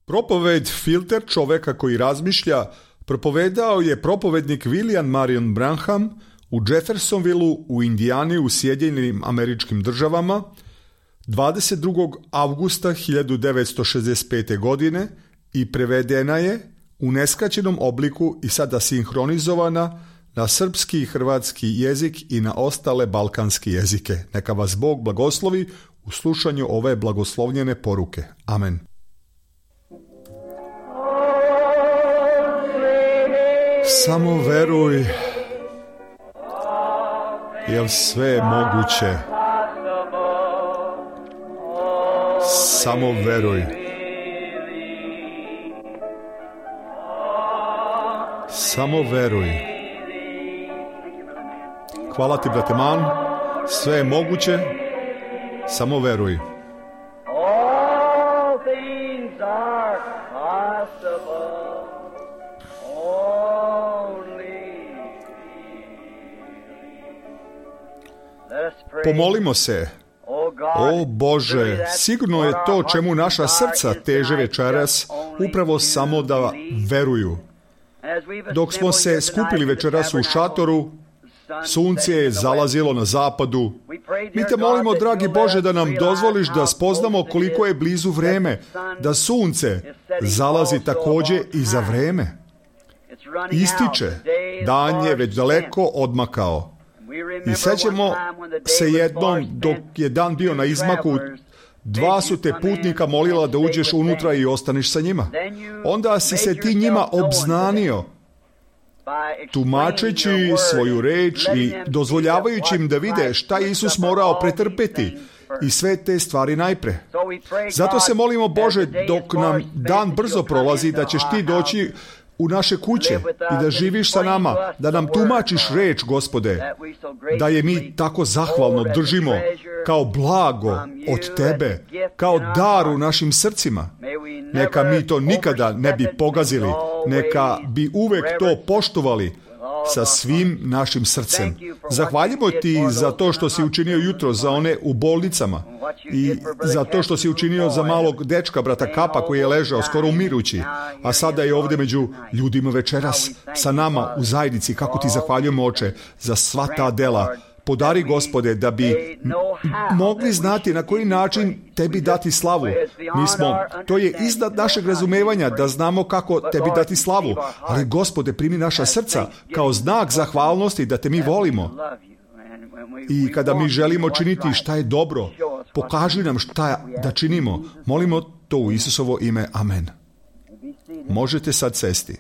Propoved Filter čoveka koji razmišlja propovedao je propovednik William Marion Branham u Jeffersonvilleu u Indijani u Sjedinjenim Američkim Državama 22. avgusta 1965. godine i prevedena je u neskraćenom obliku i sada sinhronizovana na srpski i hrvatski jezik i na ostale balkanske jezike. Neka vas Bog blagoslovi u slušanju ove blagoslovljene poruke. Amen. Samo veruj, jer sve je moguće. Samo veruj. Samo veruj. Hvala ti, brate Man. Sve je moguće. Samo veruj. Pomolimo se. O Bože, sigurno je to čemu naša srca teže večeras, upravo samo da veruju. Dok smo se skupili večeras u šatoru, sunce je zalazilo na zapadu. Mi te molimo, dragi Bože, da nam dozvoliš da spoznamo koliko je blizu vreme, da sunce zalazi također i za vreme. Ističe, dan je već daleko odmakao. I sjećamo se jednom, dok je dan bio na izmaku, dva su te putnika molila da uđeš unutra i ostaneš sa njima. Onda si se ti njima obznanio, tumačeći svoju reč i dozvoljavajući im da vide šta je Isus morao pretrpeti i sve te stvari najpre. Zato se molimo, Bože, dok nam dan brzo prolazi, da ćeš ti doći u naše kuće i da živiš sa nama, da nam tumačiš reč, Gospode, da je mi tako zahvalno držimo kao blago od Tebe, kao dar u našim srcima. Neka mi to nikada ne bi pogazili, neka bi uvek to poštovali sa svim našim srcem. Zahvaljujemo ti za to što si učinio jutro za one u bolnicama i za to što si učinio za malog dečka, brata Kapa, koji je ležao skoro umirući, a sada je ovdje među ljudima večeras sa nama u zajednici. Kako ti zahvaljujemo, Oče, za sva ta dela. Podari, Gospode, da bi mogli znati na koji način Tebi dati slavu. To je iznad našeg razumevanja da znamo kako Tebi dati slavu. Ali, Gospode, primi naša srca kao znak zahvalnosti da Te mi volimo. I kada mi želimo činiti šta je dobro, pokaži nam šta da činimo. Molimo to u Isusovo ime. Amen. Možete sad sesti.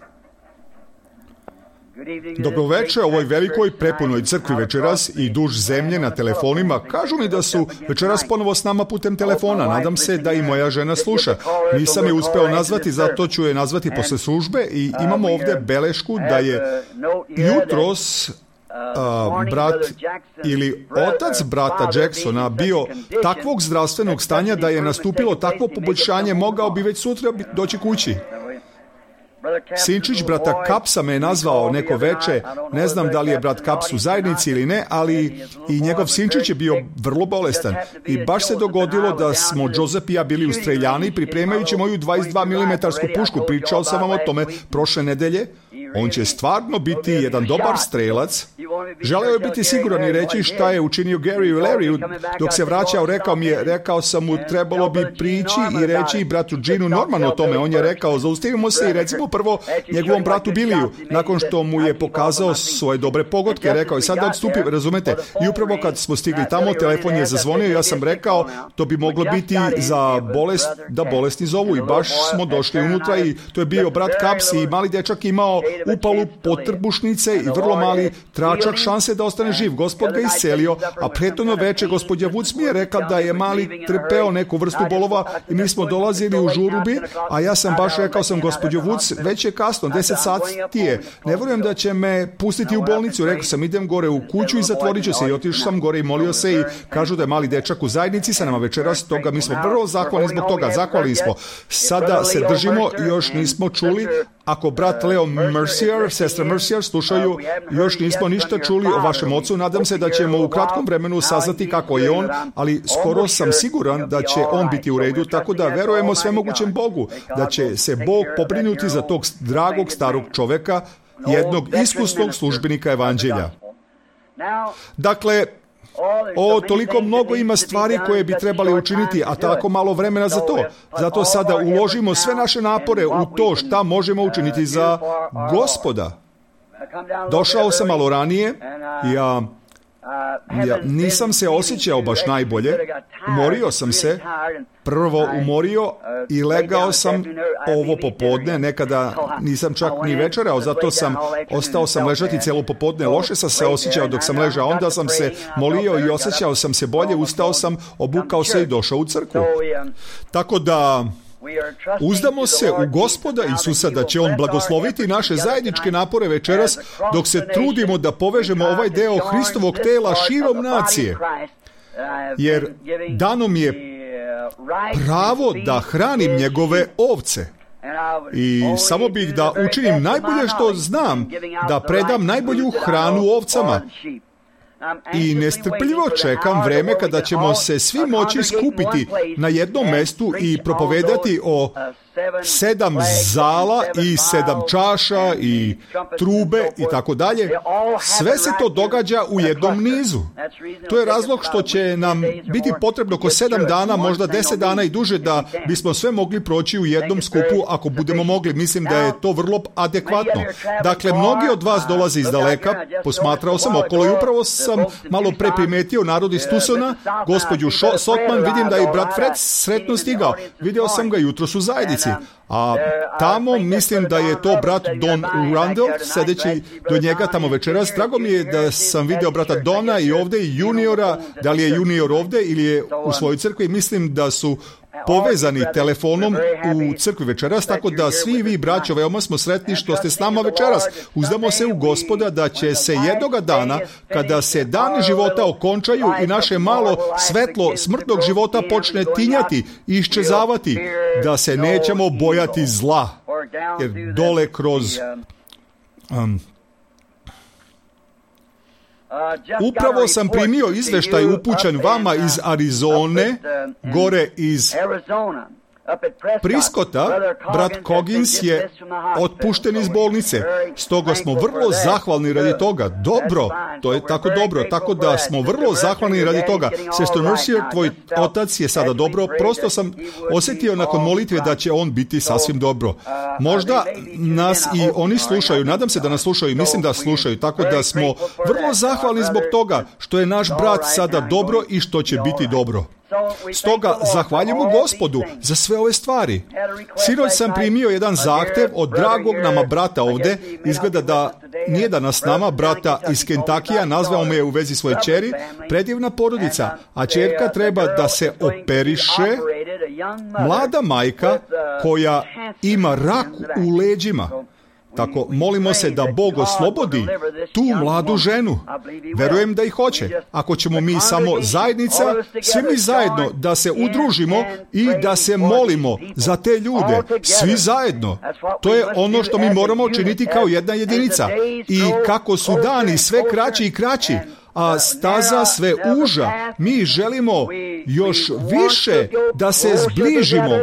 Dobro večer ovoj velikoj prepunoj crkvi večeras i duž zemlje na telefonima. Kažu mi da su večeras ponovo s nama putem telefona. Nadam se da i moja žena sluša. Nisam je uspeo nazvati, zato ću je nazvati posle službe i imamo ovdje belešku da je jutros brat ili otac brata Jacksona bio takvog zdravstvenog stanja da je nastupilo takvo poboljšanje, mogao bi već sutra doći kući. Sinčić brata Kapsa me je nazvao neko veče, ne znam da li je brat Kaps u zajednici ili ne, ali i njegov sinčić je bio vrlo bolestan. I baš se dogodilo da smo Joseph i ja bili u streljani pripremajući moju 22 mm pušku. Pričao sam vam o tome prošle nedelje. On će stvarno biti jedan dobar strelac. Želeo je biti siguran i reći šta je učinio Gary u Larryu. Dok se vraćao, rekao sam mu, trebalo bi prići i reći bratu Ginu Normanu o tome. On je rekao, zaustavimo se i recimo prvo njegovom bratu Billiju. Nakon što mu je pokazao svoje dobre pogodke, rekao je sad da odstupi, razumete. I upravo kad smo stigli tamo, telefon je zazvonio, ja sam rekao, to bi moglo biti za bolest, da bolesti zovu. I baš smo došli unutra i to je bio brat Kaps i mali dečak imao upalu potrbušnice i vrlo mali tračak šanse da ostane živ. Gospod ga iscelio, a prethodno veče gospođa Vuc mi je rekla da je mali trpeo neku vrstu bolova i mi smo dolazili u žurubi, a ja sam baš rekao sam, gospođo Vuc, već je kasno, 10 sati je. Ne vjerujem da će me pustiti u bolnicu. Rekao sam, idem gore u kuću i zatvorit ću se. I otišao sam gore i molio se i kažu da je mali dečak u zajednici sa nama večeras. Toga mi smo vrlo zahvalni zbog toga. Zahvalni smo. Sada se držimo, još nismo čuli, ako brat Leo Mercier, sestra Mercier slušaju, još nismo ništa čuli o vašem ocu. Nadam se da ćemo u kratkom vremenu saznati kako je on, ali skoro sam siguran da će on biti u redu, tako da verujemo svemogućem Bogu, da će se Bog pobrinuti za tog dragog starog čoveka, jednog iskusnog službenika evanđelja. Dakle, toliko mnogo ima stvari koje bi trebali učiniti, a tako malo vremena za to. Zato sada uložimo sve naše napore u to šta možemo učiniti za Gospoda. Došao sam malo ranije, ja nisam se osjećao baš najbolje, umorio sam se, prvo umorio i legao sam ovo popodne, nekada nisam čak ni večerao, zato ostao sam ležati cijelo popodne, loše sam se osjećao dok sam ležao, onda sam se molio i osjećao sam se bolje, ustao sam, obukao se i došao u crkvu. Tako da uzdamo se u Gospoda Isusa da će On blagosloviti naše zajedničke napore večeras dok se trudimo da povežemo ovaj deo Hristovog tela širom nacije. Jer dano mi je pravo da hranim njegove ovce. I samo bih da učinim najbolje što znam, da predam najbolju hranu ovcama. I nestrpljivo čekam vreme kada ćemo se svi moći skupiti na jednom mestu i propovedati o 7 zala i 7 čaša i trube i tako dalje. Sve se to događa u jednom nizu. To je razlog što će nam biti potrebno oko 7 dana, možda 10 dana i duže da bismo sve mogli proći u jednom skupu ako budemo mogli. Mislim da je to vrlo adekvatno. Dakle, mnogi od vas dolaze iz daleka, posmatrao sam okolo i upravo sam malo pre primetio narod iz Tucsona, gospođu Sotman, vidim da je brat Fred sretno stigao. Video sam ga jutros u zajednici. A tamo mislim da je to brat Don Randall, sedeći do njega tamo večeras. Drago mi je da sam video brata Dona i ovde i juniora, da li je junior ovde ili je u svojoj crkvi. Mislim da su povezani telefonom u crkvi večeras, tako da svi vi, braćo, veoma smo sretni što ste s nama večeras. Uzdamo se u Gospoda da će se jednoga dana, kada se dani života okončaju i naše malo svetlo smrtnog života počne tinjati i iščezavati, da se nećemo bojati zla. Jer dole kroz... Upravo sam primio izveštaj upućen vama iz Arizone, gore iz Priskota. Brat Coggins je otpušten iz bolnice. Stoga smo vrlo zahvalni radi toga. Dobro, to je tako dobro. Tako da smo vrlo zahvalni radi toga. Sestro Mercier, tvoj otac je sada dobro. Prosto sam osjetio nakon molitve da će on biti sasvim dobro. Možda nas i oni slušaju. Nadam se da nas slušaju i mislim da slušaju. Tako da smo vrlo zahvalni zbog toga što je naš brat sada dobro i što će biti dobro. Stoga zahvaljujemo Gospodu za sve ove stvari. Sinoć sam primio jedan zahtev od dragog nama brata ovde. Izgleda da nije danas s nama, brata iz Kentakija, nazvao me je u vezi svoje ćeri, predivna porodica, a ćerka treba da se operiše, mlada majka koja ima rak u leđima. Tako, molimo se da Bog oslobodi tu mladu ženu. Verujem da ih hoće. Ako ćemo mi samo zajednica, svi mi zajedno da se udružimo i da se molimo za te ljude. Svi zajedno. To je ono što mi moramo činiti kao jedna jedinica. I kako su dani sve kraći i kraći, a staza sve uža, mi želimo još više da se zbližimo.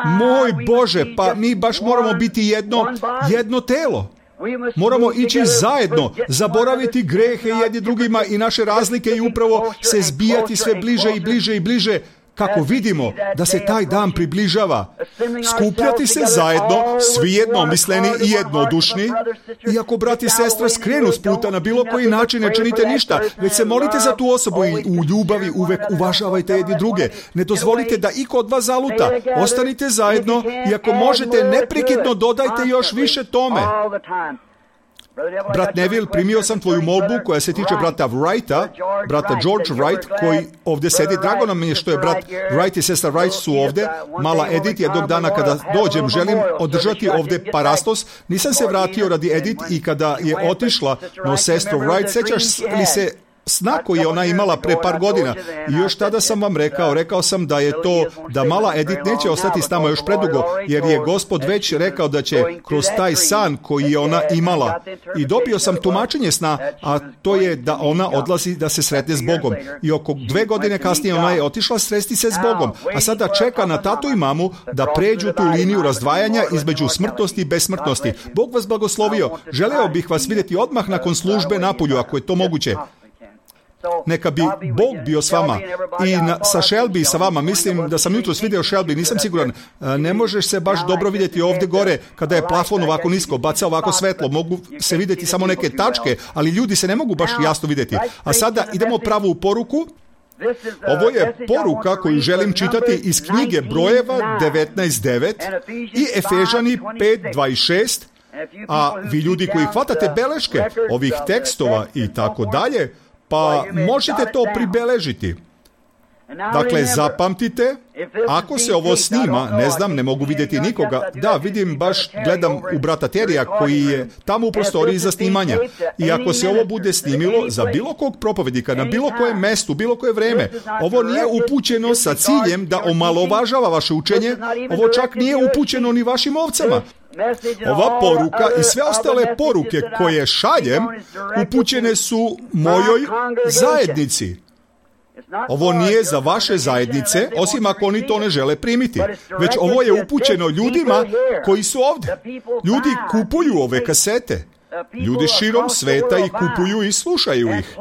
Moj Bože, pa mi baš moramo biti jedno telo. Moramo ići zajedno, zaboraviti grehe jedni drugima i naše razlike i upravo se zbijati sve bliže i bliže i bliže, kako vidimo da se taj dan približava. Skupljati se zajedno, svi jednomisleni i jednodušni. I ako brat i sestra skrenu s puta na bilo koji način, ne činite ništa, već se molite za tu osobu i u ljubavi uvek uvažavajte jedni druge. Ne dozvolite da iko od vas zaluta. Ostanite zajedno i ako možete, neprekidno dodajte još više tome. Brat Neville, primio sam tvoju molbu koja se tiče brata Wrighta, brata George Wright, koji ovdje sedi. Drago nam je što je brat Wright i sestra Wright su ovdje. Mala Edith, jednog dana kada dođem, želim održati ovdje parastos. Nisam se vratio radi Edith i kada je otišla, no sestro Wright, sećaš li se sna koji je ona imala pre par godina. I još tada sam vam rekao sam da je to, da mala Edith neće ostati s nama još predugo, jer je Gospod već rekao da će kroz taj san koji je ona imala. I dobio sam tumačenje sna, a to je da ona odlazi da se sretne s Bogom. I oko 2 godine kasnije ona je otišla sresti se s Bogom, a sada čeka na tatu i mamu da pređu tu liniju razdvajanja između smrtnosti i besmrtnosti. Bog vas blagoslovio. Želeo bih vas vidjeti odmah nakon službe napolju, ako je to moguće. Neka bi Bog bio s vama. I sa Shelby sa vama. Mislim da sam jutros vidio Shelby, nisam siguran. Ne možeš se baš dobro vidjeti ovdje gore kada je plafon ovako nisko, baca ovako svetlo. Mogu se vidjeti samo neke tačke, ali ljudi se ne mogu baš jasno vidjeti. A sada idemo pravu poruku. Ovo je poruka koju želim čitati iz knjige Brojeva 19.9 i Efežani 5.26. A vi ljudi koji hvatate beleške ovih tekstova i tako dalje, pa možete to pribeležiti. Dakle, zapamtite, ako se ovo snima, ne znam, ne mogu vidjeti nikoga. Da, vidim, baš gledam u brata Terija koji je tamo u prostoriji za snimanja. I ako se ovo bude snimilo za bilo kog propovednika, na bilo kojem mestu, bilo koje vreme, ovo nije upućeno sa ciljem da omalovažava vaše učenje, ovo čak nije upućeno ni vašim ovcama. Ova poruka i sve ostale poruke koje šaljem upućene su mojoj zajednici. Ovo nije za vaše zajednice, osim ako oni to ne žele primiti. Već ovo je upućeno ljudima koji su ovdje. Ljudi kupuju ove kasete. Ljudi širom sveta ih kupuju i slušaju ih.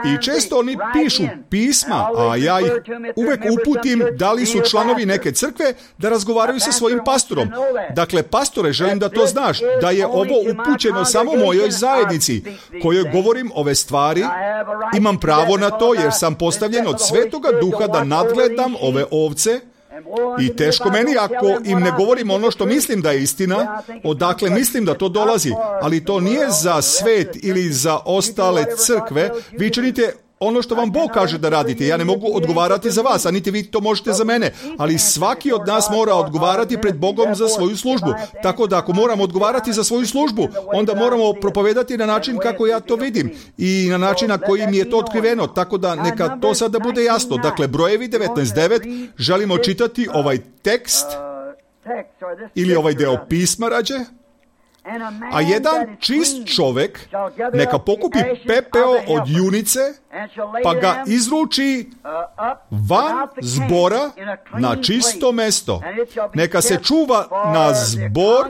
I često oni pišu pisma, a ja ih uvek uputim da li su članovi neke crkve da razgovaraju sa svojim pastorom. Dakle, pastore, želim da to znaš, da je ovo upućeno samo mojoj zajednici, kojoj govorim ove stvari. Imam pravo na to jer sam postavljen od Svetoga Duha da nadgledam ove ovce. I teško meni ako im ne govorim ono što mislim da je istina, odakle mislim da to dolazi, ali to nije za svet ili za ostale crkve. Vi činite ono što vam Bog kaže da radite. Ja ne mogu odgovarati za vas, a niti vi to možete za mene, ali svaki od nas mora odgovarati pred Bogom za svoju službu. Tako da ako moram odgovarati za svoju službu, onda moramo propovedati na način kako ja to vidim i na način na koji mi je to otkriveno. Tako da neka to sada bude jasno. Dakle, Brojevi 19.9, želimo čitati ovaj tekst ili ovaj deo pisma rađe. A jedan čist čovjek neka pokupi pepeo od junice, pa ga izruči van zbora na čisto mesto. Neka se čuva na zbor,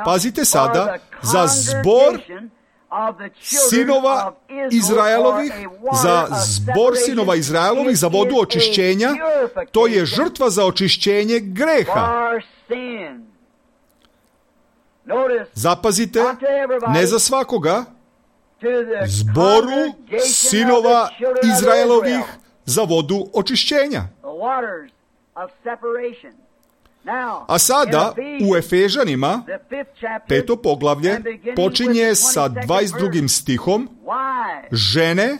pazite sada, za zbor sinova Izraelovih, za zbor sinova Izraelovih, za vodu očišćenja. To je žrtva za očišćenje greha. Zapazite, ne za svakoga, zboru sinova Izraelovih za vodu očišćenja. A sada u Efežanima 5. poglavlje počinje sa 22. stihom. Žene,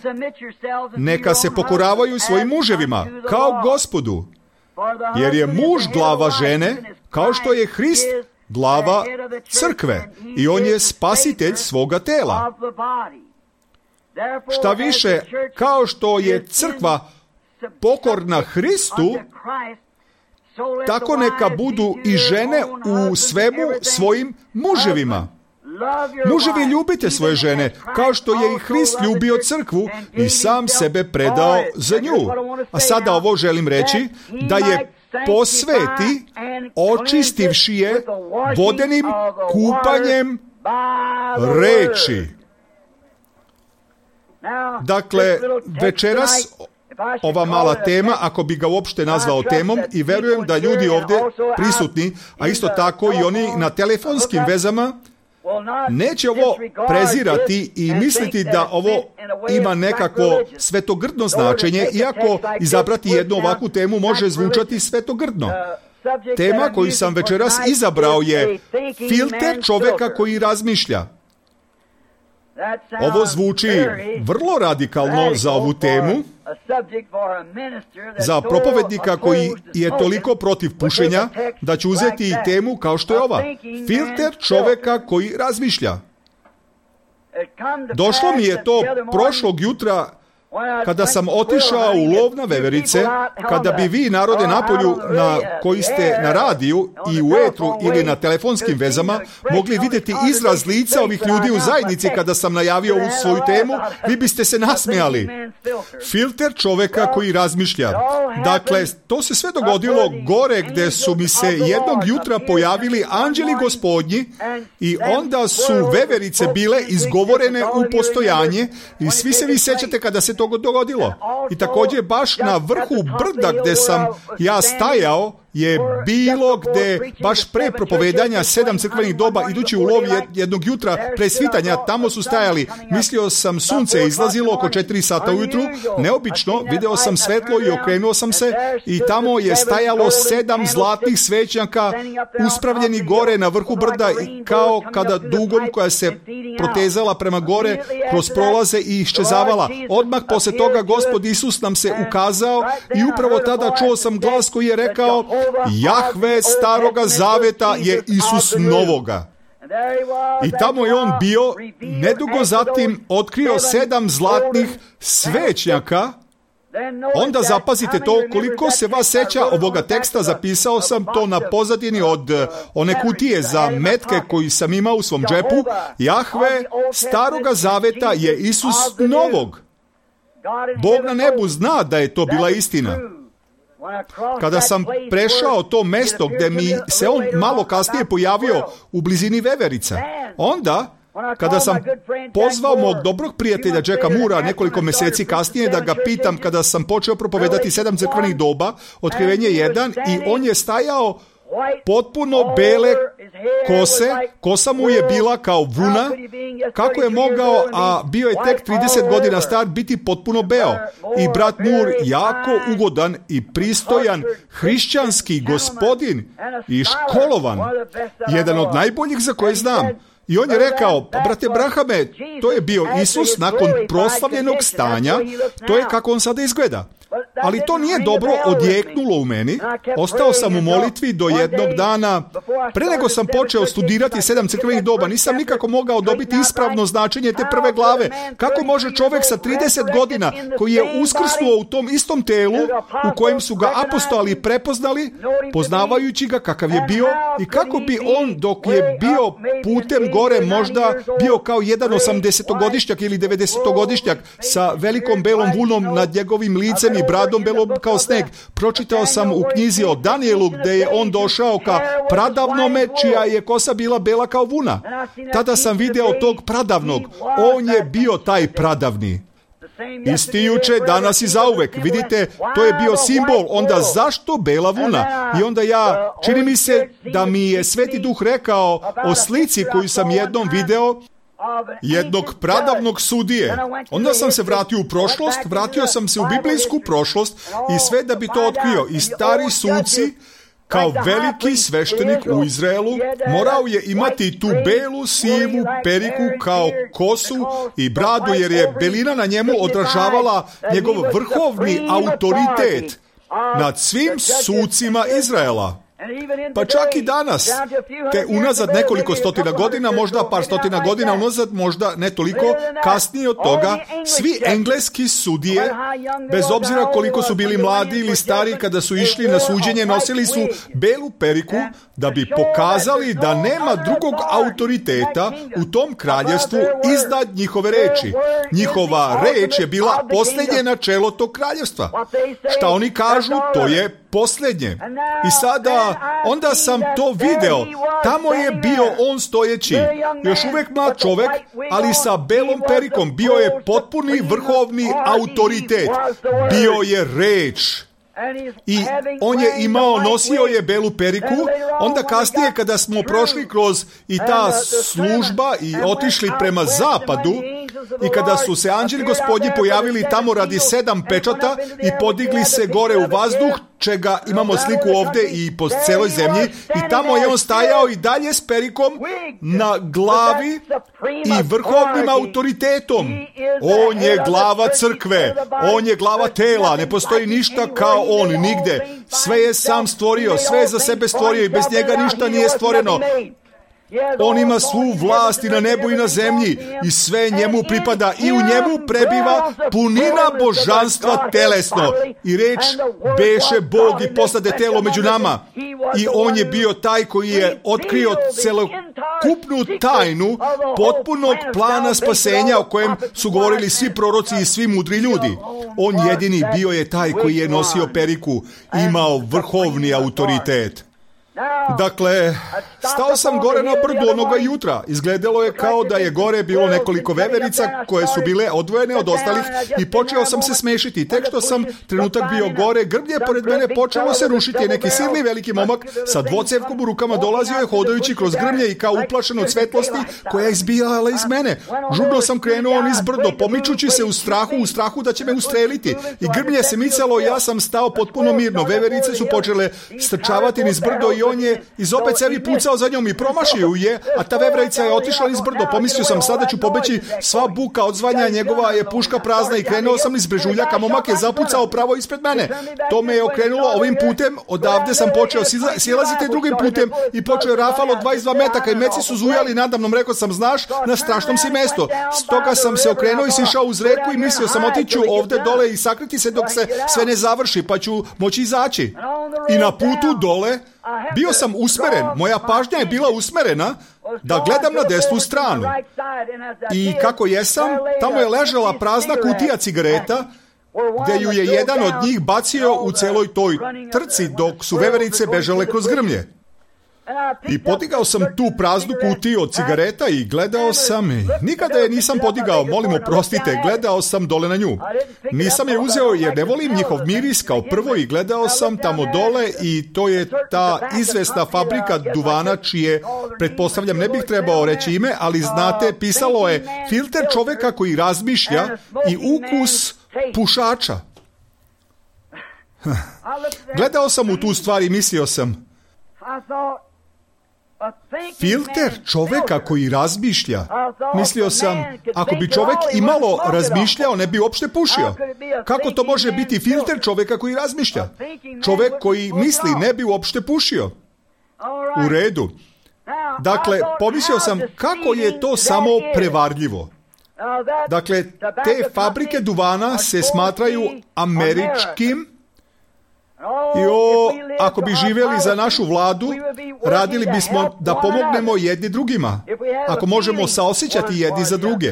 neka se pokoravaju svojim muževima kao Gospodu, jer je muž glava žene, kao što je Hrist glava crkve i on je spasitelj svoga tela. Šta više, kao što je crkva pokorna Hristu, tako neka budu i žene u svemu svojim muževima. Muževi, ljubite svoje žene, kao što je i Hrist ljubio crkvu i sam sebe predao za nju. A sada ovo želim reći, da je posveti, očistivši je vodenim kupanjem reči. Dakle, večeras ova mala tema, ako bi ga uopšte nazvao temom, i verujem da ljudi ovdje prisutni, a isto tako i oni na telefonskim vezama, neće ovo prezirati i misliti da ovo ima nekakvo svetogrdno značenje, iako izabrati jednu ovakvu temu može zvučati svetogrdno. Tema koju sam večeras izabrao je filter čovjeka koji razmišlja. Ovo zvuči vrlo radikalno za ovu temu, za propovednika koji je toliko protiv pušenja, da će uzeti i temu kao što je ova. Filter čovjeka koji razmišlja. Došlo mi je to prošlog jutra kada sam otišao u lov na veverice, kada bi vi, narode napolju, koji ste na radiju i u etru ili na telefonskim vezama, mogli vidjeti izraz lica ovih ljudi u zajednici kada sam najavio ovu svoju temu, vi biste se nasmijali. Filter čoveka koji razmišlja. Dakle, to se sve dogodilo gore gdje su mi se jednog jutra pojavili anđeli gospodnji i onda su veverice bile izgovorene u postojanje i svi se vi sjećate kada se to dogodilo. I također baš na vrhu brda gdje sam ja stajao je bilo gdje baš pre propovedanja 7 crkvenih doba idući u lov jednog jutra pre svitanja, tamo su stajali. Mislio sam sunce izlazilo oko 4 sata ujutru, neobično, video sam svetlo i okrenuo sam se i tamo je stajalo 7 zlatnih svećnjaka uspravljeni gore na vrhu brda i kao kada dugom koja se protezala prema gore kroz prolaze i iščezavala. Odmah poslije toga Gospod Isus nam se ukazao i upravo tada čuo sam glas koji je rekao: Jahve staroga zaveta je Isus novoga. I tamo je on bio, nedugo zatim otkrio 7 zlatnih svećnjaka. Onda zapazite to, koliko se vas seća ovoga teksta, zapisao sam to na pozadini od one kutije za metke koji sam imao u svom džepu. Jahve staroga zaveta je Isus novog. Bog na nebu zna da je to bila istina. Kada sam prešao to mesto gdje mi se on malo kasnije pojavio u blizini veverica, onda kada sam pozvao mog dobrog prijatelja Jacka Moora nekoliko mjeseci kasnije da ga pitam kada sam počeo propovedati 7 crkvenih doba, Otkrivenje 1, i on je stajao potpuno bele kose, kosa mu je bila kao vuna, kako je mogao, a bio je tek 30 godina star, biti potpuno beo. I brat Moore, jako ugodan i pristojan hrišćanski gospodin i školovan, jedan od najboljih za koje znam. I on je rekao: brate Brahame, to je bio Isus nakon proslavljenog stanja, to je kako on sada izgleda. Ali to nije dobro odjeknulo u meni. Ostao sam u molitvi do jednog dana. Pre nego sam počeo studirati 7 crkvenih doba, nisam nikako mogao dobiti ispravno značenje te prve glave. Kako može čovjek sa 30 godina, koji je uskrsnuo u tom istom telu, u kojem su ga apostoli prepoznali, poznavajući ga kakav je bio, i kako bi on, dok je bio putem gore, možda bio kao jedan 80-godišnjak ili 90-godišnjak sa velikom belom vunom nad njegovim licem i bradom belom kao sneg. Pročitao sam u knjizi o Danielu gdje je on došao ka pradavnome čija je kosa bila bela kao vuna. Tada sam video tog pradavnog. On je bio taj pradavni. Isti juče, danas i zauvek. Vidite, to je bio simbol. Onda zašto bela vuna? I onda čini mi se da mi je Sveti Duh rekao o slici koju sam jednom video jednog pradavnog sudije. Onda sam se vratio u prošlost, vratio sam se u biblijsku prošlost i sve da bi to otkrio. I stari suci, kao veliki sveštenik u Izraelu, morao je imati tu belu sivu periku kao kosu i bradu, jer je belina na njemu odražavala njegov vrhovni autoritet nad svim sucima Izraela. Pa čak i danas, te unazad nekoliko stotina godina, možda par stotina godina unazad, možda ne toliko, kasnije od toga, svi engleski sudije, bez obzira koliko su bili mladi ili stari, kada su išli na suđenje, nosili su belu periku da bi pokazali da nema drugog autoriteta u tom kraljevstvu iznad njihove reči. Njihova reč je bila posljednje načelo tog kraljevstva. Šta oni kažu, to je posljednje. I sada, onda sam to video. Tamo je bio on stojeći. Još uvijek mlad čovjek, ali sa belom perikom. Bio je potpuni vrhovni autoritet. Bio je reč. I on je nosio je belu periku. Onda kasnije kada smo prošli kroz i ta služba i otišli prema zapadu, i kada su se anđeli Gospodnji pojavili tamo radi 7 pečata i podigli se gore u vazduh, čega imamo sliku ovdje i po celoj zemlji, i tamo je on stajao i dalje s perikom na glavi i vrhovnim autoritetom. On je glava crkve, on je glava tela, ne postoji ništa kao on nigde. Sve je sam stvorio, sve je za sebe stvorio i bez njega ništa nije stvoreno. On ima svu vlast i na nebu i na zemlji i sve njemu pripada i u njemu prebiva punina božanstva telesno. I reč beše Bog i postade telo među nama. I on je bio taj koji je otkrio celokupnu tajnu potpunog plana spasenja o kojem su govorili svi proroci i svi mudri ljudi. On jedini bio je taj koji je nosio periku, imao vrhovni autoritet. Dakle, stao sam gore na brdu onoga jutra. Izgledalo je kao da je gore bilo nekoliko veverica koje su bile odvojene od ostalih i počeo sam se smešiti. Tek što sam trenutak bio gore, grblje pored mene počelo se rušiti. Neki silni veliki momak sa dvocevkom u rukama dolazio je hodajući kroz grmlje i kao uplašen od svetlosti koja je izbijala iz mene. Žurno sam krenuo niz brdo, pomičući se u strahu da će me ustreliti. I grmlje se micalo i ja sam stao potpuno mirno. Veverice su počele strčavati niz brdo i on je iz opet cevi pucao za njom i promašio je, a ta veverica je otišla niz brdo. Pomislio sam, sada ću pobeći, sva buka odzvanja, njegova je puška prazna i krenuo sam niz brežuljaka. Momak je zapucao pravo ispred mene. To me je okrenulo ovim putem, odavde sam počeo silaziti drugim putem i počeo je rafalo 22 metaka i meci su zujali nadamnom. Rekao sam, znaš, na strašnom si mesto. Stoga sam se okrenuo i sišao uz reku i mislio sam, otiću ovde dole i sakriti se dok se sve ne završi, pa ću moći izaći. I na putu dole bio sam usmeren, moja pažnja je bila usmerena da gledam na desnu stranu. I kako jesam, tamo je ležala prazna kutija cigareta, gde ju je jedan od njih bacio u celoj toj trci dok su veverice bežale kroz grmlje. I podigao sam tu praznu kutiju od cigareta i gledao sam i nikada je nisam podigao, molim oprostite, gledao sam dole na nju. Nisam je uzeo jer ne volim njihov miris kao prvo i gledao sam tamo dole i to je ta izvesna fabrika duvana čije, pretpostavljam, ne bih trebao reći ime, ali znate, pisalo je filter čoveka koji razmišlja i ukus pušača. Gledao sam u tu stvar i mislio sam, filter čoveka koji razmišlja. Mislio sam, ako bi čovek imalo razmišljao, ne bi uopšte pušio. Kako to može biti filter čoveka koji razmišlja? Čovek koji misli ne bi uopšte pušio. U redu. Dakle, pomislio sam, kako je to samo prevarljivo. Dakle, te fabrike duvana se smatraju američkim. I ako bi živjeli za našu vladu, radili bismo da pomognemo jedni drugima, ako možemo saosjećati jedni za druge.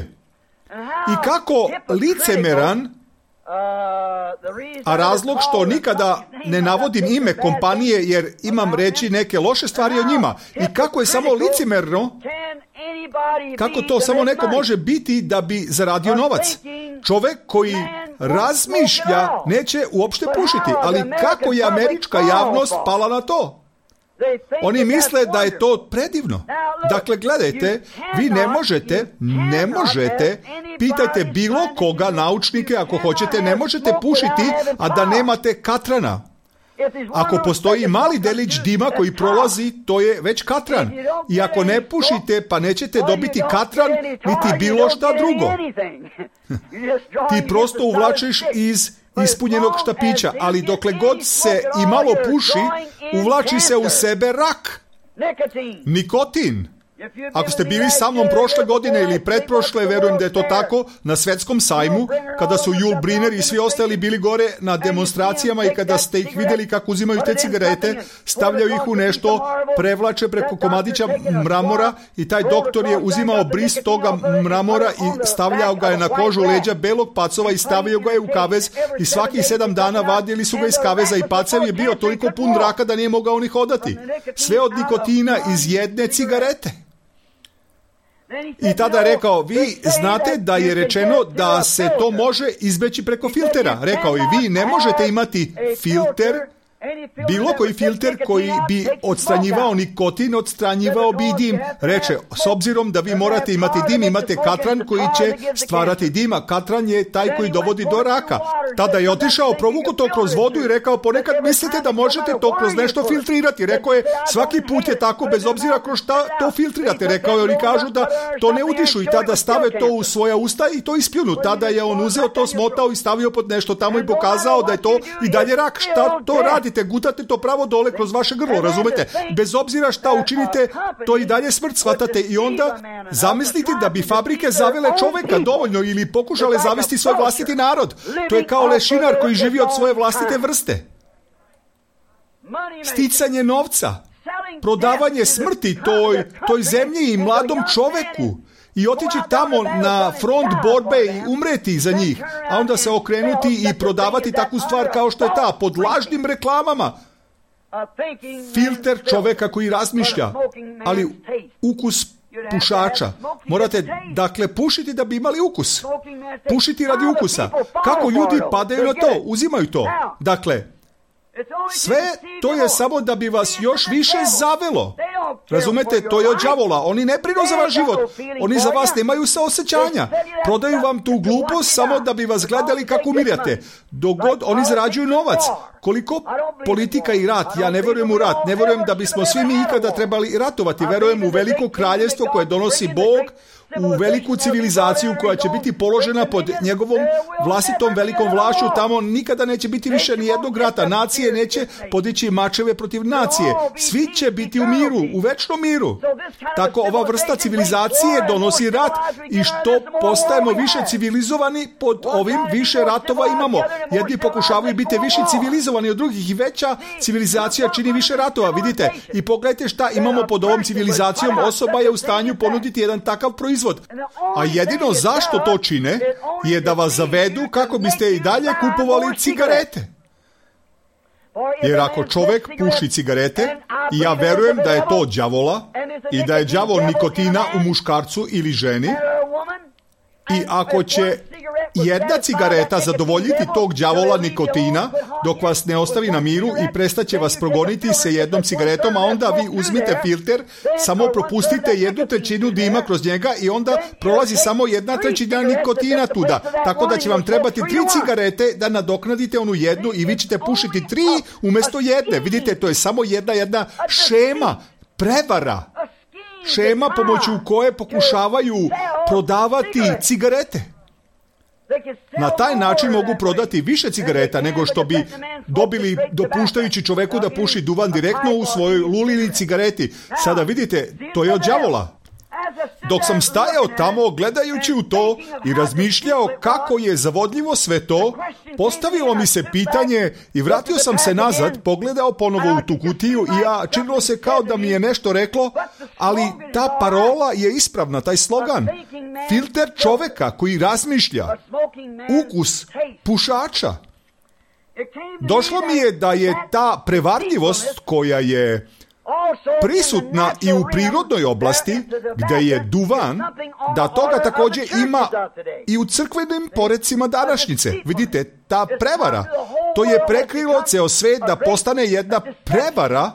I kako licemeran, a razlog što nikada ne navodim ime kompanije jer imam reći neke loše stvari o njima, i kako je samo licemerno, kako to samo neko može biti da bi zaradio novac. Čovek koji razmišlja neće uopšte pušiti, ali kako je američka javnost pala na to? Oni misle da je to predivno. Dakle, gledajte, vi ne možete, pitajte bilo koga, naučnike, ako hoćete, ne možete pušiti, a da nemate katrana. Ako postoji mali delić dima koji prolazi, to je već katran. I ako ne pušite, pa nećete dobiti katran, niti bilo šta drugo. Ti prosto uvlačiš iz ispunjenog štapića, ali dokle god se i malo puši, uvlači se u sebe rak. Nikotin. Ako ste bili sa mnom prošle godine ili pretprošle, verujem da je to tako, na svetskom sajmu, kada su Yul Brynner i svi ostali bili gore na demonstracijama i kada ste ih vidjeli kako uzimaju te cigarete, stavljaju ih u nešto, prevlače preko komadića mramora i taj doktor je uzimao bris toga mramora i stavljao ga je na kožu leđa belog pacova i stavio ga je u kavez i svakih 7 dana vadili su ga iz kaveza i pacev je bio toliko pun raka da nije mogao ni hodati. Sve od nikotina iz jedne cigarete. I tada je rekao, vi znate da je rečeno da se to može izbeći preko filtera. Rekao, i vi ne možete imati filter, bilo koji filter koji bi odstranjivao nikotin, odstranjivao bi i dim. Reče, s obzirom da vi morate imati dim, imate katran koji će stvarati dim, a katran je taj koji dovodi do raka. Tada je otišao, provukao to kroz vodu i rekao, ponekad mislite da možete to kroz nešto filtrirati. Rekao je, svaki put je tako, bez obzira kroz šta to filtrirate. Rekao je, oni kažu da to ne udišu i tada stave to u svoja usta i to ispljunu. Tada je on uzeo to, smotao i stavio pod nešto tamo i pokazao da je to i dalje rak. Šta to radi? uhvatite, gutate to pravo dole kroz vaše grlo, razumete? Bez obzira šta učinite, to i dalje smrt, shvatate. I onda zamislite da bi fabrike zavele čoveka dovoljno ili pokušale zavesti svoj vlastiti narod. To je kao lešinar koji živi od svoje vlastite vrste. Sticanje novca, prodavanje smrti toj zemlji i mladom čoveku i otići tamo na front borbe i umreti za njih, a onda se okrenuti i prodavati takvu stvar kao što je ta, pod lažnim reklamama. Filter čoveka koji razmišlja, ali ukus pušača. Morate, dakle, pušiti da bi imali ukus. Pušiti radi ukusa. Kako ljudi padaju na to? Uzimaju to. Dakle, sve to je samo da bi vas još više zavelo. Razumete, to je od đavola. Oni ne brinu za vaš život. Oni za vas nemaju saosećanja. Prodaju vam tu glupost samo da bi vas gledali kako umirate. Dok god oni zarađuju novac. Koliko politika i rat, ja ne vjerujem u rat. Ne vjerujem da bismo svi mi ikada trebali ratovati. Vjerujem u veliko kraljevstvo koje donosi Bog, u veliku civilizaciju koja će biti položena pod njegovom vlastitom velikom vlašću. Tamo nikada neće biti više ni jednog rata. Nacije neće podići mačeve protiv nacije. Svi će biti u miru, u večnom miru. Tako ova vrsta civilizacije donosi rat i što postajemo više civilizovani, pod ovim više ratova imamo. Jedni pokušavaju biti više civilizovani od drugih i veća civilizacija čini više ratova. Vidite, i pogledajte šta imamo pod ovom civilizacijom. Osoba je u stanju ponuditi jedan takav proizvod. A jedino zašto to čine je da vas zavedu kako biste i dalje kupovali cigarete. Jer ako čovjek puši cigarete, i ja verujem da je to đavola i da je đavol nikotina u muškarcu ili ženi, i ako će jedna cigareta zadovoljiti tog đavola nikotina dok vas ne ostavi na miru i prestaće vas progoniti sa jednom cigaretom, a onda vi uzmite filter, samo propustite 1/3 dima kroz njega i onda prolazi samo 1/3 nikotina tuda. Tako da će vam trebati 3 cigarete da nadoknadite onu jednu i vi ćete pušiti 3 umjesto jedne. Vidite, to je samo jedna šema, prevara. Šema pomoću koje pokušavaju prodavati cigarete. Na taj način mogu prodati više cigareta nego što bi dobili dopuštajući čoveku da puši duvan direktno u svojoj lulini cigareti. Sada vidite, to je od đavola. Dok sam stajao tamo gledajući u to i razmišljao kako je zavodljivo sve to, postavilo mi se pitanje i vratio sam se nazad, pogledao ponovo u tu kutiju i ja činilo se kao da mi je nešto reklo, ali ta parola je ispravna, taj slogan. Filter čoveka koji razmišlja, ukus pušača. Došlo mi je da je ta prevarljivost koja je prisutna i u prirodnoj oblasti, gdje je duvan, da toga također ima i u crkvenim porecima današnjice. Vidite, ta prevara, to je prekrilo ceo svet da postane jedna prevara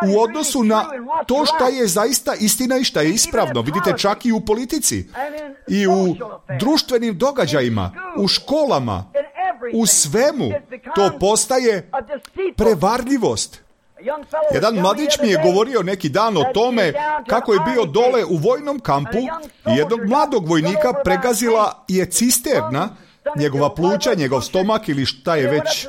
u odnosu na to šta je zaista istina i šta je ispravno. Vidite, čak i u politici, i u društvenim događajima, u školama, u svemu, to postaje prevarljivost. Jedan mladić mi je govorio neki dan o tome kako je bio dole u vojnom kampu i jednog mladog vojnika pregazila je cisterna, njegova pluća, njegov stomak ili šta je već.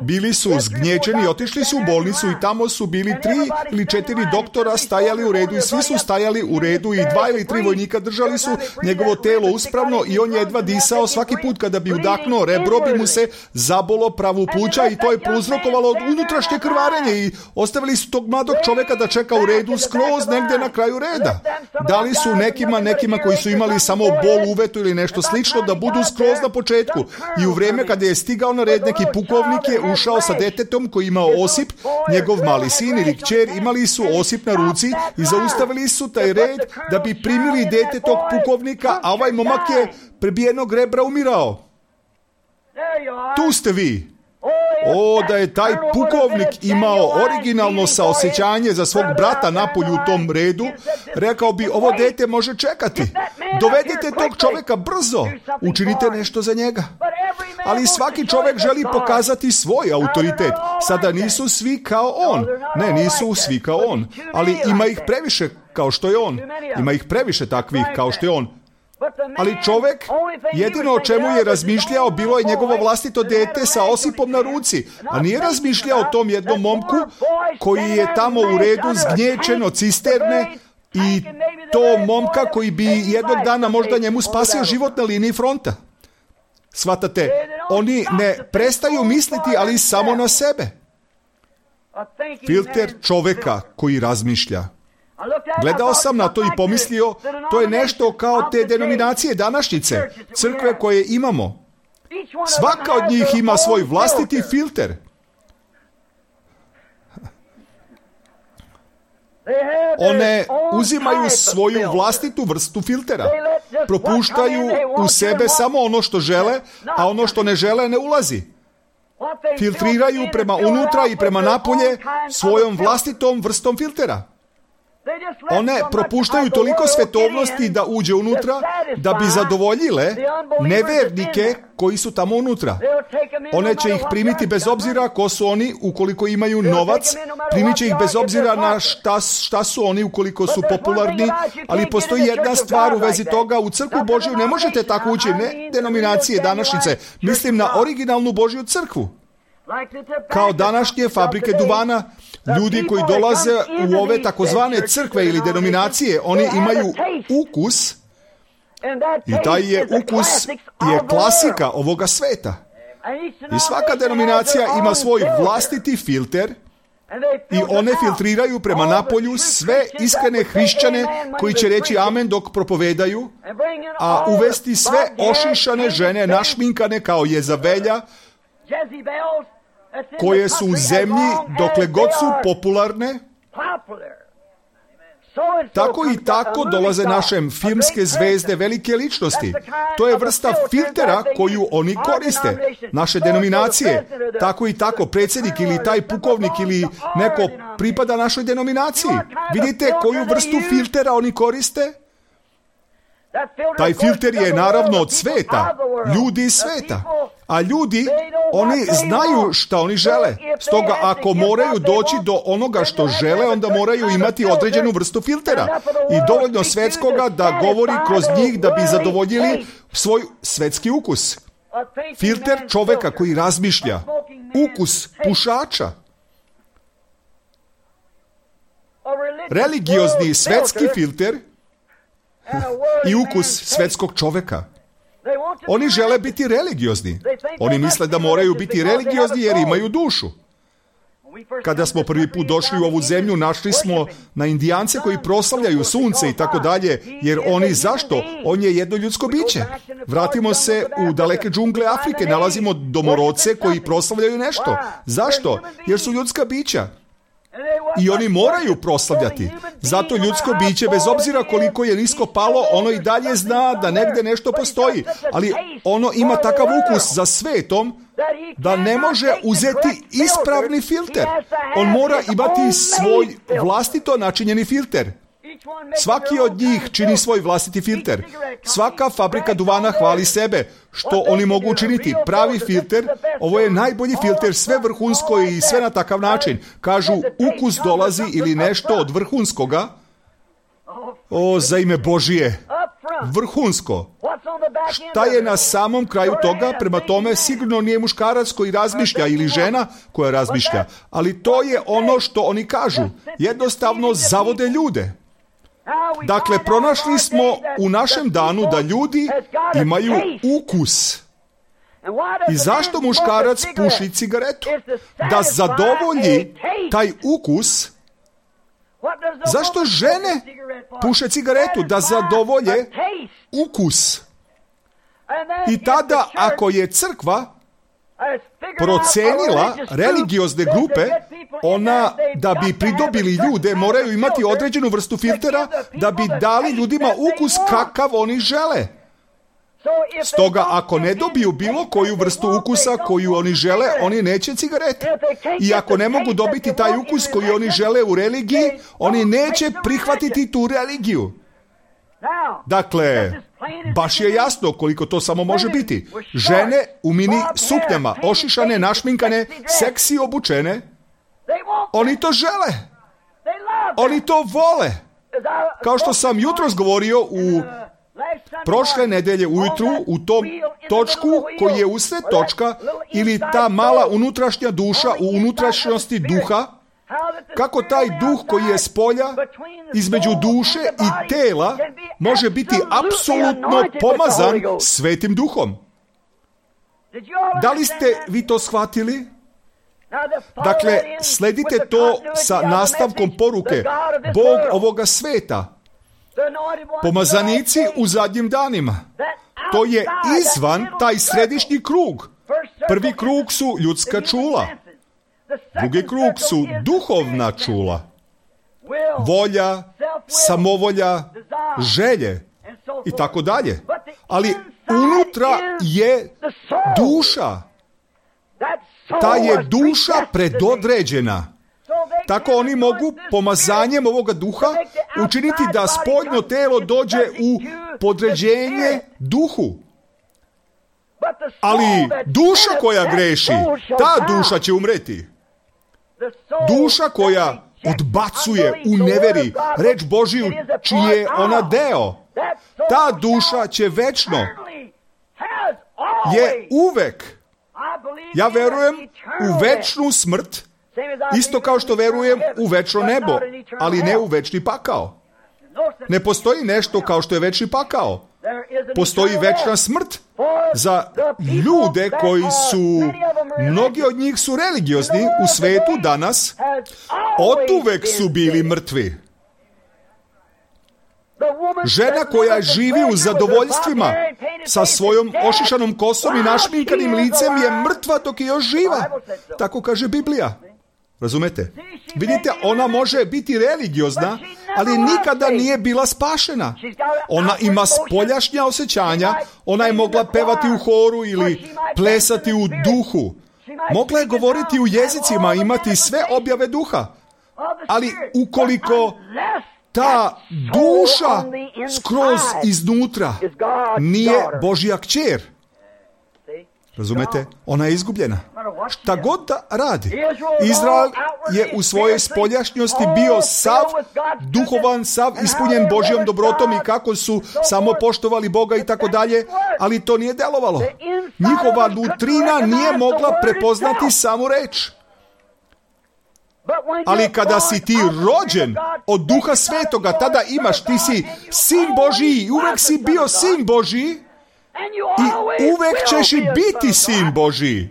Bili su zgnječeni, otišli su u bolnicu i tamo su bili 3 ili 4 doktora stajali u redu i svi su stajali u redu i 2 ili 3 vojnika držali su njegovo telo uspravno i on je jedva disao. Svaki put kada bi udahnuo, rebro bi mu se zabolo pravu pluća i to je prouzrokovalo unutrašnje krvarenje i ostavili su tog mladog čovjeka da čeka u redu skroz negdje na kraju reda. Dali su nekima koji su imali samo bol uvetu ili nešto slično da budu skroz na početku. I u vrijeme kada je stigao na red neki pukovnik je ušao sa detetom koji imao osip, njegov mali sin ili kćer imali su osip na ruci i zaustavili su taj red da bi primili dete tog pukovnika, a ovaj momak je prebijenog rebra umirao. Tu ste vi. O, da je taj pukovnik imao originalno saosjećanje za svog brata napolju u tom redu, rekao bi, ovo dete može čekati. Dovedite tog čovjeka brzo, učinite nešto za njega. Ali svaki čovjek želi pokazati svoj autoritet. Sada nisu svi kao on. Ne, nisu svi kao on. Ali ima ih previše kao što je on. Ima ih previše takvih kao što je on. Ali čovek, jedino o čemu je razmišljao bilo je njegovo vlastito dete sa osipom na ruci, a nije razmišljao o tom jednom momku koji je tamo u redu zgnječen od cisterne i to momka koji bi jednog dana možda njemu spasio život na liniji fronta. Shvatate, oni ne prestaju misliti, ali samo na sebe. Filter čoveka koji razmišlja. Gledao sam na to i pomislio, to je nešto kao te denominacije današnjice, crkve koje imamo. Svaka od njih ima svoj vlastiti filter. One uzimaju svoju vlastitu vrstu filtera. Propuštaju u sebe samo ono što žele, a ono što ne žele ne ulazi. Filtriraju prema unutra i prema napolje svojom vlastitom vrstom filtera. One propuštaju toliko svetovnosti da uđe unutra, da bi zadovoljile nevernike koji su tamo unutra. One će ih primiti bez obzira ko su oni, ukoliko imaju novac, primit će ih bez obzira na šta su oni, ukoliko su popularni, ali postoji jedna stvar u vezi toga, u crkvu Božju ne možete tako ući, ne denominacije današnjice, mislim na originalnu Božju crkvu. Kao današnje fabrike duvana, ljudi koji dolaze u ove takozvane crkve ili denominacije, oni imaju ukus i taj je ukus je klasika ovoga sveta. I svaka denominacija ima svoj vlastiti filter i one filtriraju prema napolju sve iskrene hrišćane koji će reći amen dok propovedaju, a uvesti sve ošišane žene našminkane kao Jezabelja, koje su u zemlji dokle god su popularne. Tako i tako dolaze našem filmske zvezde, velike ličnosti. To je vrsta filtera koju oni koriste. Naše denominacije, tako i tako, predsjednik ili taj pukovnik ili neko pripada našoj denominaciji. Vidite koju vrstu filtera oni koriste? Taj filter je naravno od sveta, ljudi iz sveta. A ljudi, oni znaju šta oni žele. Stoga ako moraju doći do onoga što žele, onda moraju imati određenu vrstu filtera. I dovoljno svetskoga da govori kroz njih da bi zadovoljili svoj svetski ukus. Filter čoveka koji razmišlja. Ukus pušača. Religiozni svetski filter i ukus svetskog čoveka. Oni žele biti religiozni. Oni misle da moraju biti religiozni jer imaju dušu. Kada smo prvi put došli u ovu zemlju, našli smo na Indijance koji proslavljaju sunce i tako dalje, jer oni zašto? On je jedno ljudsko biće. Vratimo se u daleke džungle Afrike, nalazimo domorodce koji proslavljaju nešto. Zašto? Jer su ljudska bića. I oni moraju proslavljati. Zato ljudsko biće, bez obzira koliko je nisko palo, ono i dalje zna da negde nešto postoji. Ali ono ima takav ukus za svetom da ne može uzeti ispravni filter. On mora imati svoj vlastito načinjeni filter. Svaki od njih čini svoj vlastiti filter. Svaka fabrika duvana hvali sebe. Što oni mogu učiniti? Pravi filter, ovo je najbolji filter, sve vrhunsko i sve na takav način. Kažu, ukus dolazi ili nešto od vrhunskoga. O, za ime Božije, vrhunsko. Šta je na samom kraju toga? Prema tome, sigurno nije muškarac koji razmišlja ili žena koja razmišlja. Ali to je ono što oni kažu. Jednostavno zavode ljude. Dakle, pronašli smo u našem danu da ljudi imaju ukus. I zašto muškarac puši cigaretu? Da zadovolji taj ukus. Zašto žene puše cigaretu? Da zadovolje ukus. I tada, ako je crkva procenila religiozne grupe, ona, da bi pridobili ljude, moraju imati određenu vrstu filtera da bi dali ljudima ukus kakav oni žele. Stoga, ako ne dobiju bilo koju vrstu ukusa koju oni žele, oni neće cigarete. I ako ne mogu dobiti taj ukus koji oni žele u religiji, oni neće prihvatiti tu religiju. Dakle, baš je jasno koliko to samo može biti. Žene u mini suknjama, ošišane, našminkane, seksi obučene, oni to žele. Oni to vole. Kao što sam jutros govorio prošle nedelje ujutru u tom točku koji je usred točka ili ta mala unutrašnja duša u unutrašnjosti duha, kako taj duh koji je spolja između duše i tela može biti apsolutno pomazan Svetim Duhom. Da li ste vi to shvatili? Dakle, sledite to sa nastavkom poruke. Bog ovoga sveta, pomazanici u zadnjim danima. To je izvan taj središnji krug. Prvi krug su ljudska čula. Drugi krug su duhovna čula. Volja, samovolja, želje i tako dalje. Ali unutra je duša. Ta je duša predodređena. Tako oni mogu pomazanjem ovoga duha učiniti da spoljno telo dođe u podređenje duhu. Ali duša koja greši, ta duša će umreti. Duša koja odbacuje u neveri reč Božiju čiji je ona deo, ta duša će večno, je uvek. Ja verujem u večnu smrt, isto kao što verujem u večno nebo, ali ne u večni pakao. Ne postoji nešto kao što je večni pakao. Postoji večna smrt za ljude koji su, mnogi od njih su religiozni u svetu danas, oduvek su bili mrtvi. Žena koja živi u zadovoljstvima sa svojom ošišanom kosom i našminkanim licem je mrtva dok je još živa. Tako kaže Biblija. Razumete? Vidite, ona može biti religiozna, ali nikada nije bila spašena. Ona ima spoljašnja osjećanja, ona je mogla pevati u horu ili plesati u duhu. Mogla je govoriti u jezicima, imati sve objave duha. Ali ukoliko ta duša skroz iznutra nije Božja kćer, razumete? Ona je izgubljena. Šta god da radi. Izrael je u svojoj spoljašnjosti bio sav duhovan, sav ispunjen Božjom dobrotom i kako su samo poštovali Boga i tako dalje, ali to nije delovalo. Njihova nutrina nije mogla prepoznati samu reč. Ali kada si ti rođen od Duha Svetoga, tada imaš, ti si sin Božiji, uvek si bio sin Božiji i uvek ćeš i biti sin Božiji.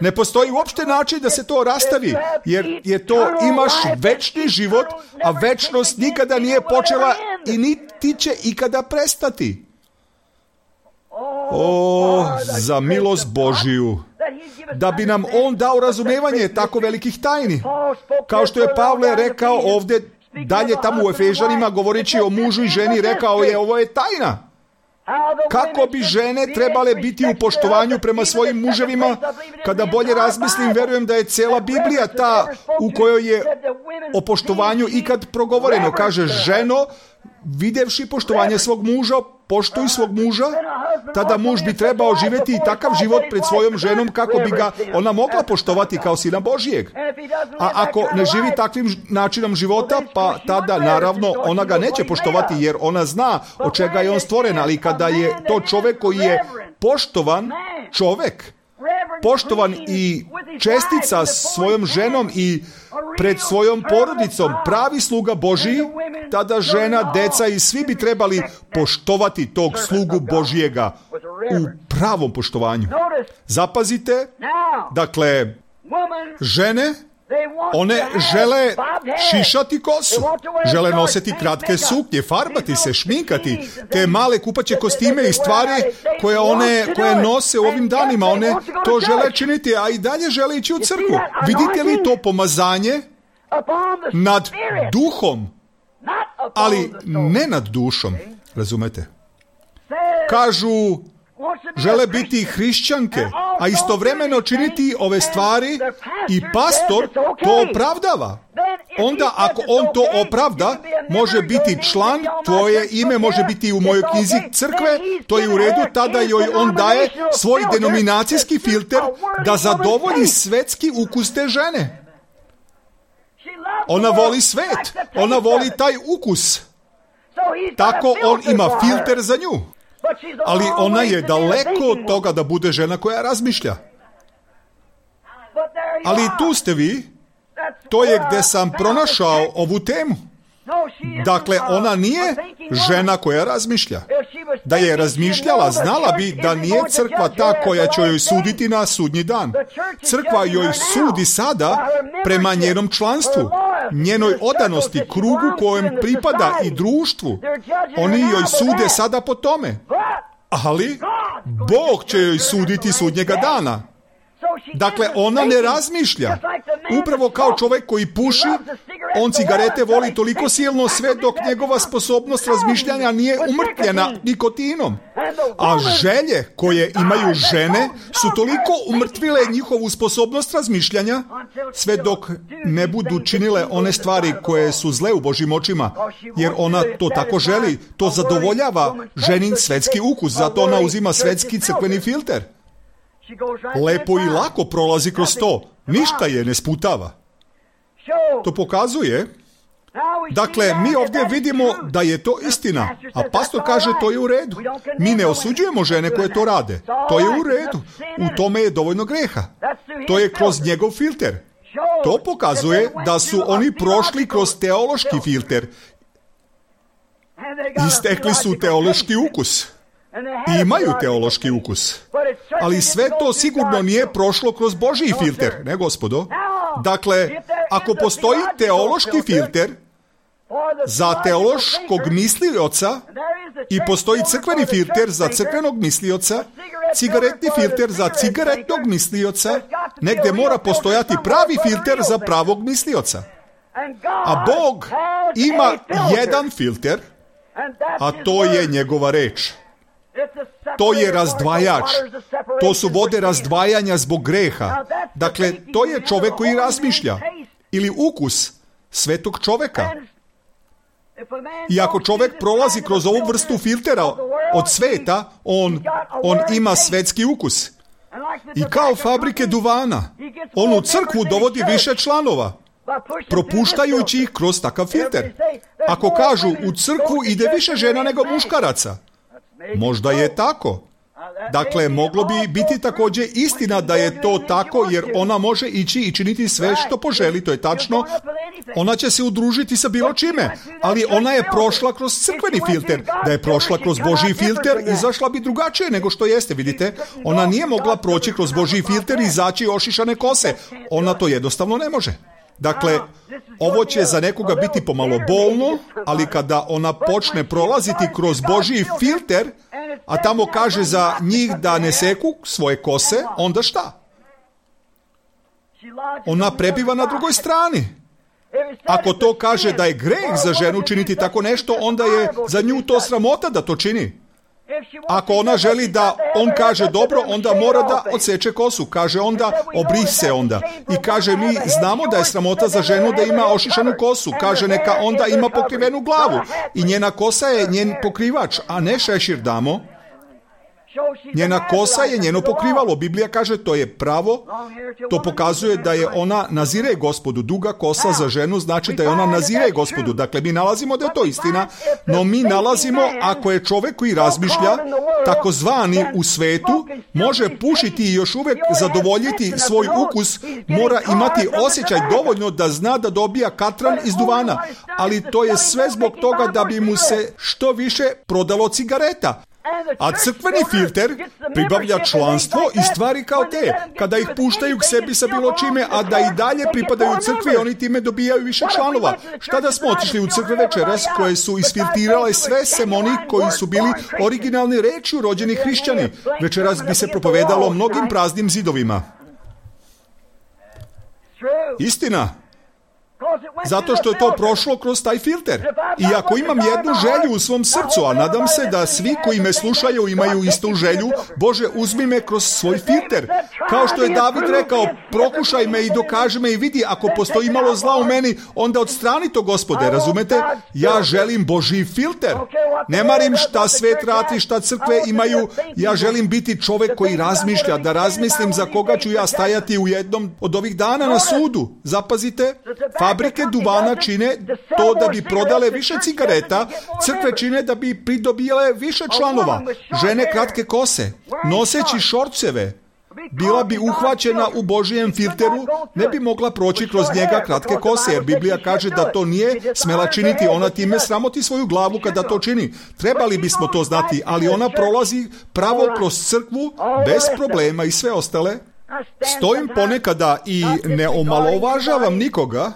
Ne postoji uopšte način da se to rastavi, jer je to, imaš večni život, a večnost nikada nije počela i niti će ikada prestati. O, za milost Božiju, da bi nam On dao razumevanje tako velikih tajni. Kao što je Pavle rekao ovdje, dalje tamo u Efežanima, govoreći o mužu i ženi, rekao je, ovo je tajna. Kako bi žene trebale biti u poštovanju prema svojim muževima? Kada bolje razmislim, verujem da je cijela Biblija ta u kojoj je o poštovanju ikad progovoreno. Kaže, ženo, vidjevši poštovanje svog muža, poštuj svog muža, tada muž bi trebao živjeti i takav život pred svojom ženom kako bi ga ona mogla poštovati kao sina Božijeg. A ako ne živi takvim načinom života, pa tada naravno ona ga neće poštovati jer ona zna od čega je on stvoren, ali kada je to čovjek koji je poštovan čovjek, poštovan i čestica svojom ženom i pred svojom porodicom, pravi sluga Božiji, tada žena, deca i svi bi trebali poštovati tog slugu Božijega u pravom poštovanju. Zapazite, dakle, žene, one žele šišati kosu, žele nositi kratke suknje, farbati se, šminkati, te male kupaće kostime i stvari koje nose u ovim danima, one to žele činiti, a i dalje žele ići u crkvu. Vidite li to pomazanje nad duhom, ali ne nad dušom, razumete? Kažu, žele biti hrišćanke, a istovremeno činiti ove stvari i pastor to opravdava. Onda ako on to opravda, može biti član, tvoje ime može biti u mojoj knjizi crkve, to je u redu, tada joj on daje svoj denominacijski filter da zadovolji svetski ukus te žene. Ona voli svet, ona voli taj ukus. tako on ima filter za nju. Ali ona je daleko od toga da bude žena koja razmišlja. Ali tu ste vi, to je gdje sam pronašao ovu temu. Dakle, ona nije žena koja razmišlja. Da je razmišljala, znala bi da nije crkva ta koja će joj suditi na sudnji dan. Crkva joj sudi sada prema njenom članstvu, njenoj odanosti, krugu kojem pripada i društvu. Oni joj sude sada po tome. Ali Bog će joj suditi sudnjega dana. Dakle, ona ne razmišlja. Upravo kao čovjek koji puši, on cigarete voli toliko silno sve dok njegova sposobnost razmišljanja nije umrtvljena nikotinom. A želje koje imaju žene su toliko umrtvile njihovu sposobnost razmišljanja, sve dok ne budu činile one stvari koje su zle u Božjim očima, jer ona to tako želi, to zadovoljava ženin svetski ukus, zato ona uzima svetski crkveni filter. Lepo i lako prolazi kroz to. Ništa je ne sputava. To pokazuje, dakle, mi ovdje vidimo da je to istina, a pastor kaže to je u redu. Mi ne osuđujemo žene koje to rade. To je u redu. U tome je dovoljno greha. To je kroz njegov filter. To pokazuje da su oni prošli kroz teološki filter. Istekli su teološki ukus. I imaju teološki ukus. Ali sve to sigurno nije prošlo kroz Božji filter, ne gospodo. Dakle, ako postoji teološki filter za teološkog mislioca i postoji crkveni filter za crkvenog mislioca, cigaretni filter za cigaretnog mislioca, negdje mora postojati pravi filter za pravog mislioca. A Bog ima jedan filter, a to je njegova reč. To je razdvajač. To su vode razdvajanja zbog greha. Dakle, to je čovjek koji razmišlja. Ili ukus svetog čovjeka. I ako čovjek prolazi kroz ovu vrstu filtera od sveta, on ima svetski ukus. I kao fabrike duvana, on u crkvu dovodi više članova, propuštajući ih kroz takav filter. Ako kažu u crkvu ide više žena nego muškaraca, možda je tako. Dakle, moglo bi biti također istina da je to tako, jer ona može ići i činiti sve što poželi, to je tačno. Ona će se udružiti sa bilo čime, ali ona je prošla kroz crkveni filter. Da je prošla kroz Božji filter, izašla bi drugačije nego što jeste, vidite. Ona nije mogla proći kroz Božji filter i izaći ošišane kose. Ona to jednostavno ne može. Dakle, ovo će za nekoga biti pomalo bolno, ali kada ona počne prolaziti kroz Božji filter, a tamo kaže za njih da ne seku svoje kose, onda šta? Ona prebiva na drugoj strani. Ako to kaže da je greh za ženu činiti tako nešto, onda je za nju to sramota da to čini. Ako ona želi da on kaže dobro, onda mora da odseče kosu. Kaže onda, obri se onda. I kaže, mi znamo da je sramota za ženu da ima ošišanu kosu. Kaže, neka onda ima pokrivenu glavu. I njena kosa je njen pokrivač, a ne šešir, damo. Njena kosa je njeno pokrivalo. Biblija kaže, to je pravo. To pokazuje da je ona nazire Gospodu. Duga kosa za ženu znači da je ona nazire Gospodu. Dakle, mi nalazimo da je to istina, no mi nalazimo, ako je čovjek koji razmišlja, takozvani u svetu, može pušiti i još uvijek zadovoljiti svoj ukus, mora imati osjećaj dovoljno da zna da dobija katran iz duvana. Ali to je sve zbog toga da bi mu se što više prodalo cigareta. A crkveni filter pribavlja članstvo i stvari kao te. Kada ih puštaju k sebi sa bilo čime, a da i dalje pripadaju crkvi, oni time dobijaju više članova. Šta da smo otišli u crkve večeras koje su isfiltirale sve sem onih koji su bili originalni rečju rođeni hrišćani? Večeras bi se propovedalo mnogim praznim zidovima. Istina. Zato što je to prošlo kroz taj filter. I ako imam jednu želju u svom srcu, a nadam se da svi koji me slušaju imaju istu želju, Bože, uzmi me kroz svoj filter. Kao što je David rekao, prokušaj me i dokaži me i vidi, ako postoji malo zla u meni, onda odstrani to, Gospode, razumete? Ja želim Božji filter. Ne marim šta svet radi, šta crkve imaju, ja želim biti čovjek koji razmišlja, da razmislim za koga ću ja stajati u jednom od ovih dana na sudu. Zapazite, Fabrike duvana čine to da bi prodale više cigareta, crkve čine da bi pridobile više članova. Žene kratke kose, noseći šorceve, bila bi uhvaćena u Božijem filteru, ne bi mogla proći kroz njega kratke kose, jer Biblija kaže da to nije smela činiti, ona time sramoti svoju glavu kada to čini. Trebali bismo to znati, ali ona prolazi pravo kroz crkvu, bez problema i sve ostale. Stojim ponekada i ne omalovažavam nikoga,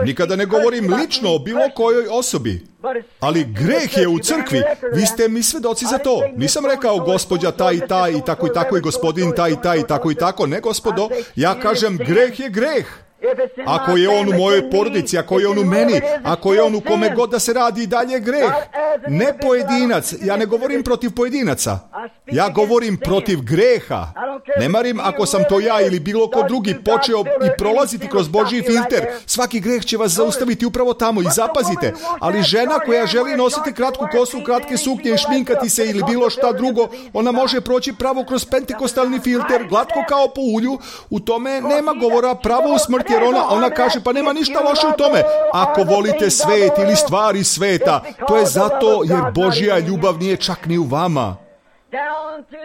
nikada ne govorim lično o bilo kojoj osobi, ali greh je u crkvi. Vi ste mi svedoci za to. Nisam rekao gospođa taj i taj i tako i gospodin taj i taj i tako. Ne, gospodo, ja kažem greh je greh. Ako je on u mojoj porodici, ako je on u meni, ako je on u kome god da se radi, dalje je greh. Ne pojedinac, ja ne govorim protiv pojedinaca, ja govorim protiv greha. Ne marim ako sam to ja ili bilo ko drugi počeo i prolaziti kroz Božji filter. Svaki greh će vas zaustaviti upravo tamo i zapazite. Ali žena koja želi nositi kratku kosu, kratke suknje i šminkati se ili bilo šta drugo, ona može proći pravo kroz pentekostalni filter, glatko kao po ulju. U tome nema govora, pravo u smrti, jer ona kaže pa nema ništa loše u tome. Ako volite svet ili stvari sveta, to je zato jer Božja ljubav nije čak ni u vama.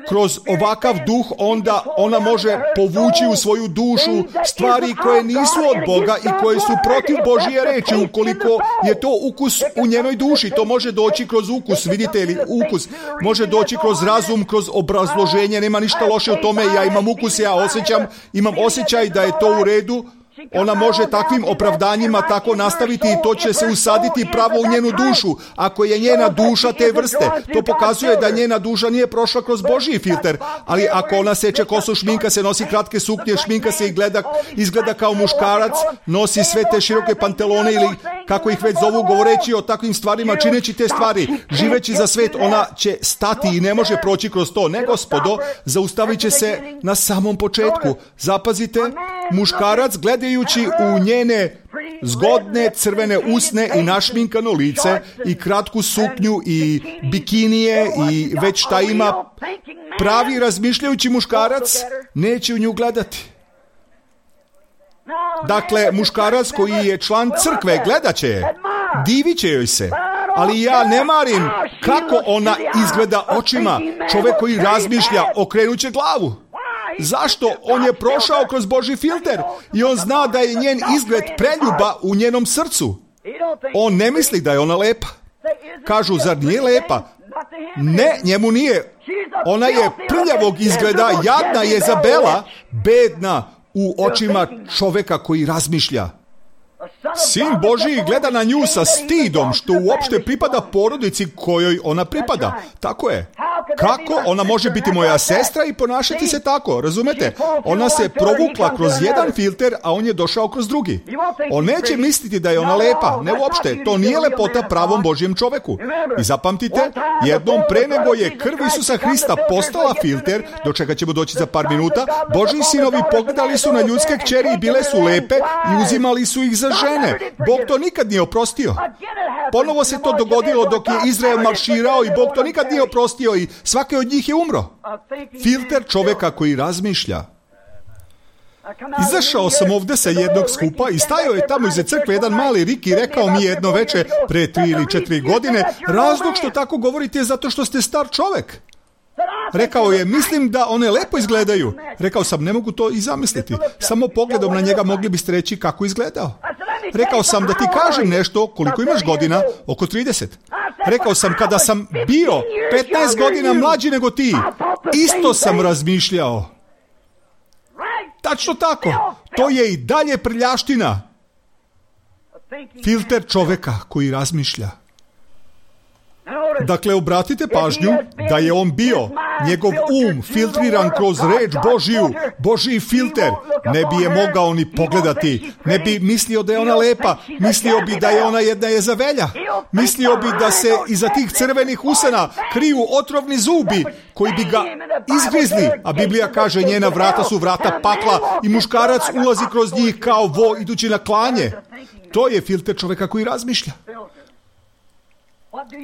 Kroz ovakav duh onda ona može povući u svoju dušu stvari koje nisu od Boga i koje su protiv Božje reči, ukoliko je to ukus u njenoj duši. To može doći kroz ukus, vidite li, ukus može doći kroz razum, kroz obrazloženje, nema ništa loše u tome, ja imam ukus, imam osjećaj da je to u redu. Ona može takvim opravdanjima tako nastaviti i to će se usaditi pravo u njenu dušu. Ako je njena duša te vrste, to pokazuje da njena duša nije prošla kroz Božji filter. Ali ako ona seče kosu, šminka se, nosi kratke suknje, šminka se i izgleda kao muškarac, nosi sve te široke pantalone ili kako ih već zovu, govoreći o takvim stvarima, čineći te stvari, živeći za svet, ona će stati i ne može proći kroz to. Ne, gospodo, zaustavit će se na samom početku. Zapazite, muškarac gledajući u njene zgodne crvene usne i našminkano lice i kratku suknju i bikinije i već šta ima, pravi razmišljajući muškarac neće u nju gledati. Dakle, muškarac koji je član crkve gledat će je, divit će joj se, ali ja ne marim kako ona izgleda očima. Čovjek koji razmišlja okrenut će glavu. Zašto? On je prošao kroz Božji filter i on zna da je njen izgled preljuba u njenom srcu. On ne misli da je ona lepa. Kažu, zar nije lepa? Ne, njemu nije. Ona je prljavog izgleda, jadna Jezabela, bedna u očima čovjeka koji razmišlja. Sin Božji gleda na nju sa stidom, što uopšte pripada porodici kojoj ona pripada. Tako je. Kako ona može biti moja sestra i ponašati se tako, razumete? Ona se provukla kroz jedan filter, a on je došao kroz drugi. On neće misliti da je ona lepa, ne uopšte. To nije lepota pravom Božjem čoveku. I zapamtite, jednom pre nego je krv Isusa Hrista postala filter, do čega ćemo doći za par minuta, Božji sinovi pogledali su na ljudske kćeri i bile su lepe i uzimali su ih za žene. Bog to nikad nije oprostio. Ponovo se to dogodilo dok je Izrael marširao i Bog to nikad nije oprostio i svaki od njih je umro. Filter čovjeka koji razmišlja. Izašao sam ovdje sa jednog skupa i stajao je tamo iza crkve jedan mali rik i rekao mi jedno veče pre 3 ili 4 godine, razlog što tako govorite je zato što ste star čovjek. Rekao je, mislim da one lepo izgledaju. Rekao sam, ne mogu to i zamisliti. Samo pogledom na njega mogli biste reći kako izgledao. Rekao sam da ti kažem nešto, koliko imaš godina, oko 30. Rekao sam, kada sam bio 15 godina mlađi nego ti, isto sam razmišljao. Tačno tako, to je i dalje prljaština. Filter čovjeka koji razmišlja. Dakle, obratite pažnju da je on bio, njegov filtriran kroz reč Božiju, Božji filter, ne bi je mogao ni pogledati, ne bi mislio da je ona lepa, mislio bi da je ona jedna Jezavelja, mislio bi da se iza tih crvenih usana kriju otrovni zubi koji bi ga izgrizli, a Biblija kaže njena vrata su vrata pakla i muškarac ulazi kroz njih kao vo idući na klanje. To je filter čovjeka koji razmišlja.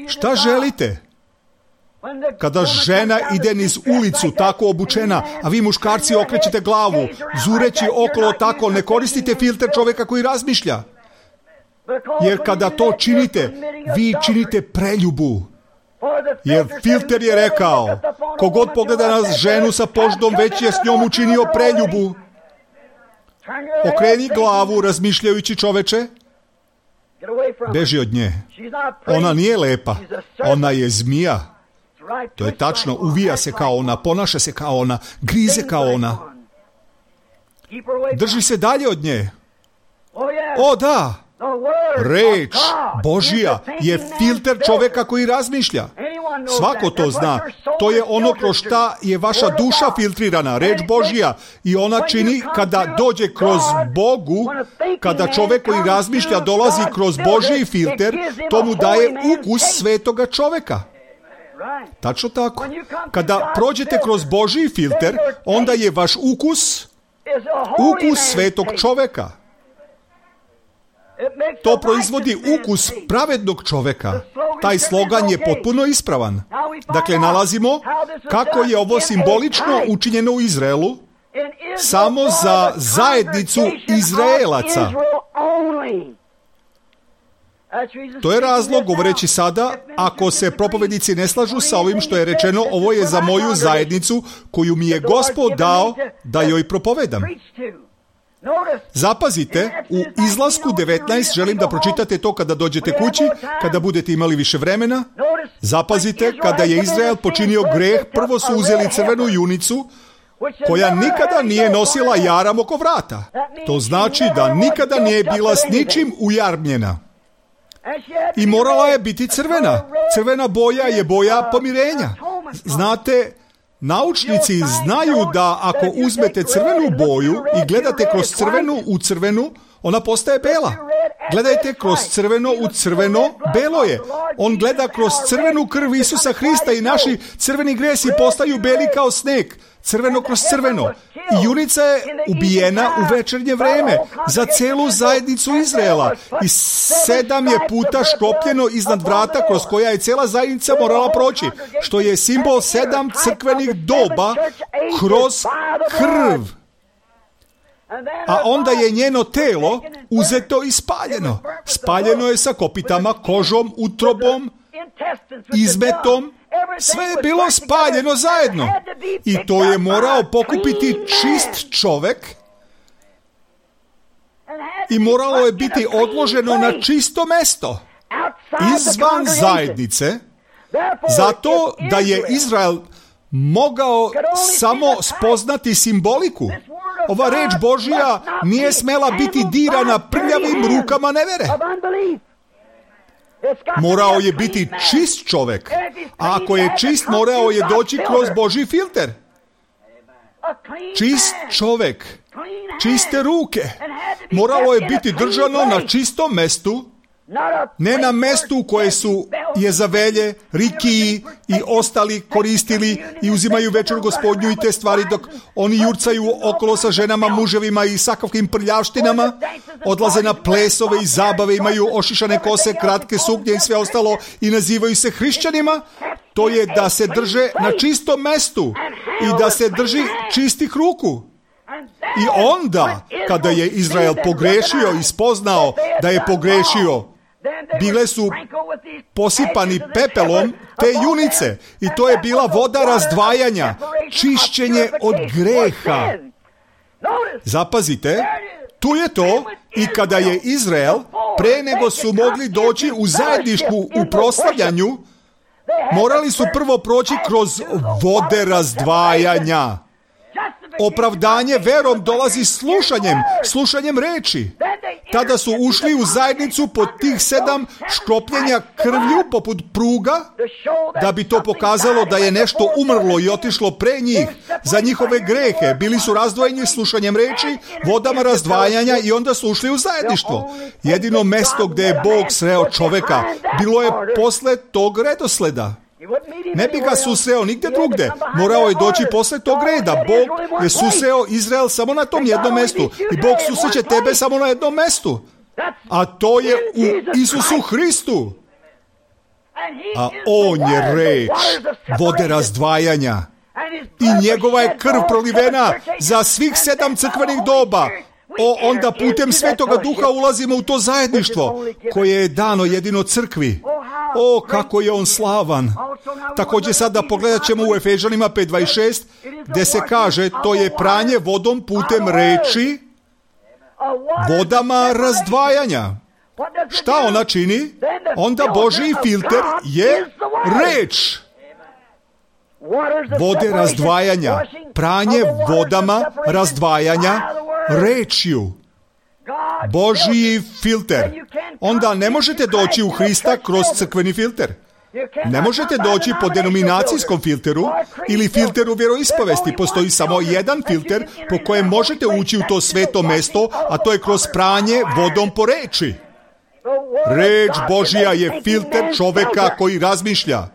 Šta želite? Kada žena ide niz ulicu tako obučena, a vi muškarci okrećete glavu, zureći okolo tako, ne koristite filter čovjeka koji razmišlja. Jer kada to činite, vi činite preljubu. Jer filter je rekao, kogod pogleda na ženu sa poždom, već je s njom učinio preljubu. Okreni glavu, razmišljajući, čoveče, beži od nje. Ona nije lepa, ona je zmija. To je tačno, uvija se kao ona, ponaša se kao ona, grize kao ona. Drži se dalje od nje. O da, reč Božja je filter čoveka koji razmišlja. Svako to zna. To je ono kroz šta je vaša duša filtrirana, reč Božja. I ona čini kada dođe kroz Bogu, kada čovek koji razmišlja dolazi kroz Božji filter, to mu daje ukus svetoga čoveka. Tačno tako. Kada prođete kroz Božji filter, onda je vaš ukus svetog čoveka. To proizvodi ukus pravednog čoveka. Taj slogan je potpuno ispravan. Dakle, nalazimo kako je ovo simbolično učinjeno u Izraelu, samo za zajednicu Izraelaca. To je razlog, govoreći sada, ako se propovednici ne slažu sa ovim što je rečeno, ovo je za moju zajednicu koju mi je Gospod dao da joj propovedam. Zapazite, u Izlasku 19, želim da pročitate to kada dođete kući, kada budete imali više vremena. Zapazite, kada je Izrael počinio greh, prvo su uzeli crvenu junicu, koja nikada nije nosila jaram oko vrata. To znači da nikada nije bila s ničim ujarmljena. I morala je biti crvena. Crvena boja je boja pomirenja. Znate, naučnici znaju da ako uzmete crvenu boju i gledate kroz crvenu u crvenu, ona postaje bela. Gledajte kroz crveno u crveno, belo je. On gleda kroz crvenu krv Isusa Hrista i naši crveni gresi postaju beli kao sneg. Crveno kroz crveno. I junica je ubijena u večernje vreme za celu zajednicu Izraela. I 7 je puta škropljeno iznad vrata kroz koja je cela zajednica morala proći, što je simbol 7 crkvenih doba kroz krv. A onda je njeno telo uzeto i spaljeno. Spaljeno je sa kopitama, kožom, utrobom, izmetom. Sve je bilo spaljeno zajedno. I to je morao pokupiti čist čovek i moralo je biti odloženo na čisto mesto, izvan zajednice, zato da je Izrael mogao samo spoznati simboliku. Ova reč Božja nije smela biti dirana prljavim rukama nevere. Morao je biti čist čovek, a ako je čist, morao je doći kroz Božji filter. Čist čovek, čiste ruke, moralo je biti držano na čistom mestu, ne na mestu koje su Jezavelje, Rikiji i ostali koristili i uzimaju večeru Gospodnju i te stvari dok oni jurcaju okolo sa ženama, muževima i sakavkim prljavštinama, odlaze na plesove i zabave, imaju ošišane kose, kratke suknje i sve ostalo i nazivaju se hrišćanima. To je da se drže na čistom mestu i da se drži čistih ruku. I onda, kada je Izrael pogrešio i spoznao da je pogrešio, bile su posipani pepelom te junice i to je bila voda razdvajanja, čišćenje od greha. Zapazite, tu je to i kada je Izrael, pre nego su mogli doći u zajedništvu u proslavljanju, morali su prvo proći kroz vode razdvajanja. Opravdanje verom dolazi slušanjem reči. Tada su ušli u zajednicu pod tih 7 škropljenja krvlju poput pruga, da bi to pokazalo da je nešto umrlo i otišlo pre njih za njihove grehe. Bili su razdvojeni slušanjem reči, vodama razdvajanja i onda su ušli u zajedništvo. Jedino mesto gde je Bog sreo čoveka bilo je posle tog redosleda. Ne bi ga susreo nigde drugde. Morao je doći posle tog reda. Bog je susreo Izrael samo na tom jednom mestu. I Bog susreće tebe samo na jednom mestu. A to je u Isusu Hristu. A on je reč vode razdvajanja. I njegova je krv prolivena za svih 7 crkvenih doba. onda putem Svetoga Duha ulazimo u to zajedništvo koje je dano jedino crkvi. Kako je on slavan. Također sada pogledat ćemo u Efežanima 5:26 gdje se kaže to je pranje vodom putem reči, vodama razdvajanja. Šta ona čini? Onda Božji filter je reč. Vode razdvajanja, pranje vodama razdvajanja rečju. Božji filter. Onda ne možete doći u Hrista kroz crkveni filter. Ne možete doći po denominacijskom filteru ili filteru vjeroispovesti. Postoji samo jedan filter po kojem možete ući u to sveto mesto, a to je kroz pranje vodom po reči. Reč Božja je filter čovjeka koji razmišlja.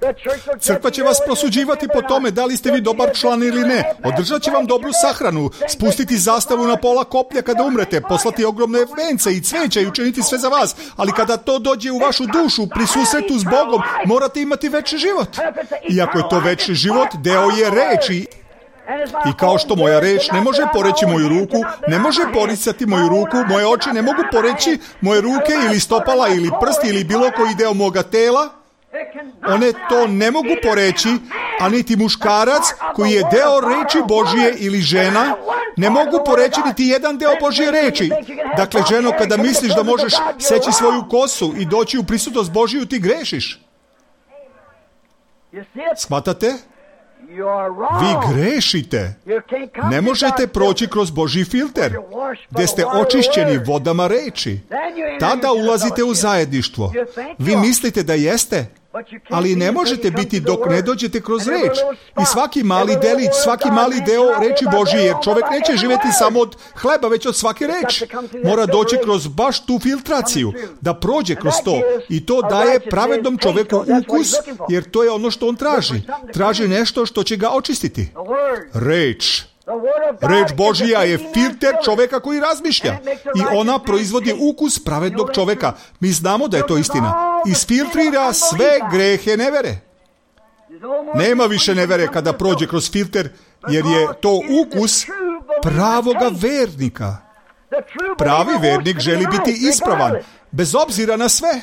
Crkva će vas prosuđivati po tome da li ste vi dobar član ili ne. Održat će vam dobru sahranu, spustiti zastavu na pola koplja kada umrete, poslati ogromne vence i cveća i učiniti sve za vas. Ali kada to dođe u vašu dušu, pri susretu s Bogom, morate imati večni život. Iako je to večni život, deo je reči. I kao što moja reč ne može poreći moju ruku, ne može poricati moju ruku, moje oči ne mogu poreći moje ruke ili stopala ili prsti ili bilo koji deo moga tela, one to ne mogu poreći, a niti muškarac koji je deo reči Božije ili žena, ne mogu poreći niti jedan deo Božje reči. Dakle, ženo, kada misliš da možeš seći svoju kosu i doći u prisutnost Božiju, ti grešiš. Shvatate? Vi grešite. Ne možete proći kroz Božji filter, gdje ste očišćeni vodama reči. Tada ulazite u zajedništvo. Vi mislite da jeste, ali ne možete biti dok ne dođete kroz reč. I svaki mali delić, svaki mali deo reči Božije, jer čovjek neće živjeti samo od hleba, već od svake reči. Mora doći kroz baš tu filtraciju, da prođe kroz to. I to daje pravednom čovjeku ukus, jer to je ono što on traži. Traži nešto što će ga očistiti. Reč. Reč Božja je filter čovjeka koji razmišlja i ona proizvodi ukus pravednog čovjeka. Mi znamo da je to istina. Isfiltrira sve grehe nevere. Nema više nevere kada prođe kroz filter, jer je to ukus pravoga vernika. Pravi vernik želi biti ispravan, bez obzira na sve.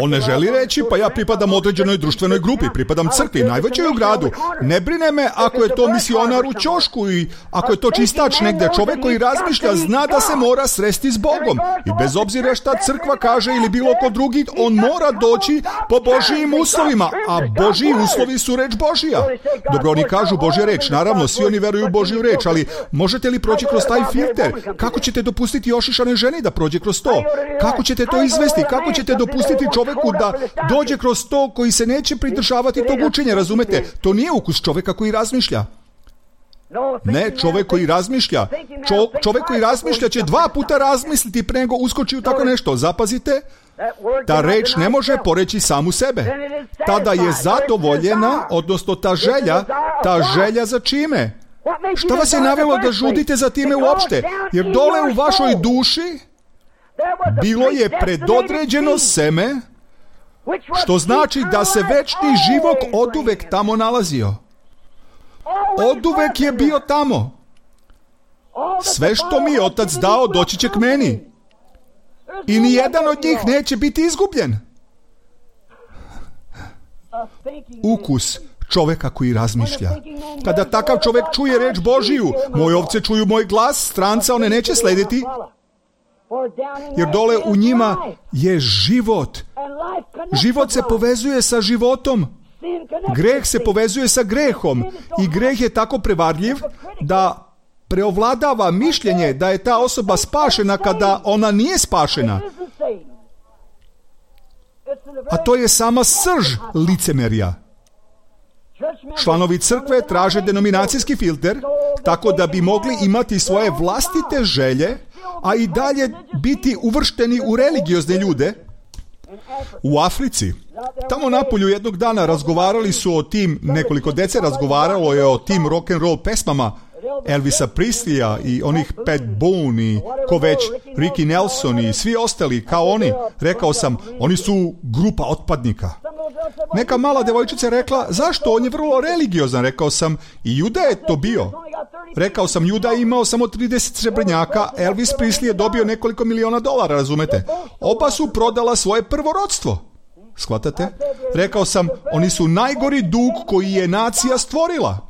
On ne želi reći, pa ja pripadam određenoj društvenoj grupi, pripadam crkvi, najvećoj u gradu. Ne brine me ako je to misionar u ćošku i ako je to čistač negdje. Čovjek koji razmišlja zna da se mora sresti s Bogom. I bez obzira šta crkva kaže ili bilo ko drugi, on mora doći po Božijim uslovima, a Božiji uslovi su reč Božija. Dobro, oni kažu Božja reč, naravno, svi oni veruju u Božju reč, ali možete li proći kroz taj filter? Kako ćete dopustiti ošišanoj ženi da prođe kroz to? Kako ćete to izvesti? Kako ćete dopustiti čovjeku da dođe kroz to koji se neće pridržavati tog učenja, razumete? To nije ukus čovjeka koji razmišlja. Ne, čovjek koji razmišlja. Čovjek koji razmišlja će 2 puta razmisliti pre nego uskoči u tako nešto. Zapazite, ta reč ne može poreći samu sebe. Tada je zadovoljena, odnosno ta želja za čime? Šta vas je navelo da žudite za time uopšte? Jer dole u vašoj duši bilo je predodređeno seme, što znači da se večni život oduvek tamo nalazio. Oduvek je bio tamo. Sve što mi je Otac dao doći će k meni. I nijedan od njih neće biti izgubljen. Ukus čovjeka koji razmišlja. Kada takav čovjek čuje reč Božiju, moje ovce čuju moj glas, stranca one neće slediti, jer dole u njima je život. Život se povezuje sa životom. Greh se povezuje sa grehom. I greh je tako prevarljiv da preovladava mišljenje da je ta osoba spašena kada ona nije spašena. A to je sama srž licemerja. Članovi crkve traže denominacijski filter tako da bi mogli imati svoje vlastite želje, a i dalje biti uvršteni u religiozne ljude. U Africi, tamo napolju jednog dana razgovarali su o tim, nekoliko dece razgovaralo je o tim rock and roll pesmama Elvisa Presleya i onih Pat Boone i ko već, Ricky Nelson i svi ostali kao oni. Rekao sam, oni su grupa otpadnika. Neka mala devojčica je rekla, zašto? On je vrlo religiozan. Rekao sam, i Juda je to bio. Rekao sam, Juda je imao samo 30 srebrnjaka, Elvis Presley je dobio nekoliko miliona dolara, razumete? Oba su prodala svoje prvorodstvo. Shvatate? Rekao sam, oni su najgori dug koji je nacija stvorila.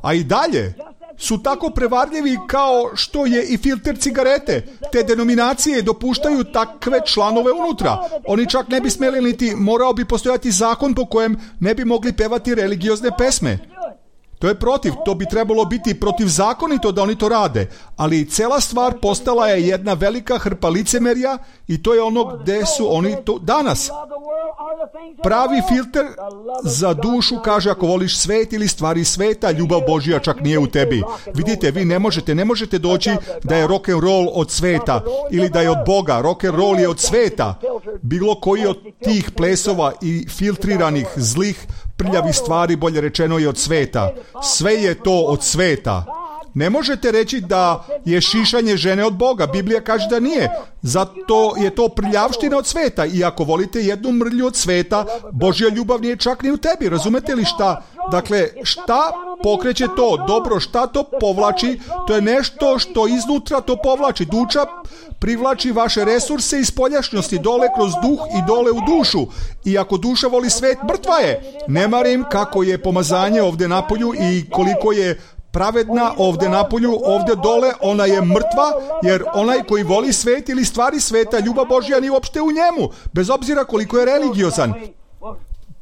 A i dalje su tako prevarljivi kao što je i filter cigarete. Te denominacije dopuštaju takve članove unutra. Oni čak ne bi smjeli niti, morao bi postojati zakon po kojem ne bi mogli pevati religiozne pesme. To je protiv, to bi trebalo biti protivzakonito da oni to rade, ali cela stvar postala je jedna velika hrpa licemerja i to je ono gde su oni to danas. Pravi filter za dušu kaže, ako voliš svet ili stvari sveta, ljubav Božja čak nije u tebi. Vidite, vi ne možete doći da je rock and roll od sveta ili da je od Boga. Rock and roll je od sveta. Bilo koji od tih plesova i filtriranih zlih prljavih stvari, bolje rečeno, je od sveta. Sve je to od sveta. Ne možete reći da je šišanje žene od Boga. Biblija kaže da nije. Zato je to prljavština od sveta. I ako volite jednu mrlju od sveta, Božja ljubav nije čak ni u tebi. Razumete li šta? Dakle, šta pokreće to? Dobro, šta to povlači? To je nešto što iznutra to povlači. Duša privlači vaše resurse iz spoljašnjosti dole kroz duh i dole u dušu. I ako duša voli svet, mrtva je. Ne marim kako je pomazanje ovdje napolju i koliko je pravedna ovdje napolju, ovdje dole, ona je mrtva, jer onaj koji voli svet ili stvari sveta, ljubav Božja nije uopšte u njemu, bez obzira koliko je religiozan.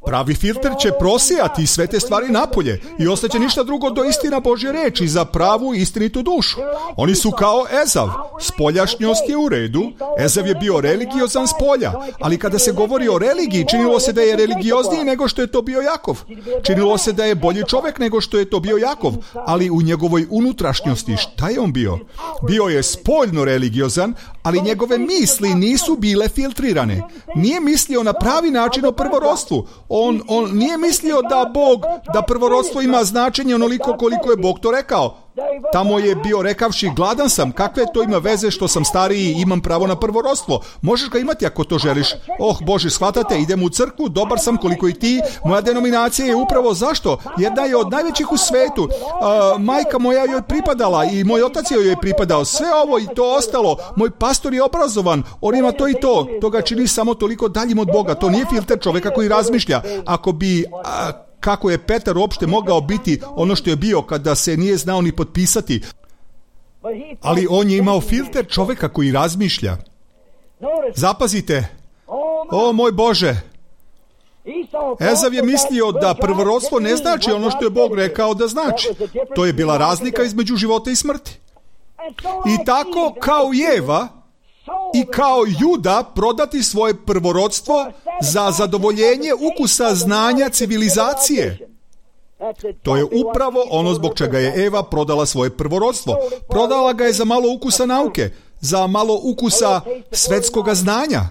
Pravi filter će prosijati sve te stvari napolje i ostaće ništa drugo do istina Božje reči za pravu i istinitu dušu. Oni su kao Ezav. Spoljašnjost je u redu. Ezav je bio religiozan s polja, ali kada se govori o religiji, činilo se da je religiozniji nego što je to bio Jakov. Činilo se da je bolji čovjek nego što je to bio Jakov, ali u njegovoj unutrašnjosti šta je on bio? Bio je spoljno religiozan, ali njegove misli nisu bile filtrirane. Nije mislio na pravi način o prvorodstvu. On nije mislio da prvorodstvo ima značenje onoliko koliko je Bog to rekao. Tamo je bio rekavši, gladan sam, kakve to ima veze što sam stariji i imam pravo na prvorodstvo. Možeš ga imati ako to želiš. Oh Bože, shvatate, idem u crkvu, dobar sam koliko i ti. Moja denominacija je upravo zašto? Jedna je od najvećih u svetu. Majka moja joj pripadala i moj otac joj je pripadao. Sve ovo i to ostalo. Moj pastor je obrazovan, on ima to i to. To ga čini samo toliko daljim od Boga. To nije filter čovjeka koji razmišlja. Ako bi... kako je Petar uopšte mogao biti ono što je bio kada se nije znao ni potpisati. Ali on je imao filter čovjeka koji razmišlja. Zapazite, o moj Bože, Ezav je mislio da prvorodstvo ne znači ono što je Bog rekao da znači. To je bila razlika između života i smrti. I tako kao Eva i kao Juda prodati svoje prvorodstvo za zadovoljenje ukusa znanja civilizacije. To je upravo ono zbog čega je Eva prodala svoje prvorodstvo. Prodala ga je za malo ukusa nauke, za malo ukusa svetskoga znanja,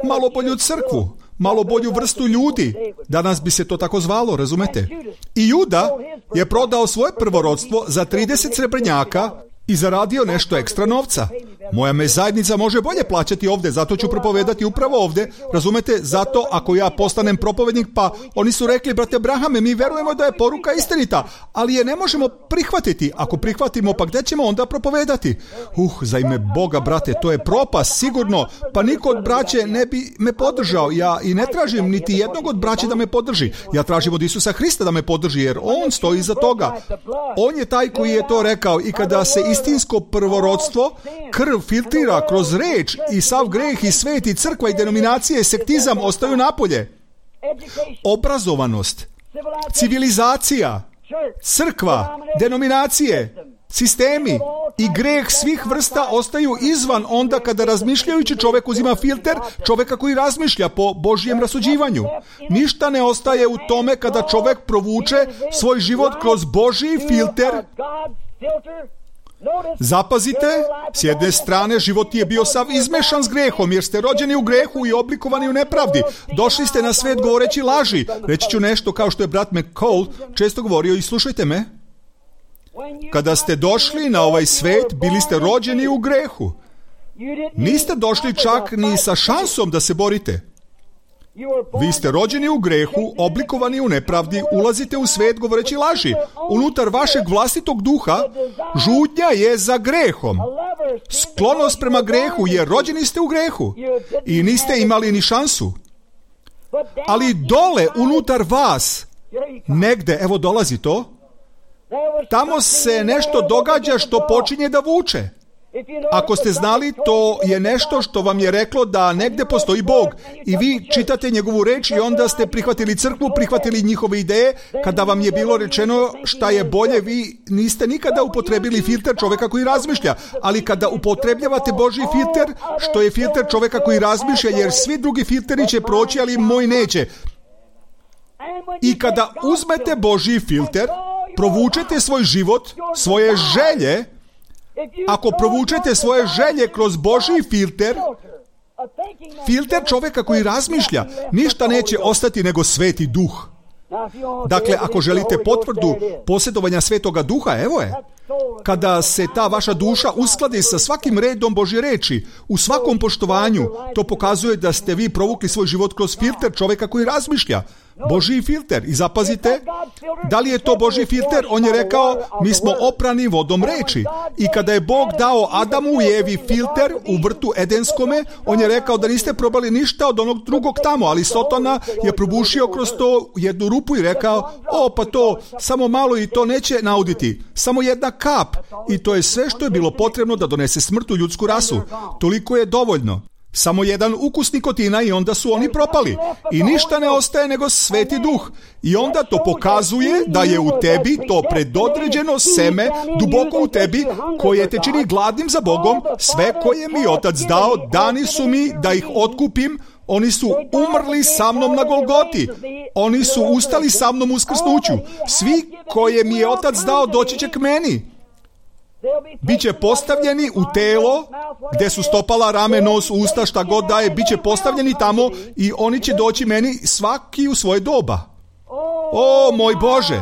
malo bolju crkvu, malo bolju vrstu ljudi. Danas bi se to tako zvalo, razumete? I Juda je prodao svoje prvorodstvo za 30 srebrnjaka i zaradio nešto ekstra novca. Moja me zajednica može bolje plaćati ovdje, zato ću propovedati upravo ovdje. Razumete? Zato ako ja postanem propovednik, pa oni su rekli, brate Brahame, mi verujemo da je poruka istinita, ali je ne možemo prihvatiti. Ako prihvatimo, pa gdje ćemo onda propovedati? Za ime Boga, brate, to je propast, sigurno. Pa niko od braće ne bi me podržao. Ja i ne tražim niti jednog od braće da me podrži. Ja tražim od Isusa Hrista da me podrži, jer on stoji iza toga. On je taj koji je to rekao i kada se istinsko prvorodstvo, krv filtrira kroz reč i sav greh i svet i crkva i denominacije, sektizam ostaju napolje. Obrazovanost, civilizacija, crkva, denominacije, sistemi i greh svih vrsta ostaju izvan onda kada razmišljajući čovjek uzima filter čovjeka koji razmišlja po Božjem rasuđivanju. Ništa ne ostaje u tome kada čovjek provuče svoj život kroz Božji filter. Zapazite, s jedne strane život je bio sav izmešan s grehom, jer ste rođeni u grehu i oblikovani u nepravdi. Došli ste na svet govoreći laži. Reći ću nešto kao što je brat McCall često govorio i slušajte me. Kada ste došli na ovaj svet, bili ste rođeni u grehu. Niste došli čak ni sa šansom da se borite. Vi ste rođeni u grehu, oblikovani u nepravdi, ulazite u svet govoreći laži. Unutar vašeg vlastitog duha žudnja je za grehom. Sklonost prema grehu, jer rođeni ste u grehu i niste imali ni šansu. Ali dole, unutar vas, negde, evo dolazi to, tamo se nešto događa što počinje da vuče. Ako ste znali, to je nešto što vam je reklo da negde postoji Bog i vi čitate njegovu reč i onda ste prihvatili crkvu, prihvatili njihove ideje. Kada vam je bilo rečeno šta je bolje, vi niste nikada upotrebili filter čoveka koji razmišlja, ali kada upotrebljavate Božji filter, što je filter čoveka koji razmišlja, jer svi drugi filteri će proći, ali moj neće. I kada uzmete Božji filter, provučete svoj život, svoje želje. Ako provučete svoje želje kroz Božji filter, filter čoveka koji razmišlja, ništa neće ostati nego Sveti Duh. Dakle, ako želite potvrdu posjedovanja Svetoga Duha, evo je. Kada se ta vaša duša uskladi sa svakim redom Božje reči, u svakom poštovanju, to pokazuje da ste vi provukli svoj život kroz filter čoveka koji razmišlja. Božji filter. I zapazite, da li je to Božji filter? On je rekao, mi smo oprani vodom reči. I kada je Bog dao Adamu i Evi filter u vrtu Edenskome, on je rekao da niste probali ništa od onog drugog tamo, ali Sotona je probušio kroz to jednu rupu i rekao, pa to, samo malo i to neće nauditi. Samo jedna kap. I to je sve što je bilo potrebno da donese smrt u ljudsku rasu. Toliko je dovoljno. Samo jedan ukus nikotina i onda su oni propali. I ništa ne ostaje nego Sveti Duh. I onda to pokazuje da je u tebi to predodređeno seme duboko u tebi koje te čini gladnim za Bogom. Sve koje mi Otac dao, dani su mi da ih otkupim. Oni su umrli sa mnom na Golgoti. Oni su ustali sa mnom u uskrsnuću. Svi koje mi je Otac dao doći će k meni. Biće postavljeni u telo gdje su stopala, rame, nos, usta, šta god daje, biće postavljeni tamo i oni će doći meni svaki u svoje doba. O moj Bože,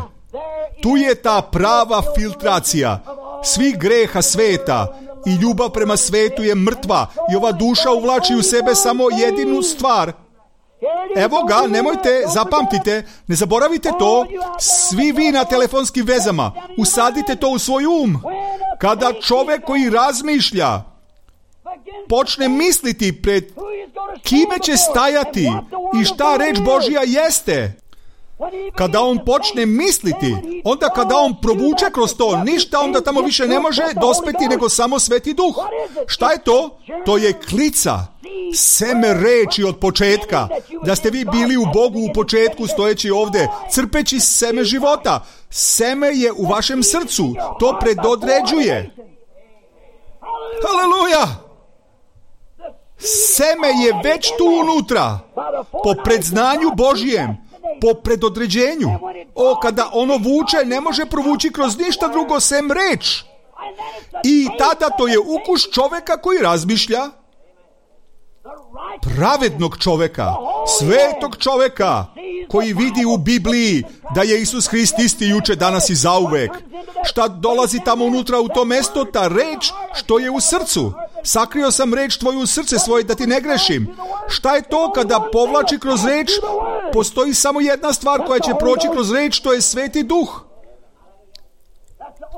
tu je ta prava filtracija svih greha sveta i ljubav prema svetu je mrtva i ova duša uvlači u sebe samo jedinu stvar. Evo ga, nemojte, zapamtite, ne zaboravite to, svi vi na telefonskim vezama, usadite to u svoj Kada čovek koji razmišlja počne misliti pred kime će stajati i šta reč Božja jeste, kada on počne misliti, onda kada on provuče kroz to, ništa onda tamo više ne može dospeti nego samo Sveti Duh. Šta je to? To je klica, seme reči od početka, da ste vi bili u Bogu u početku stojeći ovdje, crpeći seme života. Seme je u vašem srcu, to predodređuje. Haleluja! Seme je već tu unutra, po predznanju Božjem, po predodređenju. Kada ono vuče, ne može provući kroz ništa drugo sem reč. I tada to je ukus čoveka koji razmišlja, pravednog čoveka, svetog čoveka, koji vidi u Bibliji da je Isus Hrist isti juče, danas i zauvek. Šta dolazi tamo unutra u to mesto? Ta reč što je u srcu. Sakrio sam reč tvoju u srce svoje da ti ne grešim. Šta je to kada povlači kroz reč? Postoji samo jedna stvar koja će proći kroz reč, to je Sveti Duh.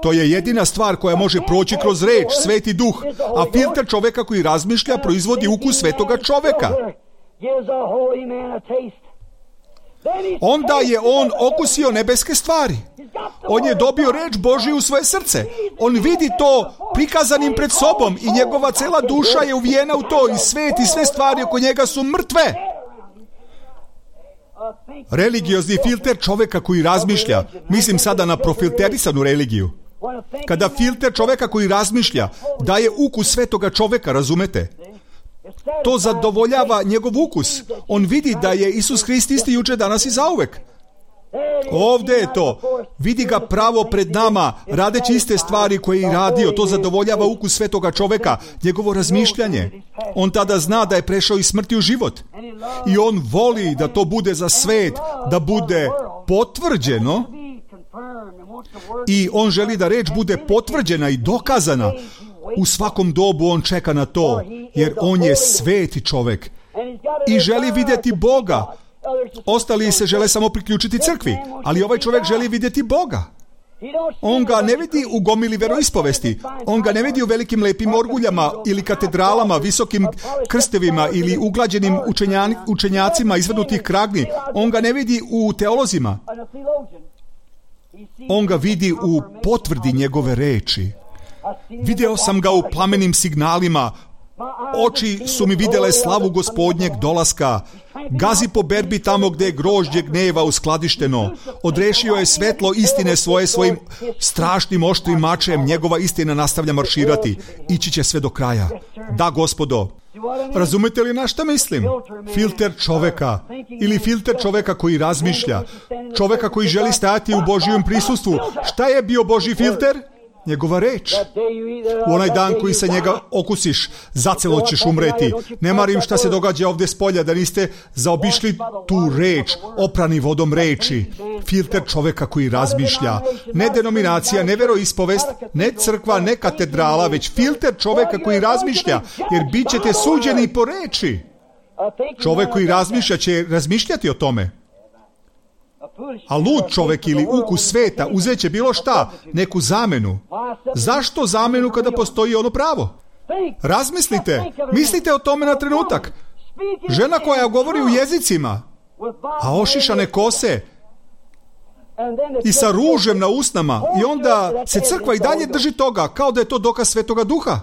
To je jedina stvar koja može proći kroz reč, Sveti Duh, a filter čoveka koji razmišlja proizvodi ukus svetoga čoveka. Onda je on okusio nebeske stvari. On je dobio reč Božju u svoje srce. On vidi to prikazanim pred sobom i njegova cela duša je uvijena u to i svet i sve stvari oko njega su mrtve. Religiozni filter čoveka koji razmišlja, mislim sada na profilterisanu religiju. Kada filter čoveka koji razmišlja daje ukus svetoga čoveka, razumete? To zadovoljava njegov ukus. On vidi da je Isus Hrist isti juče, danas i zauvek. Ovdje je to. Vidi ga pravo pred nama, radeći iste stvari koje je radio. To zadovoljava ukus svetoga čoveka, njegovo razmišljanje. On tada zna da je prešao iz smrti u život. I on voli da to bude za svet, da bude potvrđeno. I on želi da reč bude potvrđena i dokazana. U svakom dobu on čeka na to, jer on je sveti čovek. i želi vidjeti Boga. Ostali se žele samo priključiti crkvi, ali ovaj čovjek želi vidjeti Boga. On ga ne vidi u gomili veroispovesti, on ga ne vidi u velikim lepim orguljama ili katedralama, visokim krstevima ili uglađenim učenjacima izvrnutih kragni. On ga ne vidi u teolozima. On ga vidi u potvrdi njegove reči. Video sam ga u plamenim signalima. Oči su mi vidjele slavu Gospodnjeg dolaska. Gazi po berbi tamo gdje je grožđe gneva uskladišteno. Odrešio je svetlo istine svoje svojim strašnim oštrim mačem. Njegova istina nastavlja marširati. Ići će sve do kraja. Da, Gospodo. Razumete li na šta mislim? Filter čoveka. Ili filter čoveka koji razmišlja. Čoveka koji želi stajati u Božjem prisustvu. Šta je bio Božji filter? Njegova reč. U onaj dan koji se njega okusiš, zacelo ćeš umreti. Ne marim šta se događa ovdje s polja, da niste zaobišli tu reč, oprani vodom reči. Filter čoveka koji razmišlja. Ne denominacija, ne veroispovest, ne crkva, ne katedrala, već filter čoveka koji razmišlja, jer bit ćete suđeni po reči. Čovek koji razmišlja će razmišljati o tome. A lud čovjek ili ukus sveta uzet će bilo šta, neku zamenu. Zašto zamenu kada postoji ono pravo? Razmislite, mislite o tome na trenutak. Žena koja govori u jezicima, a ošišane kose i sa ružem na usnama, i onda se crkva i dalje drži toga, kao da je to dokaz Svetoga Duha.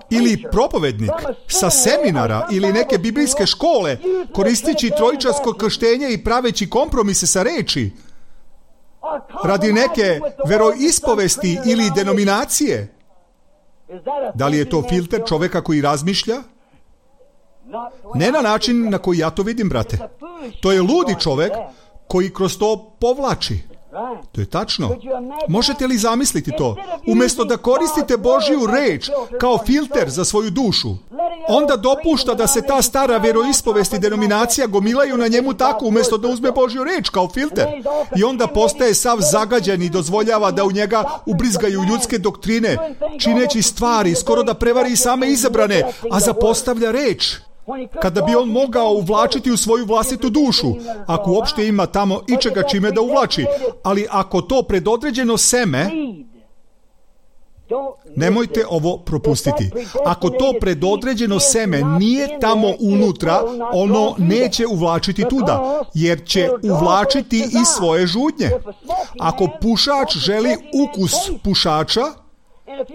Ili propovednik sa seminara ili neke biblijske škole, koristeći trojičarsko krštenje i praveći kompromise sa reči, radi neke veroispovesti ili denominacije. Da li je to filter čoveka koji razmišlja? Ne na način na koji ja to vidim, brate. To je ludi čovek koji kroz to povlači. To je tačno. Možete li zamisliti to? Umjesto da koristite Božju reč kao filter za svoju dušu, onda dopušta da se ta stara veroispovest i denominacija gomilaju na njemu tako, umjesto da uzme Božju reč kao filter. I onda postaje sav zagađen i dozvoljava da u njega ubrizgaju ljudske doktrine, čineći stvari, skoro da prevari same izabrane, a zapostavlja reč. Kada bi on mogao uvlačiti u svoju vlastitu dušu, ako uopšte ima tamo ičega čime da uvlači, ali ako to predodređeno seme, nemojte ovo propustiti. Ako to predodređeno seme nije tamo unutra, ono neće uvlačiti tuda, jer će uvlačiti i svoje žudnje. Ako pušač želi ukus pušača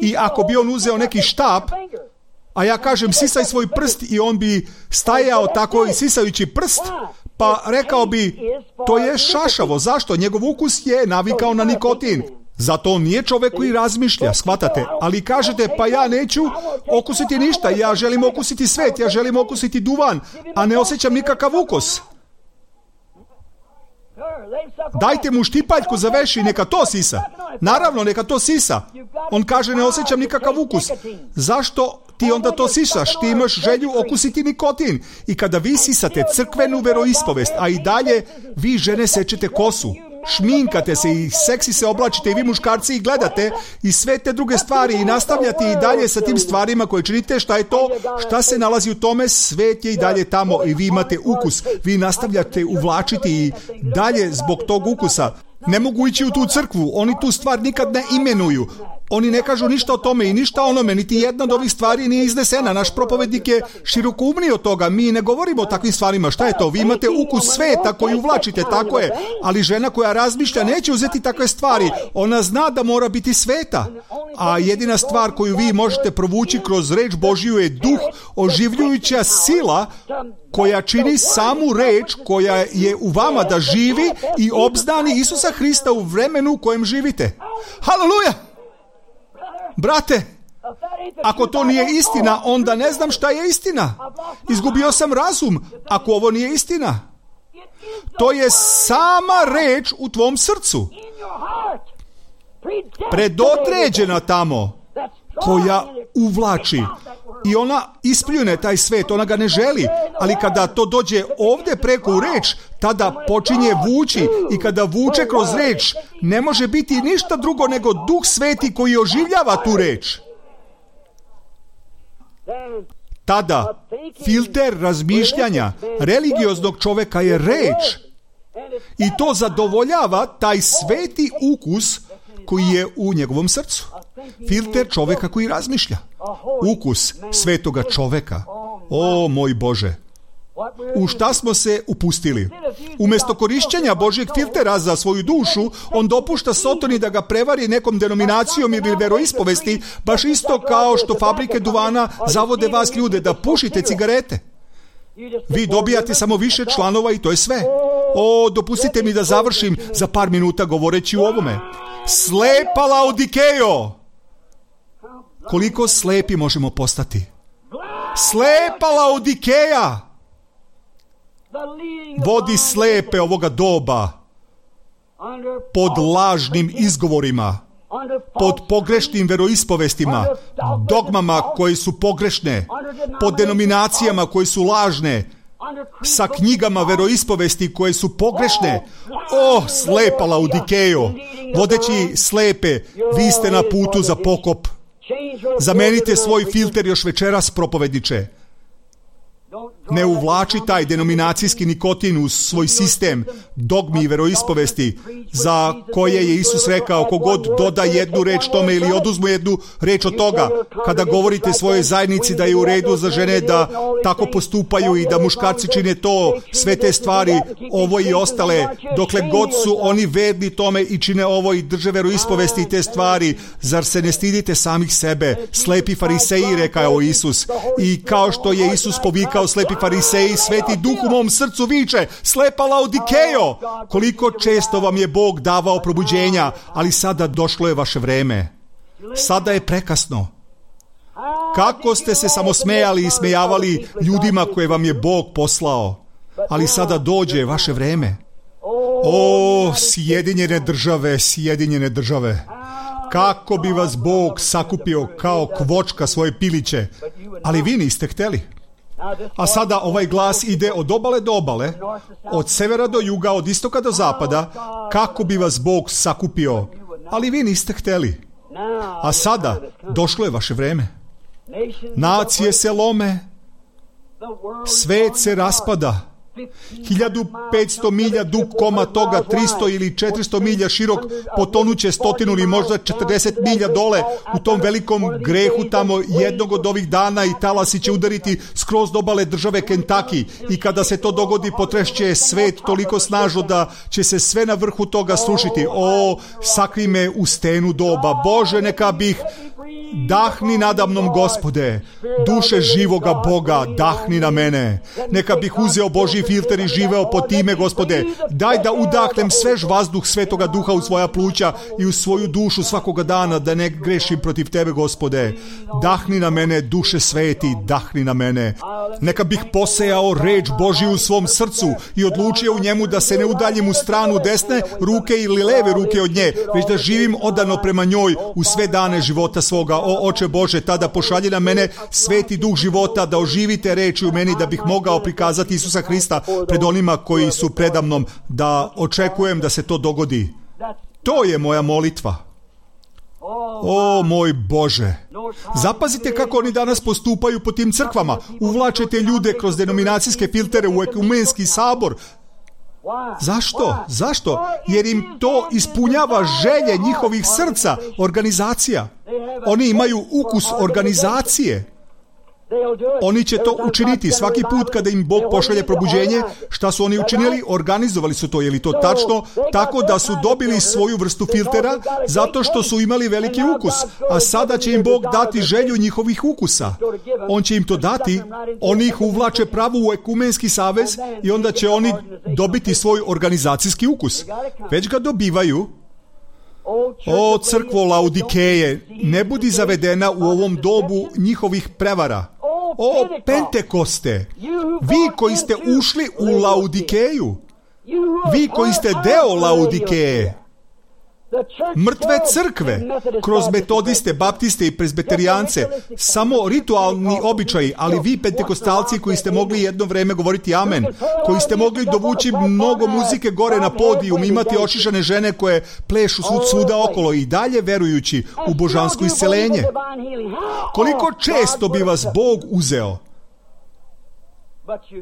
i ako bi on uzeo neki štap, a ja kažem sisaj svoj prst i on bi stajao tako i sisajući prst, pa rekao bi to je šašavo. Zašto? Njegov ukus je navikao na nikotin. Zato on nije čovjek koji razmišlja, shvatate? Ali kažete, pa ja neću okusiti ništa, ja želim okusiti svet, ja želim okusiti duvan, a ne osjećam nikakav ukus. Dajte mu štipaljku za veš i neka to sisa. Naravno, neka to sisa. On kaže, ne osjećam nikakav ukus. Zašto ti onda to sisaš? Ti imaš želju okusiti nikotin. I kada vi sisate crkvenu veroispovest, a i dalje vi žene sečete kosu, šminkate se i seksi se oblačite i vi muškarci i gledate i sve te druge stvari i nastavljate i dalje sa tim stvarima koje činite, šta je to? Šta se nalazi u tome? Svet je i dalje tamo i vi imate ukus. Vi nastavljate uvlačiti i dalje zbog tog ukusa. Ne mogu ići u tu crkvu, oni tu stvar nikad ne imenuju. Oni ne kažu ništa o tome i ništa o onome, niti jedna od ovih stvari nije iznesena. Naš propovednik je širokoumniji od toga, mi ne govorimo o takvim stvarima. Šta je to? Vi imate ukus sveta koji uvlačite, tako je. Ali žena koja razmišlja neće uzeti takve stvari. Ona zna da mora biti sveta. A jedina stvar koju vi možete provući kroz reč Božju je duh, oživljujuća sila koja čini samu reč koja je u vama da živi i obznani Isusa Hrista u vremenu u kojem živite. Haleluja! Brate, ako to nije istina, onda ne znam šta je istina. Izgubio sam razum ako ovo nije istina. To je sama reč u tvom srcu. Predodređena tamo, koja uvlači. I ona ispljune taj svet, ona ga ne želi. Ali kada to dođe ovdje preko u reč, tada počinje vući. I kada vuče kroz reč, ne može biti ništa drugo nego Duh Sveti koji oživljava tu reč. Tada filter razmišljanja religioznog čoveka je reč. I to zadovoljava taj sveti ukus koji je u njegovom srcu. Filter čoveka koji razmišlja. Ukus svetoga čoveka. O moj Bože! U šta smo se upustili? Umjesto korišćenja Božjeg filtera za svoju dušu, on dopušta Sotoni da ga prevari nekom denominacijom ili veroispovesti, baš isto kao što fabrike duvana zavode vas ljude da pušite cigarete. Vi dobijate samo više članova i to je sve. Dopustite mi da završim za par minuta govoreći u ovome. Slepa Laodikejo! Koliko slepi možemo postati? Slepa Laodikeja! Vodi slepe ovoga doba pod lažnim izgovorima, pod pogrešnim veroispovestima, dogmama koje su pogrešne, pod denominacijama koje su lažne, sa knjigama veroispovesti koje su pogrešne. Slepa Laodikejo, vodeći slepe, vi ste na putu za pokop. Zamenite svoj filter još večeras, propovedniče. Ne uvlači taj denominacijski nikotin u svoj sistem dogmi i veroispovesti za koje je Isus rekao, kogod doda jednu reč tome ili oduzmu jednu reč od toga. Kada govorite svojoj zajednici da je u redu za žene da tako postupaju i da muškarci čine to, sve te stvari, ovo i ostale, dokle god su oni verni tome i čine ovo i drže veroispovesti i te stvari, zar se ne stidite samih sebe? Slepi fariseji, rekao Isus. I kao što je Isus povikao slepi fariseji, sveti duh u mom srcu viče, slepa Laodikejo! Koliko često vam je Bog davao probuđenja, ali sada došlo je vaše vreme. Sada je prekasno. Kako ste se samo smejali i smejavali ljudima koje vam je Bog poslao, ali sada dođe vaše vreme. Sjedinjene države, kako bi vas Bog sakupio kao kvočka svoje piliće, ali vi niste hteli. A sada ovaj glas ide od obale do obale, od severa do juga, od istoka do zapada, kako bi vas Bog sakupio, ali vi niste hteli. A sada došlo je vaše vreme. Nacije se lome, svet se raspada. 1500 milja dug koma toga, 300 ili 400 milja širok, potonuće 100 ili možda 40 milja dole u tom velikom grehu tamo jednog od ovih dana i talasi će udariti skroz do obale države Kentucky i kada se to dogodi potrešće svet toliko snažno da će se sve na vrhu toga srušiti. Sakri me u stenu doba. Bože, neka bih dahni nadamnom, Gospode, duše živoga Boga, dahni na mene. Neka bih uzeo Božji filter i živeo po time, Gospode. Daj da udahnem svež vazduh Svetoga Duha u svoja pluća i u svoju dušu svakoga dana, da ne grešim protiv Tebe, Gospode. Dahni na mene, duše sveti, dahni na mene. Neka bih posejao reč Božju u svom srcu i odlučio u njemu da se ne udaljim u stranu desne ruke ili leve ruke od nje, već da živim odano prema njoj u sve dane života svoga. Oče Bože, tada pošalji na mene sveti duh života da oživite reči u meni, da bih mogao prikazati Isusa Hrista pred onima koji su predamnom, da očekujem da se to dogodi. To je moja molitva. Moj Bože, zapazite kako oni danas postupaju po tim crkvama. Uvlačete ljude kroz denominacijske filtere u ekumenski sabor. Zašto? Jer im to ispunjava želje njihovih srca, organizacija. Oni imaju ukus organizacije. Oni će to učiniti svaki put kada im Bog pošalje probuđenje. Šta su oni učinili? Organizovali su to, je li to tačno? Tako da su dobili svoju vrstu filtera zato što su imali veliki ukus. A sada će im Bog dati želju njihovih ukusa. On će im to dati, oni ih uvlače pravo u ekumenski savez i onda će oni dobiti svoj organizacijski ukus. Već ga dobivaju. Crkvo Laodikeje, ne budi zavedena u ovom dobu njihovih prevara. Pentekoste, vi koji ste ušli u Laodikeju, vi koji ste deo Laodikeje, mrtve crkve, kroz metodiste, baptiste i prezbeterijance, samo ritualni običaji, ali vi pentekostalci koji ste mogli jedno vreme govoriti amen, koji ste mogli dovući mnogo muzike gore na podijum, imati ošišane žene koje plešu svuda okolo i dalje verujući u božansko isceljenje. Koliko često bi vas Bog uzeo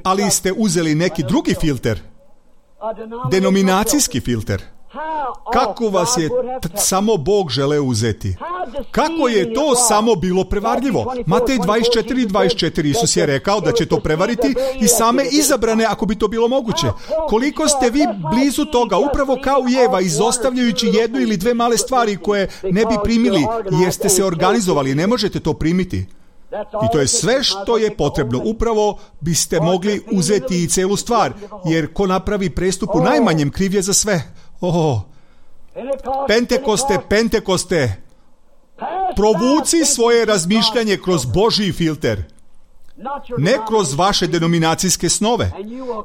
ali ste uzeli neki drugi filter, denominacijski filter. Kako vas je samo Bog želeo uzeti? Kako je to samo bilo prevarljivo? Matej 24:24, Isus je rekao da će to prevariti i same izabrane ako bi to bilo moguće. Koliko ste vi blizu toga, upravo kao i Eva, izostavljajući jednu ili dve male stvari koje ne bi primili jer ste se organizovali, ne možete to primiti. I to je sve što je potrebno. Upravo biste mogli uzeti i celu stvar, jer ko napravi prestup u najmanjem, kriv je za sve. Pentekoste, provuci svoje razmišljanje kroz Božji filter, ne kroz vaše denominacijske snove.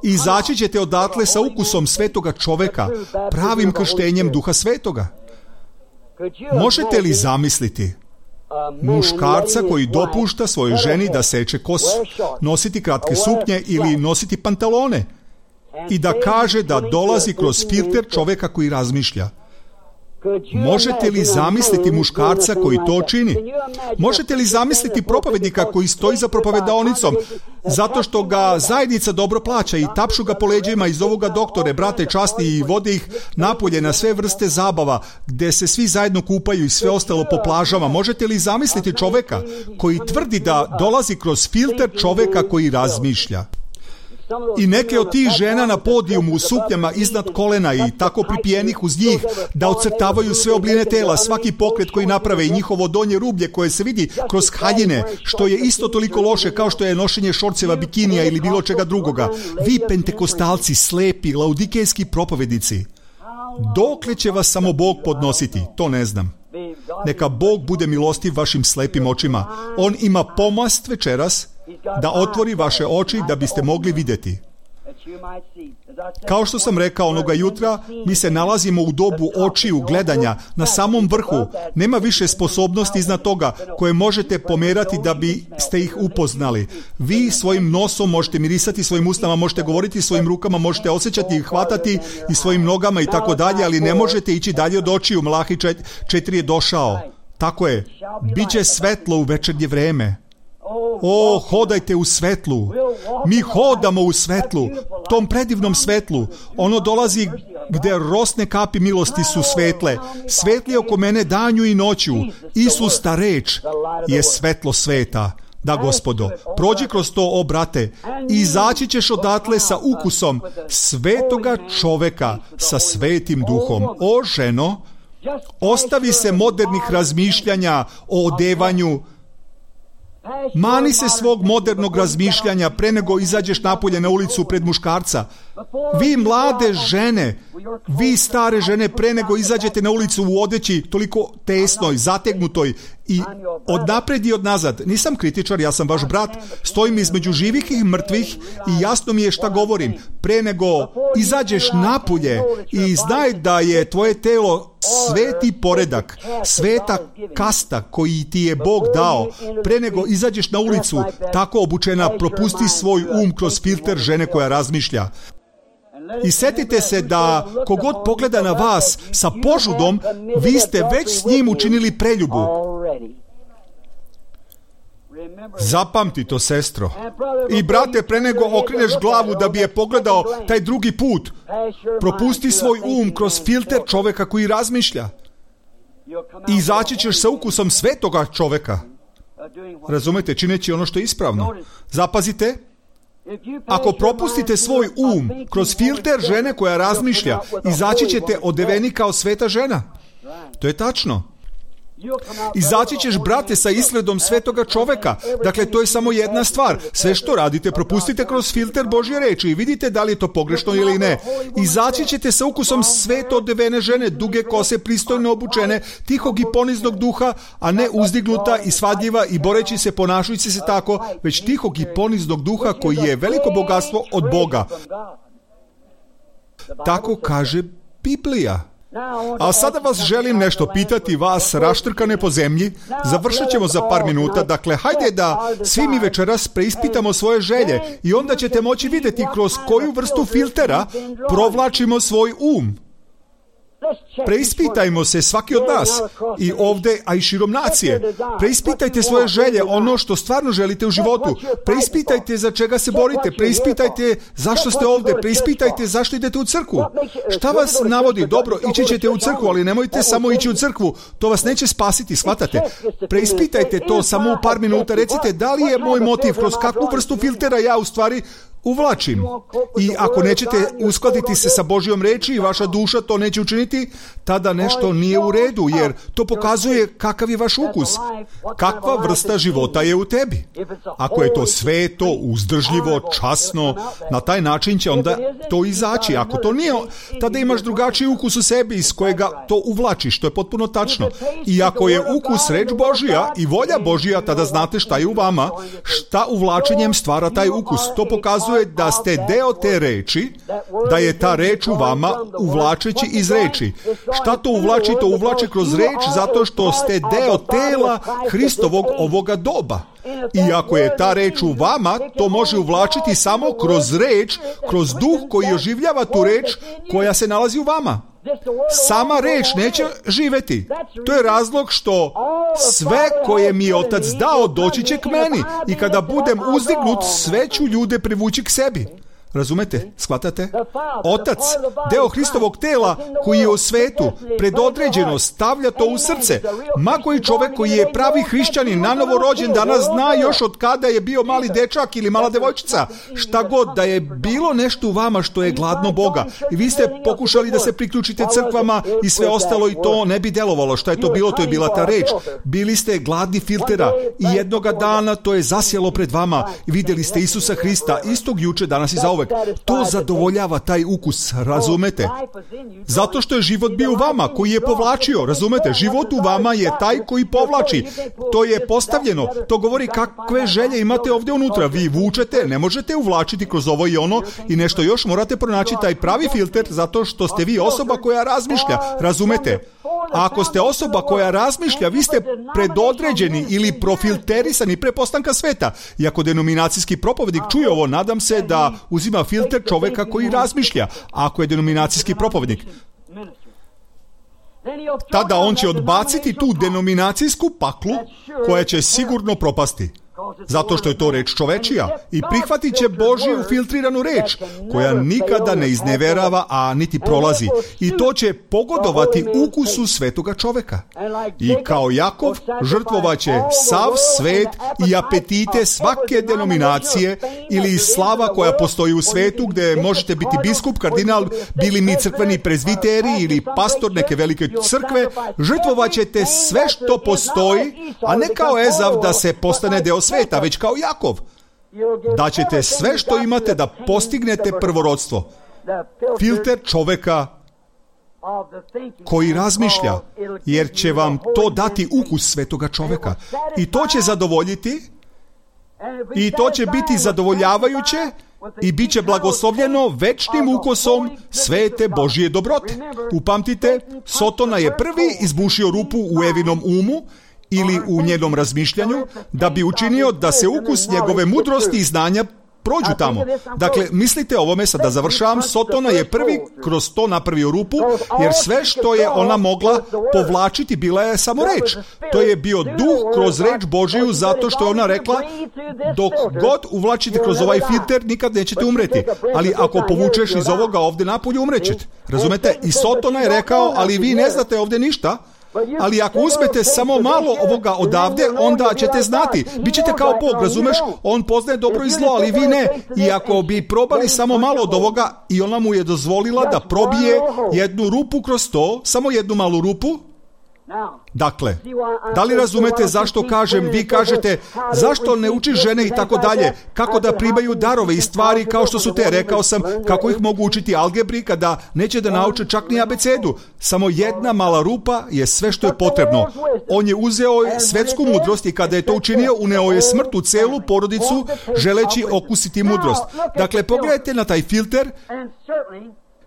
Izaći ćete odatle sa ukusom svetoga čoveka, pravim krštenjem Duha Svetoga. Možete li zamisliti muškarca koji dopušta svojoj ženi da seče kosu, nositi kratke suknje ili nositi pantalone i da kaže da dolazi kroz filter čoveka koji razmišlja? Možete li zamisliti muškarca koji to čini? Možete li zamisliti propovednika koji stoji za propovedaonicom zato što ga zajednica dobro plaća i tapšu ga po leđima iz ovoga doktore, brate časti, i vode ih napolje na sve vrste zabava gde se svi zajedno kupaju i sve ostalo po plažama? Možete li zamisliti čoveka koji tvrdi da dolazi kroz filter čoveka koji razmišlja? I neke od tih žena na podijumu u suknjama iznad kolena i tako pripijenih uz njih da ocrtavaju sve obline tela, svaki pokret koji naprave i njihovo donje rublje koje se vidi kroz haljine, što je isto toliko loše kao što je nošenje šorceva, bikinija ili bilo čega drugoga. Vi pentekostalci, slepi, laudikejski propovednici, dokle će vas samo Bog podnositi? To ne znam. Neka Bog bude milostiv vašim slepim očima. On ima pomast večeras da otvori vaše oči da biste mogli vidjeti. Kao što sam rekao onoga jutra, mi se nalazimo u dobu očiju, gledanja, na samom vrhu. Nema više sposobnosti iznad toga koje možete pomerati da biste ih upoznali. Vi svojim nosom možete mirisati, svojim usnama možete govoriti, svojim rukama možete osjećati i hvatati i svojim nogama i tako dalje, ali ne možete ići dalje od očiju. Malahi 4 je došao. Tako je. Biće svetlo u večernje vreme. Hodajte u svetlu. Mi hodamo u svetlu, tom predivnom svetlu. Ono dolazi gde rosne kapi milosti su svetle. Svetli oko mene danju i noću. Isus, ta reč, je svetlo sveta. Da, Gospodo, prođi kroz to, o brate, i izaći ćeš odatle sa ukusom svetoga čoveka sa svetim duhom. O ženo, ostavi se modernih razmišljanja o odevanju. Mani se svog modernog razmišljanja pre nego izađeš napolje na ulicu pred muškarca. Vi mlade žene, vi stare žene, pre nego izađete na ulicu u odeći toliko tesnoj, zategnutoj i od napred i od nazad. Nisam kritičar, ja sam vaš brat, stojim između živih i mrtvih i jasno mi je šta govorim. Pre nego izađeš napolje i znaj da je tvoje telo sveti poredak, sveta kasta koji ti je Bog dao. Pre nego izađeš na ulicu, tako obučena, propusti svoj kroz filter žene koja razmišlja. I setite se da kogod pogleda na vas sa požudom, vi ste već s njim učinili preljubu. Zapamti to, sestro. I brate, pre nego okreneš glavu da bi je pogledao taj drugi put, propusti svoj kroz filter čoveka koji razmišlja. I izaći ćeš sa ukusom svetoga čoveka. Razumete, čineći ono što je ispravno. Zapazite, ako propustite svoj kroz filter žene koja razmišlja, izaći ćete odeveni kao sveta žena. To je tačno. Izaći ćeš, brate, sa izgledom svetoga čoveka. Dakle, to je samo jedna stvar. Sve što radite, propustite kroz filter Božje reči i vidite da li je to pogrešno ili ne. Izaći ćete sa ukusom sveto odevene žene, duge kose, pristojno obučene, tihog i poniznog duha, a ne uzdignuta i svadljiva i boreći se, ponašajući se tako, već tihog i poniznog duha koji je veliko bogatstvo od Boga. Tako kaže Biblija. A sada vas želim nešto pitati, vas raštrkane po zemlji. Završit ćemo za par minuta. Dakle, hajde da svi mi večeras preispitamo svoje želje i onda ćete moći vidjeti kroz koju vrstu filtera provlačimo svoj Preispitajmo se svaki od nas i ovdje, a i širom nacije. Preispitajte svoje želje, ono što stvarno želite u životu. Preispitajte za čega se borite. Preispitajte zašto ste ovdje. Preispitajte zašto idete u crkvu. Šta vas navodi? Dobro, ići ćete u crkvu, ali nemojte samo ići u crkvu. To vas neće spasiti, shvatate? Preispitajte to samo u par minuta. Recite, da li je moj motiv, kroz kakvu vrstu filtera ja u stvari uvlačim. I ako nećete uskladiti se sa Božjom reči i vaša duša to neće učiniti, tada nešto nije u redu, jer to pokazuje kakav je vaš ukus. Kakva vrsta života je u tebi. Ako je to sveto, uzdržljivo, časno, na taj način će onda to izaći. Ako to nije, tada imaš drugačiji ukus u sebi iz kojega to uvlačiš. To je potpuno tačno. I ako je ukus reč Božja i volja Božja, tada znate šta je u vama, šta uvlačenjem stvara taj ukus. To pokazuje da ste deo te reči, da je ta reč u vama uvlačeći iz reči. Šta to uvlači? To uvlači kroz reč zato što ste deo tela Hristovog ovoga doba. I ako je ta reč u vama, to može uvlačiti samo kroz reč, kroz duh koji oživljava tu reč koja se nalazi u vama. Sama reč neće živjeti. To je razlog što sve koje mi je Otac dao doći će k meni i kada budem uzdignut, sve ću ljude privući k sebi. Razumete? Shvatate? Otac, deo Hristovog tela koji je u svetu, predodređeno stavlja to u srce. Ma koji čovjek koji je pravi hrišćanin, nanovo rođen, danas zna još od kada je bio mali dečak ili mala devojčica. Šta god, da je bilo nešto u vama što je gladno Boga. I vi ste pokušali da se priključite crkvama i sve ostalo i to ne bi delovalo. Šta je to bilo? To je bila ta reč. Bili ste gladni filtera i jednoga dana to je zasjelo pred vama i vidjeli ste Isusa Hrista istog juče, danas i zauvek. To zadovoljava taj ukus, razumete? Zato što je život bio u vama, koji je povlačio, razumete? Život u vama je taj koji povlači. To je postavljeno. To govori kakve želje imate ovdje unutra. Vi vučete, ne možete uvlačiti kroz ovo i ono i nešto još, morate pronaći taj pravi filter zato što ste vi osoba koja razmišlja, razumete? A ako ste osoba koja razmišlja, vi ste predodređeni ili profilterisani pre postanka sveta. I ako denominacijski propovednik čuje ovo, nadam se da uzima filter čovjeka koji razmišlja. A ako je denominacijski propovednik, tada on će odbaciti tu denominacijsku paklu koja će sigurno propasti. Zato što je to reč čovečija i prihvatit će Božju filtriranu reč koja nikada ne izneverava, a niti prolazi. I to će pogodovati ukusu svetoga čoveka. I kao Jakov žrtvovaće sav svet i apetite svake denominacije ili slava koja postoji u svetu gdje možete biti biskup, kardinal, bili mi crkveni prezbiteri ili pastor neke velike crkve. Žrtvovaćete sve što postoji, a ne kao Ezav da se postane deo sveta, već kao Jakov. Daćete sve što imate da postignete prvorodstvo. Filter čoveka koji razmišlja, jer će vam to dati ukus svetoga čoveka. I to će zadovoljiti, i to će biti zadovoljavajuće i bit će blagoslovljeno večnim ukusom svete Božje dobrote. Upamtite, Sotona je prvi izbušio rupu u Evinom umu ili u njenom razmišljanju, da bi učinio da se ukus njegove mudrosti i znanja prođu tamo. Dakle, mislite o ovome, sad da završavam, Sotona je prvi kroz to napravio rupu, jer sve što je ona mogla povlačiti bila je samo reč. To je bio duh kroz reč Božiju, zato što je ona rekla, dok god uvlačite kroz ovaj filter, nikad nećete umreti. Ali ako povučeš iz ovoga ovdje napolje, umrećete. Razumete? I Sotona je rekao, ali vi ne znate ovdje ništa. Ali ako uzmete samo malo ovoga odavde, onda ćete znati. Bićete kao Bog, razumeš? On poznaje dobro i zlo, ali vi ne. I ako bi probali samo malo od ovoga i ona mu je dozvolila da probije jednu rupu kroz to, samo jednu malu rupu. Dakle, da li razumete zašto kažem, vi kažete, zašto ne učiš žene i tako dalje, kako da primaju darove i stvari kao što su te, rekao sam, kako ih mogu učiti algebri kada neće da nauče čak ni abecedu. Samo jedna mala rupa je sve što je potrebno. On je uzeo svetsku mudrost i kada je to učinio, uneo je smrt u celu porodicu želeći okusiti mudrost. Dakle, pogledajte na taj filter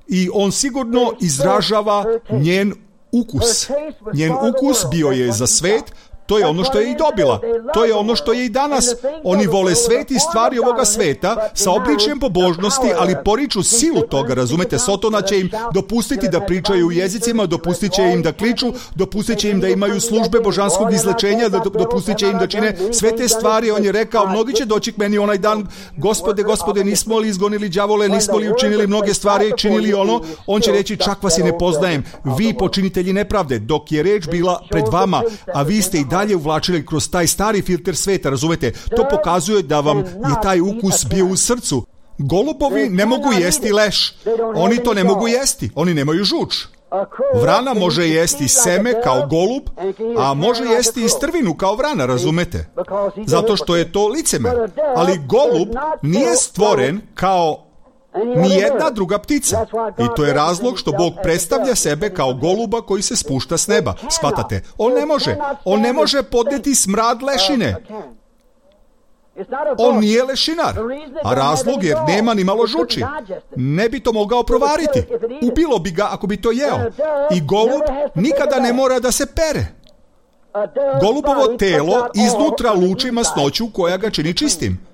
i on sigurno izražava njen ukus. Njen ukus bio je za svet, To je ono što je i dobila. To je ono što je i danas. Oni vole svet i stvari ovoga sveta sa obličjem pobožnosti, ali poriču silu toga, razumete? Sotona će im dopustiti da pričaju u jezicima, dopustit će im da kliču, dopustit će im da imaju službe božanskog izlečenja, dopustit će im da čine sve te stvari. On je rekao, mnogi će doći k meni onaj dan, Gospode, nismo li izgonili đavole, nismo li učinili mnoge stvari, činili ono? On će reći, čak vas i ne poznajem, vi počinitelji nepravde, dok je reč bila pred vama, a vi ste i dalje uvlačili kroz taj stari filter sveta, razumete? To pokazuje da vam je taj ukus bio u srcu. Golubovi ne mogu jesti leš. Oni to ne mogu jesti. Oni nemaju žuč. Vrana može jesti seme kao golub, a može jesti i strvinu kao vrana, razumete? Zato što je to licemer. Ali golub nije stvoren kao nijedna druga ptica. I to je razlog što Bog predstavlja sebe kao goluba koji se spušta s neba. Shvatate? On ne može podnijeti smrad lešine. On nije lešinar, a razlog jer nema ni malo žuči. Ne bi to mogao provariti. Ubilo bi ga ako bi to jeo. I golub nikada ne mora da se pere. Golubovo telo iznutra luči masnoću koja ga čini čistim.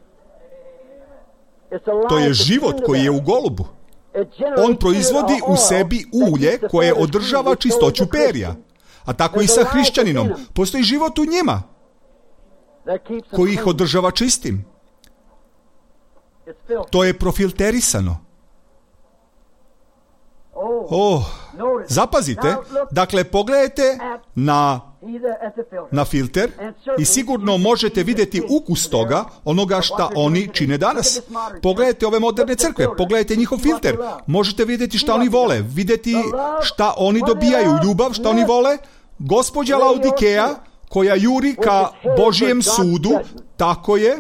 To je život koji je u golubu. On proizvodi u sebi ulje koje održava čistoću perja. A tako i sa hrišćaninom. Postoji život u njima koji ih održava čistim. To je profilterisano. Zapazite, dakle pogledajte na filter i sigurno možete vidjeti ukus toga, onoga šta oni čine danas. Pogledajte ove moderne crkve, pogledajte njihov filter, možete vidjeti šta oni vole, vidjeti šta oni dobijaju, ljubav, šta oni vole. Gospođa Laodikeja koja juri ka Božijem sudu, tako je.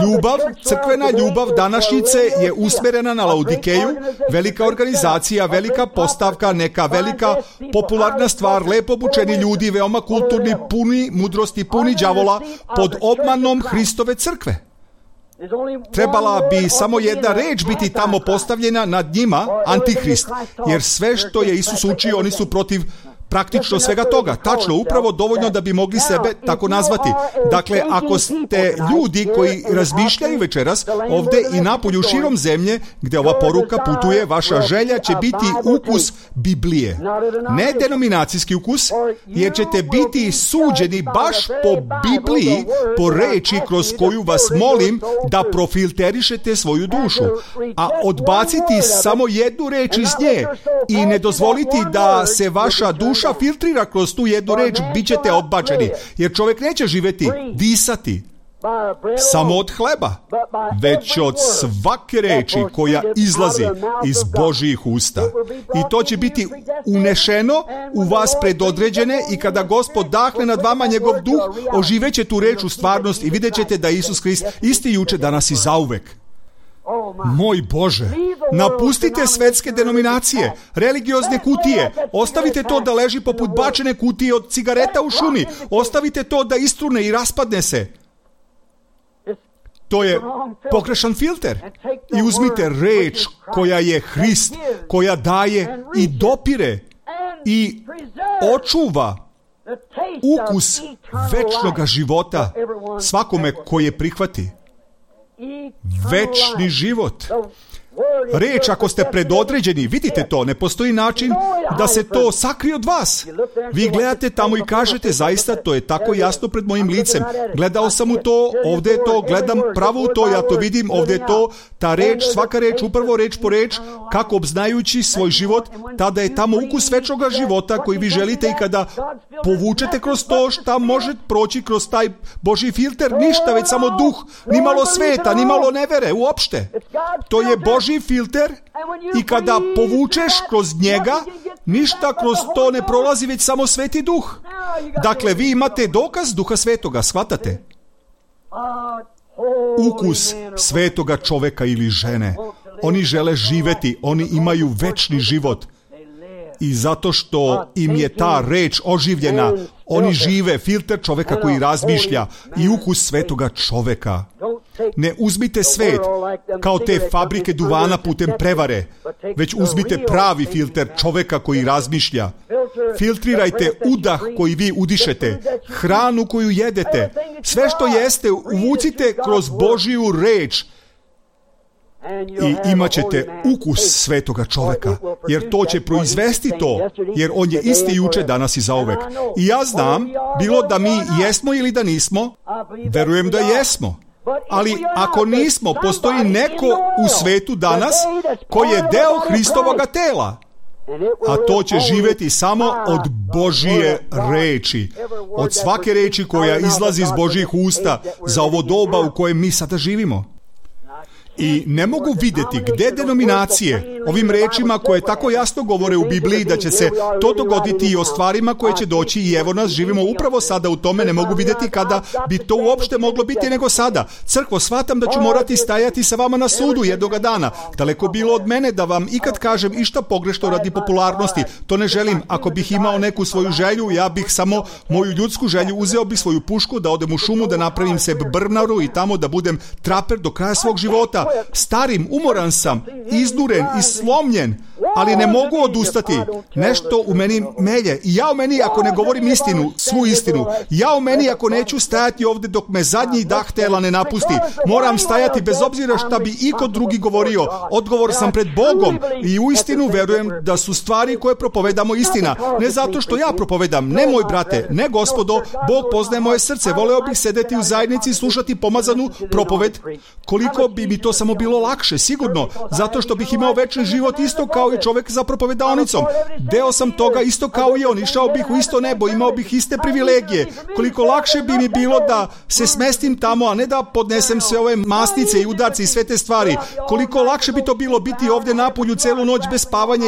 Ljubav, crkvena ljubav današnjice je usmjerena na Laodikeju, velika organizacija, velika postavka, neka velika popularna stvar, lepo obučeni ljudi, veoma kulturni, puni mudrosti, puni đavola, pod obmanom Hristove crkve. Trebala bi samo jedna reč biti tamo postavljena nad njima, Antihrist, jer sve što je Isus učio, oni su protiv praktično svega toga. Tačno, upravo dovoljno da bi mogli sebe tako nazvati. Dakle, ako ste ljudi koji razmišljaju večeras ovdje i napolju širom zemlje gdje ova poruka putuje, vaša želja će biti ukus Biblije. Ne denominacijski ukus, jer ćete biti suđeni baš po Bibliji, po reči kroz koju vas molim da profilterišete svoju dušu. A odbaciti samo jednu reč iz nje i ne dozvoliti da se vaša duša filtrira kroz tu jednu reč, bit ćete odbačeni. Jer čovjek neće živjeti, disati samo od hleba, već od svake reči koja izlazi iz Božjih usta. I to će biti unešeno u vas predodređene i kada Gospod dahne nad vama njegov duh, oživeće tu reč u stvarnost i vidjet ćete da Isus Krist isti juče, danas i zauvek. Moj Bože, napustite svetske denominacije, religiozne kutije, ostavite to da leži poput bačene kutije od cigareta u šumi, ostavite to da istrune i raspadne se. To je pogrešan filter. I uzmite reč koja je Hrist, koja daje i dopire i očuva ukus večnoga života svakome koji je prihvati. Večni život. Reč, ako ste predodređeni, vidite to, ne postoji način da se to sakrije od vas. Vi gledate tamo i kažete, zaista to je tako jasno pred mojim licem. Gledao sam u to, ovdje je to, gledam pravo u to, ja to vidim, ovdje je to, ta reč, svaka reč, upravo reč po reč, kako obznajući svoj život, tada je tamo ukus večnoga života koji vi želite i kada povučete kroz to šta može proći kroz taj Božji filter, ništa, već samo duh, ni malo sveta, ni malo nevere, uopšte. To je Božji filter i kada povučeš kroz njega, ništa kroz to ne prolazi, već samo Sveti Duh. Dakle, vi imate dokaz Duha Svetoga, shvatate? Ukus svetoga čoveka ili žene. Oni žele živeti, oni imaju večni život. I zato što im je ta reč oživljena, oni žive, filter čoveka koji razmišlja i ukus svetoga čoveka. Ne uzmite svet kao te fabrike duvana putem prevare, već uzmite pravi filter čoveka koji razmišlja. Filtrirajte udah koji vi udišete, hranu koju jedete, sve što jeste uvucite kroz Božiju reč i imat ćete ukus svetoga čoveka, jer to će proizvesti to, jer on je isti juče, danas i zauvek. I ja znam, bilo da mi jesmo ili da nismo, verujem da jesmo. Ali ako nismo, postoji neko u svetu danas koji je deo Hristovoga tela. A to će živjeti samo od Božije reči. Od svake reči koja izlazi iz Božjih usta za ovo doba u kojem mi sada živimo. I ne mogu vidjeti gdje denominacije ovim rečima koje tako jasno govore u Bibliji da će se to dogoditi i o stvarima koje će doći, i evo nas živimo upravo sada u tome, ne mogu vidjeti kada bi to uopšte moglo biti nego sada. Crkvo, shvatam da ću morati stajati sa vama na sudu jednoga dana. Daleko bilo od mene da vam ikad kažem išta pogrešno radi popularnosti. To ne želim. Ako bih imao neku svoju želju, ja bih samo moju ljudsku želju, uzeo bih svoju pušku, da odem u šumu, da napravim sebi brvnaru i tamo da budem traper do kraja svog života. Starim, umoran sam, izduren i slomljen, ali ne mogu odustati. Nešto u meni melje. I ja u meni, ako ne govorim istinu, svu istinu, ja u meni, ako neću stajati ovdje dok me zadnji dah tela ne napusti, moram stajati bez obzira šta bi iko drugi govorio. Odgovor sam pred Bogom i u istinu verujem da su stvari koje propovedamo istina. Ne zato što ja propovedam, ne moj brate, ne gospodo, Bog poznaje moje srce. Voleo bih sedeti u zajednici i slušati pomazanu propoved. Koliko bi mi to samo bilo lakše, sigurno, zato što bih imao večni život isto kao i čovjek za propovedaonicom. Deo sam toga isto kao i on, išao bih u isto nebo, imao bih iste privilegije. Koliko lakše bi mi bilo da se smestim tamo, a ne da podnesem sve ove masnice i udarce i sve te stvari. Koliko lakše bi to bilo biti ovdje napolju celu noć bez spavanja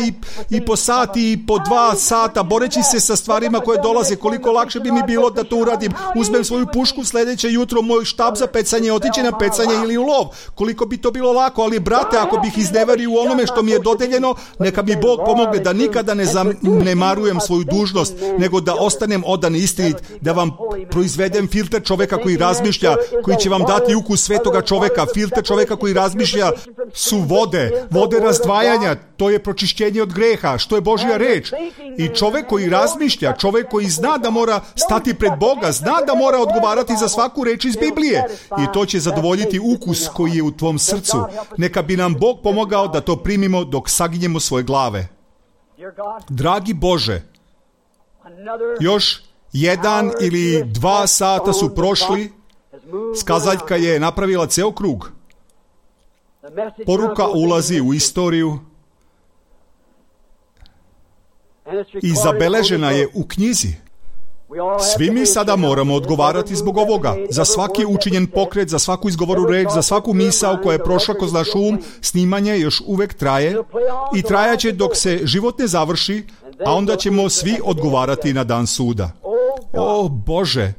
i po sati i po 2 sata boreći se sa stvarima koje dolaze. Koliko lakše bi mi bilo da to uradim. Uzmem svoju pušku, sljedeće jutro moj štab za pecanje, otići na pecanje ili u lov. Koliko bi to bilo lako, ali brate, ako bih izneverio u onome što mi je dodeljeno, neka mi Bog pomogne da nikada ne zanemarujem svoju dužnost, nego da ostanem odan istinit, da vam proizvedem filter čoveka koji razmišlja, koji će vam dati ukus svetoga čoveka. Filter čoveka koji razmišlja su vode razdvajanja, to je pročišćenje od greha, što je Božja reč. I čovek koji razmišlja, čovek koji zna da mora stati pred Boga, zna da mora odgovarati za svaku reč iz Biblije, i to će zadovoljiti ukus koji je u tvom srcu. Neka bi nam Bog pomogao da to primimo dok saginjemo svoje glave. Dragi Bože, još 1 ili 2 sata su prošli, skazaljka je napravila ceo krug. Poruka ulazi u istoriju i zabeležena je u knjizi. Svi mi sada moramo odgovarati zbog ovoga. Za svaki učinjen pokret, za svaku izgovoru reč, za svaku misao koja je prošla kroz naš um, snimanje još uvek traje i trajaće dok se život ne završi, a onda ćemo svi odgovarati na dan suda. O Bože,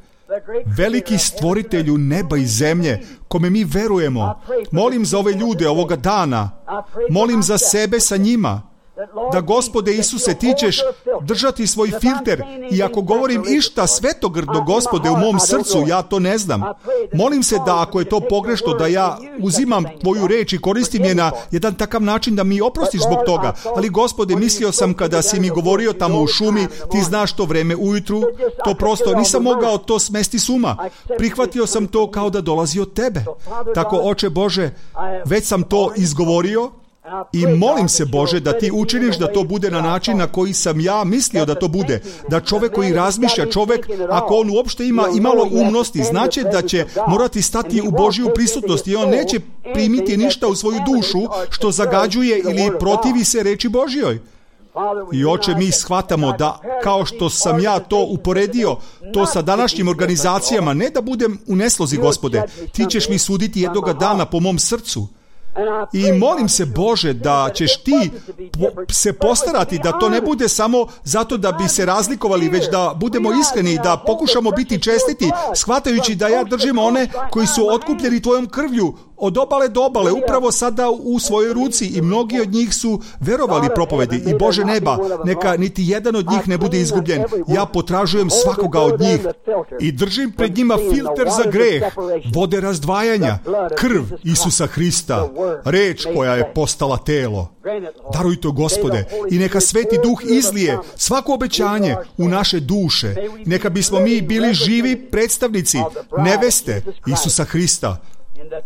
veliki stvoritelju neba i zemlje, kome mi verujemo, molim za ove ljude ovoga dana, molim za sebe sa njima, da Gospode Isuse ti ćeš držati svoj filter, i ako govorim išta svetogrdo, Gospode, u mom srcu, ja to ne znam. Molim se da ako je to pogrešno, da ja uzimam tvoju reč i koristim je na jedan takav način da mi oprostiš zbog toga. Ali Gospode, mislio sam kada si mi govorio tamo u šumi, ti znaš to vreme ujutru, to prosto nisam mogao to smesti s uma. Prihvatio sam to kao da dolazi od tebe. Tako, Oče Bože, već sam to izgovorio, i molim se, Bože, da ti učiniš da to bude na način na koji sam ja mislio da to bude. Da čovjek koji razmišlja, čovjek, ako on uopšte ima imalo umnosti, znači da će morati stati u Božju prisutnost i on neće primiti ništa u svoju dušu što zagađuje ili protivi se reči Božjoj. I Oče, mi shvatamo da, kao što sam ja to uporedio, to sa današnjim organizacijama, ne da budem u neslozi, Gospode, ti ćeš mi suditi jednoga dana po mom srcu. I molim se, Bože, da ćeš ti se postarati da to ne bude samo zato da bi se razlikovali, već da budemo iskreni i da pokušamo biti čestiti, shvatajući da ja držim one koji su otkupljeni tvojom krvlju, od obale do obale, upravo sada u svojoj ruci, i mnogi od njih su verovali propovedi. I Bože neba, neka niti jedan od njih ne bude izgubljen. Ja potražujem svakoga od njih i držim pred njima filter za greh, vode razdvajanja, krv Isusa Hrista, reč koja je postala telo. Daruj to, Gospode, i neka Sveti Duh izlije svako obećanje u naše duše. Neka bismo mi bili živi predstavnici neveste Isusa Hrista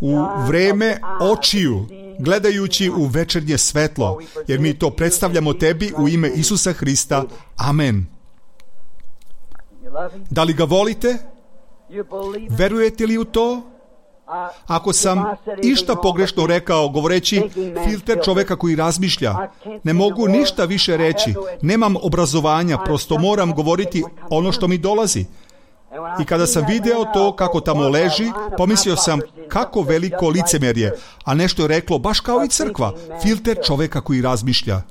u vreme očiju, gledajući u večernje svetlo, jer mi to predstavljamo Tebi u ime Isusa Hrista. Amen. Da li ga volite? Verujete li u to? Ako sam išta pogrešno rekao govoreći filter čoveka koji razmišlja, ne mogu ništa više reći. Nemam obrazovanja, prosto moram govoriti ono što mi dolazi. I kada sam video to kako tamo leži, pomislio sam kako veliko licemerje, a nešto je reklo baš kao i crkva, filter čoveka koji razmišlja.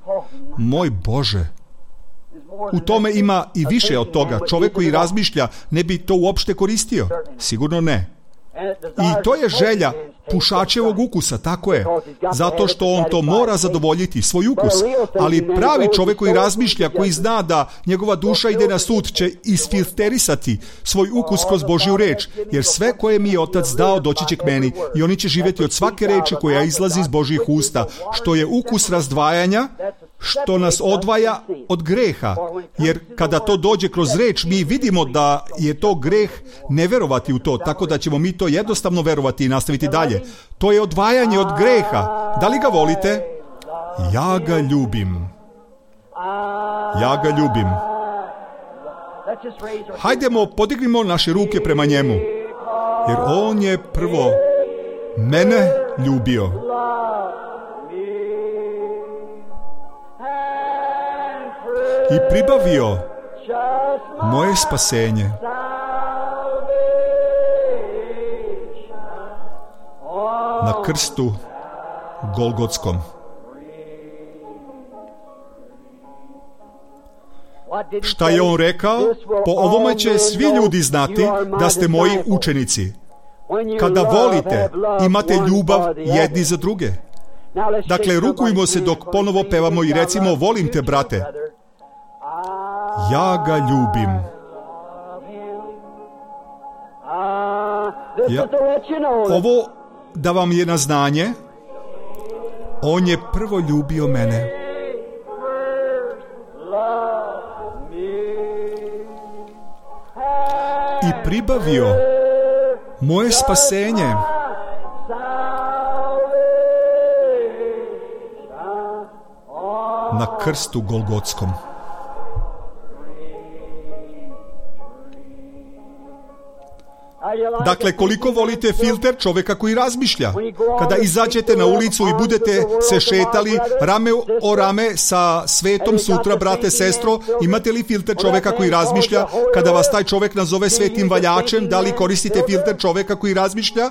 Moj Bože! U tome ima i više od toga. Čovek koji razmišlja ne bi to uopšte koristio. Sigurno ne. I to je želja pušačevog ukusa, tako je. Zato što on to mora zadovoljiti, svoj ukus. Ali pravi čovjek koji razmišlja, koji zna da njegova duša ide na sud, će isfilterisati svoj ukus kroz Božju reč. Jer sve koje mi je Otac dao doći će k meni i oni će živjeti od svake reči koja izlazi iz Božjih usta, što je ukus razdvajanja, što nas odvaja od greha. Jer kada to dođe kroz reč, mi vidimo da je to greh ne verovati u to, tako da ćemo mi to jednostavno verovati i nastaviti dalje. To je odvajanje od greha. Da li ga volite? Ja ga ljubim. Ja ga ljubim. Hajdemo, podignimo naše ruke prema njemu. Jer on je prvo mene ljubio. I pribavio moje spasenje. Na krstu Golgotskom. Šta je on rekao? Po ovome će svi ljudi znati da ste moji učenici. Kada volite, imate ljubav jedni za druge. Dakle, rukujmo se dok ponovo pevamo i recimo, volim te, brate. Ja ga ljubim. Ovo da vam je na znanje, on je prvo ljubio mene. I pribavio moje spasenje. Na krstu Golgotskom. Dakle, koliko volite filter čoveka koji razmišlja? Kada izađete na ulicu i budete se šetali rame o rame sa svetom sutra, brate, sestro, imate li filter čoveka koji razmišlja? Kada vas taj čovek nazove svetim valjačem, da li koristite filter čoveka koji razmišlja?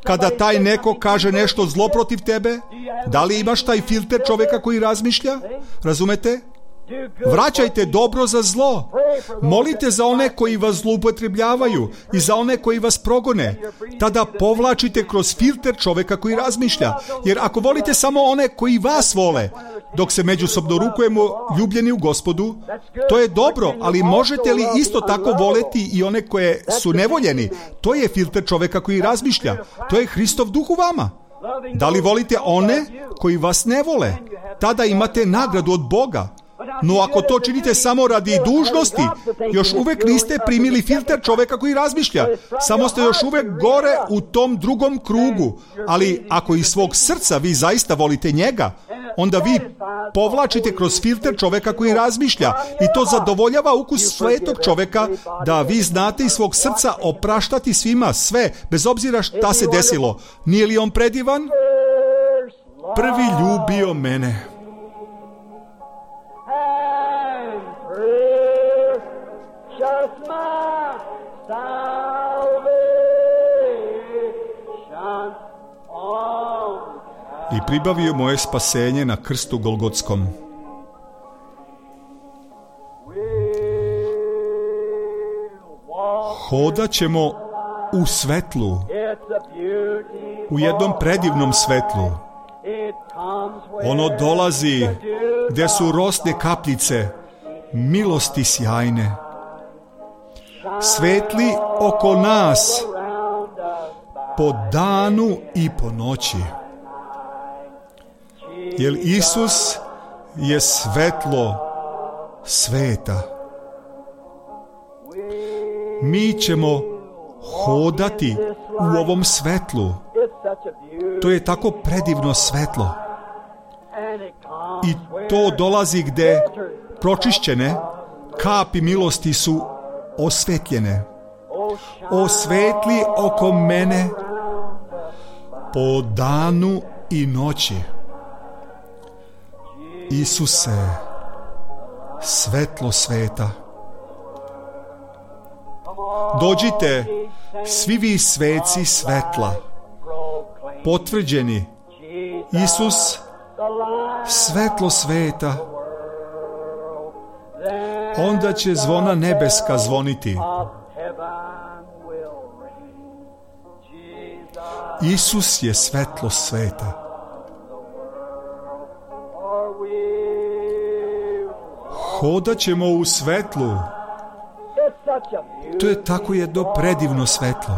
Kada taj neko kaže nešto zlo protiv tebe, da li imaš taj filter čoveka koji razmišlja? Razumete? Vraćajte dobro za zlo. Molite za one koji vas zloupotrebljavaju i za one koji vas progone. Tada povlačite kroz filter čoveka koji razmišlja. Jer ako volite samo one koji vas vole, dok se međusobno rukujemo ljubljeni u Gospodu, to je dobro, ali možete li isto tako voleti i one koje su nevoljeni? To je filter čoveka koji razmišlja. To je Hristov duh u vama. Da li volite one koji vas ne vole? Tada imate nagradu od Boga. No ako to činite samo radi dužnosti, još uvek niste primili filter čoveka koji razmišlja. Samo ste još uvek gore u tom drugom krugu. Ali ako iz svog srca vi zaista volite njega, onda vi povlačite kroz filter čoveka koji razmišlja i to zadovoljava ukus svetog čoveka da vi znate iz svog srca opraštati svima sve, bez obzira šta se desilo. Nije li on predivan? Prvi ljubio mene. I pribavio moje spasenje na krstu Golgotskom. Hodat ćemo u svetlu, u jednom predivnom svetlu. Ono dolazi gdje su rosne kapljice milosti sjajne. Svetli oko nas po danu i po noći. Jer Isus je svetlo sveta. Mi ćemo hodati u ovom svetlu. To je tako predivno svetlo. I to dolazi gdje pročišćene kapi milosti su osvetljene. Osvetli oko mene po danu i noći. Isuse, svetlo sveta. Dođite, svi vi sveci svetla, potvrđeni, Isus, svetlo sveta. Onda će zvona nebeska zvoniti. Isus je svetlo sveta. Hodat ćemo u svetlu. To je tako jedno predivno svetlo.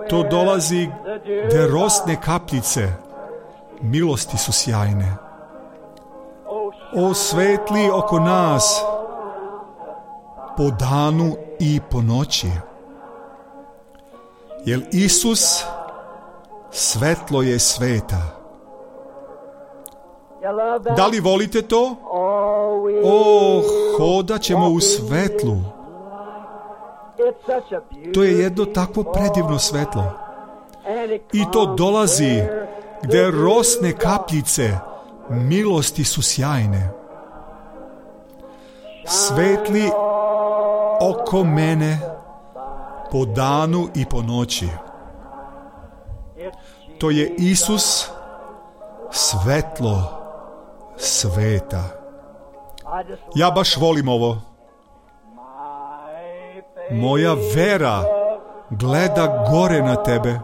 To dolazi gdje rosne kapljice milosti su sjajne. Osvetli oko nas po danu i po noći. Jer Isus svetlo je sveta. Da li volite to? Hodat ćemo u svetlu. To je jedno takvo predivno svetlo. I to dolazi gdje rosne kapljice milosti su sjajne. Svetli oko mene po danu i po noći. To je Isus svetlo sveta. Ja baš volim ovo. Moja vera gleda gore na tebe.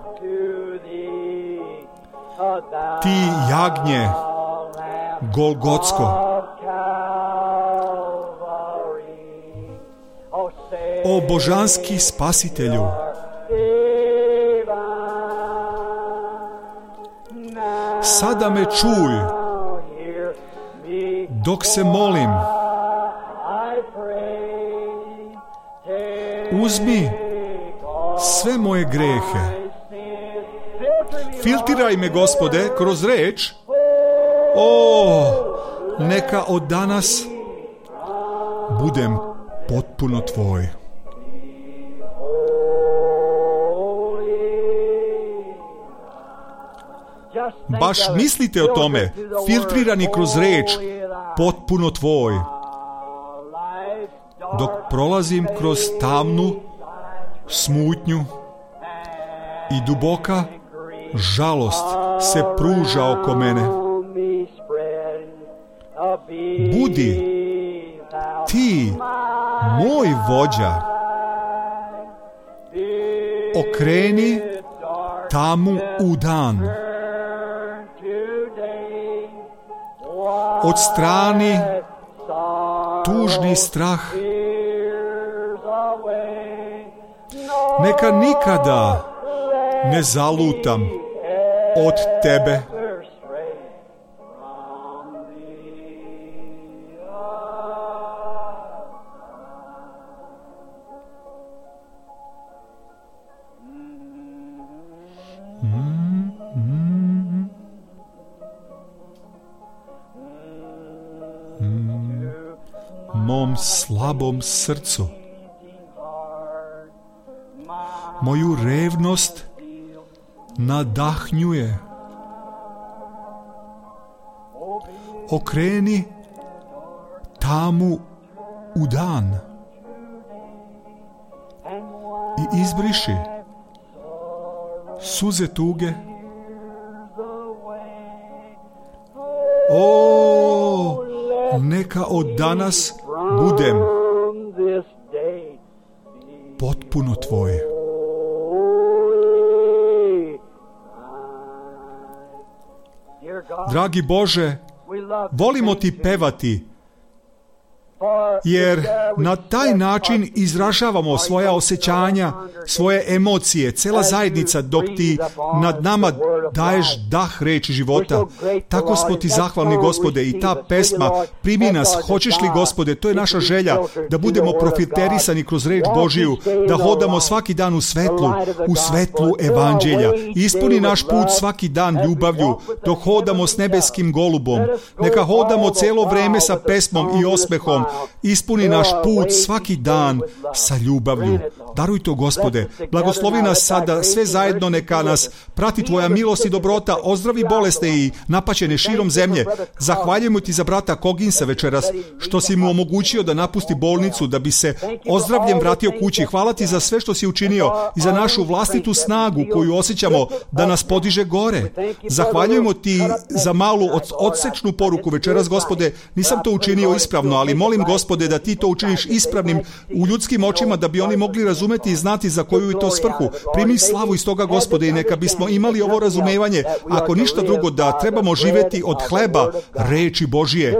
Ti jagnje Golgotsko. O božanski spasitelju, sada me čuj dok se molim. Uzmi sve moje grehe. Filtiraj me, Gospode, kroz reč. Neka od danas budem potpuno tvoj. Baš mislite o tome, filtrirani kroz reč, potpuno tvoj. Dok prolazim kroz tamnu smutnju i duboka žalost se pruža oko mene. Budi ti moj vođa. Okreni tamu u dan. Odstrani tužni strah. Neka nikada ne zalutam od tebe. Mom slabom srcu, moju revnost nadahnjuje. Okreni tamu u dan i izbriši suze tuge. Neka od danas budem potpuno potpuno tvoj. Dragi Bože, volimo ti pevati, jer na taj način izražavamo svoja osjećanja, svoje emocije, cela zajednica, dok ti nad nama daješ dah reči života. Tako smo ti zahvalni, Gospode, i ta pesma primi nas, hoćeš li, Gospode, to je naša želja, da budemo profiterisani kroz reč Božiju, da hodamo svaki dan u svetlu evanđelja. Ispuni naš put svaki dan ljubavlju, dok hodamo s nebeskim golubom. Neka hodamo celo vreme sa pesmom i osmehom. Ispuni naš put svaki dan sa ljubavlju. Daruj to, Gospode. Blagoslovi nas sada sve zajedno, neka nas prati tvoja milost i dobrota, ozdravi bolesne i napaćene širom zemlje. Zahvaljujemo ti za brata Koginsa večeras, što si mu omogućio da napusti bolnicu, da bi se ozdravljen vratio kući. Hvala ti za sve što si učinio i za našu vlastitu snagu koju osjećamo da nas podiže gore. Zahvaljujemo ti za malu odsečnu poruku večeras, Gospode. Nisam to učinio ispravno, ali molim, Gospode, da ti to učiniš ispravnim u ljudskim očima, da bi oni mogli razumeti i znati za koju je to svrhu. Primi slavu iz toga, Gospode, i neka bismo imali ovo razumevanje, ako ništa drugo, da trebamo živjeti od hleba reči Božije,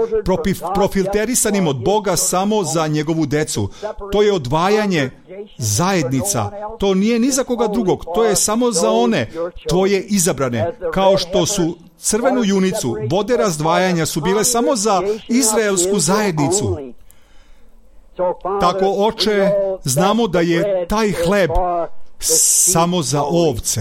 profilterisanim od Boga samo za njegovu decu. To je odvajanje zajednica. To nije ni za koga drugog, to je samo za one tvoje izabrane, kao što su crvenu junicu, vode razdvajanja su bile samo za izraelsku zajednicu. Tako, Oče, znamo da je taj hleb samo za ovce.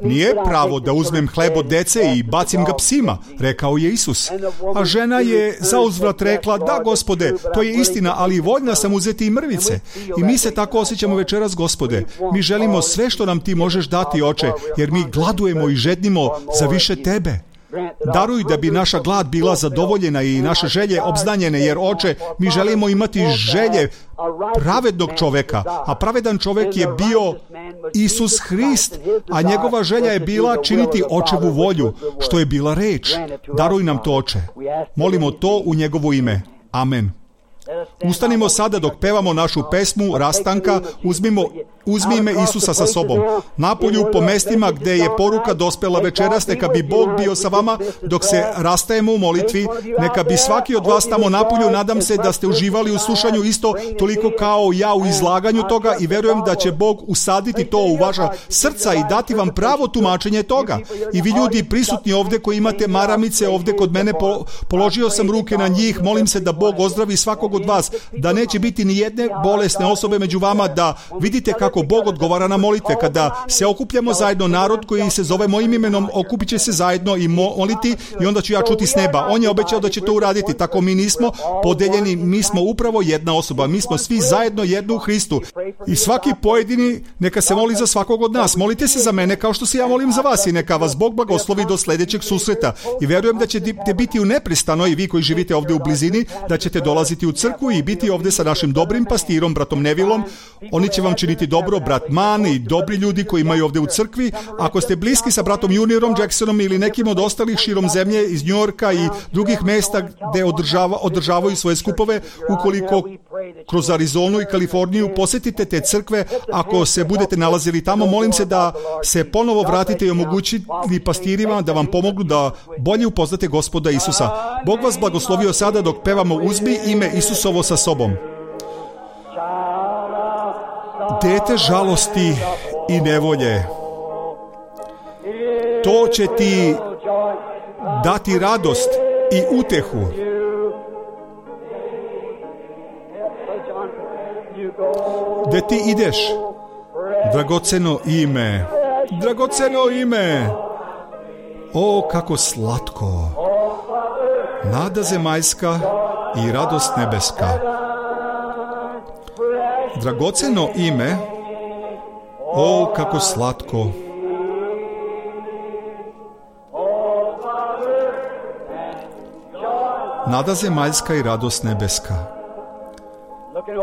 Nije pravo da uzmem hleb od dece i bacim ga psima, rekao je Isus. A žena je zauzvrat rekla, da, Gospode, to je istina, ali voljna sam uzeti i mrvice. I mi se tako osjećamo večeras, Gospode. Mi želimo sve što nam ti možeš dati, Oče, jer mi gladujemo i žednimo za više tebe. Daruj da bi naša glad bila zadovoljena i naše želje obznanjene, jer, Oče, mi želimo imati želje pravednog čoveka, a pravedan čovek je bio Isus Hrist, a njegova želja je bila činiti Očevu volju, što je bila reč. Daruj nam to, Oče. Molimo to u njegovo ime. Amen. Ustanimo sada dok pevamo našu pesmu Rastanka, uzmi ime Isusa sa sobom. Napolju po mestima gde je poruka dospela večeras, neka bi Bog bio sa vama dok se rastajemo u molitvi, neka bi svaki od vas tamo napolju, nadam se da ste uživali u slušanju isto toliko kao ja u izlaganju toga i verujem da će Bog usaditi to u vaša srca i dati vam pravo tumačenje toga. I vi ljudi prisutni ovde koji imate maramice ovde kod mene, položio sam ruke na njih, molim se da Bog ozdravi svakog od vas, da neće biti ni jedne bolesne osobe među vama, da vidite kako Bog odgovara na molitve. Kada se okupljamo zajedno, narod koji se zove mojim imenom okupit će se zajedno i moliti i onda ću ja čuti s neba. On je obećao da će to uraditi. Tako mi nismo podeljeni, mi smo upravo jedna osoba. Mi smo svi zajedno jedno u Hristu. I svaki pojedini neka se moli za svakog od nas. Molite se za mene kao što se ja molim za vas i neka vas Bog blagoslovi do sljedećeg susreta. I verujem da ćete biti u neprestano, i vi koji živite ovdje u blizini, da ćete dolaziti u crkvu i biti ovdje sa našim dobrim pastirom, bratom Nevilom. Oni će vam činiti dobro, brat Mann i dobri ljudi koji imaju ovdje u crkvi. Ako ste bliski sa bratom Juniorom Jacksonom ili nekim od ostalih širom zemlje iz New Yorka i drugih mesta gde održavaju svoje skupove, ukoliko kroz Arizonu i Kaliforniju posjetite te crkve, ako se budete nalazili tamo, molim se da se ponovo vratite i omogućiti pastirima da vam pomognu da bolje upoznate Gospoda Isusa. Bog vas blagoslovio sada dok pevamo Uzmi ime Isusovo sa sobom. Dete žalosti i nevolje, to će ti dati radost i utehu. Gde ti ideš, dragoceno ime, dragoceno ime, o kako slatko, nada zemaljska i radost nebeska. Dragoceno ime, o kako slatko. Nada zemaljska i radost nebeska.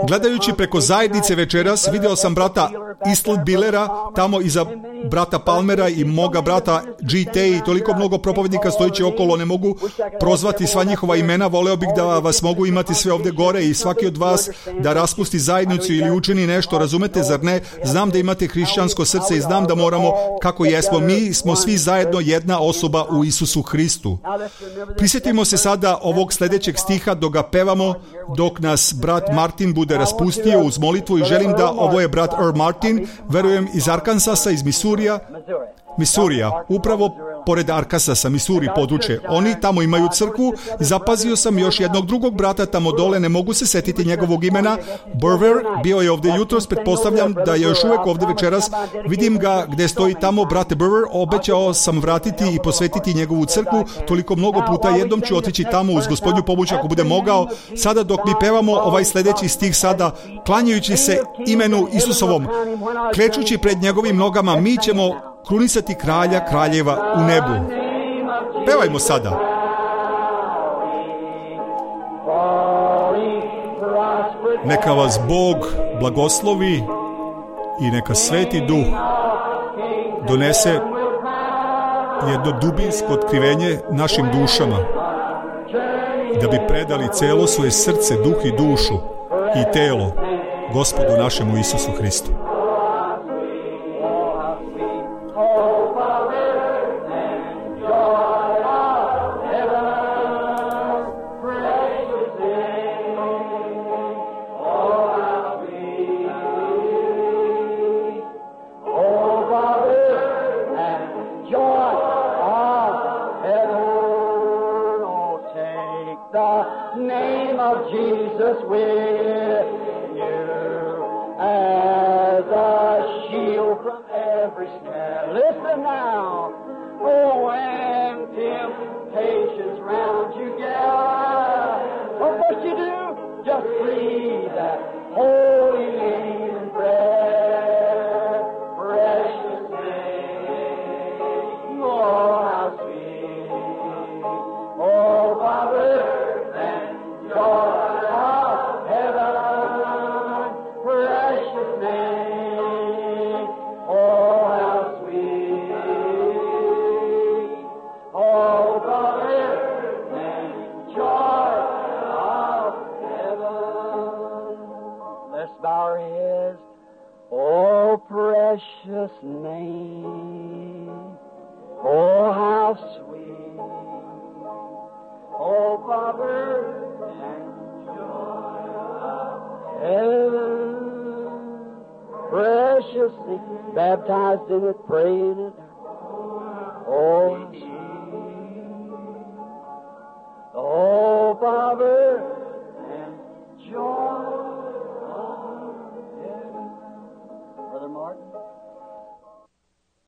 Gledajući preko zajednice večeras, video sam brata Isl Billera tamo iza brata Palmera i moga brata GT i toliko mnogo propovednika stojići okolo, ne mogu prozvati sva njihova imena, voleo bih da vas mogu imati sve ovdje gore i svaki od vas da raspusti zajednicu ili učini nešto, razumete, zar ne? Znam da imate hrišćansko srce i znam da moramo, kako jesmo, mi smo svi zajedno jedna osoba u Isusu Hristu. Prisjetimo se sada ovog sljedećeg stiha dok ga pevamo, dok nas brat Martin bude raspustio uz molitvu i želim da, ovo je brat Earl Martin, verujem iz Arkansasa, iz Misurija, upravo pored Arkansasa, Missouri područje. Oni tamo imaju crkvu i zapazio sam još jednog drugog brata tamo dole, ne mogu se setiti njegovog imena, Burver, bio je ovdje jutros, pretpostavljam da je još uvijek ovdje večeras, vidim ga gdje stoji tamo, brate Burver, obećao sam vratiti i posvetiti njegovu crkvu, toliko mnogo puta, jednom ću otići tamo uz Gospodnju pomoć ako bude mogao. Sada dok mi pevamo ovaj sljedeći stih sada, klanjajući se imenu Isusovom, klečući pred njegovim nogama, mi ćemo krunisati kralja kraljeva u nebu. Pevajmo sada. Neka vas Bog blagoslovi i neka Sveti Duh donese jedno dubinsko otkrivenje našim dušama, da bi predali celo svoje srce, duh i dušu i telo Gospodu našemu Isusu Hristu. Baptized in it, praying it. Oh, oh, Father, and joy of heaven. Brother Martin.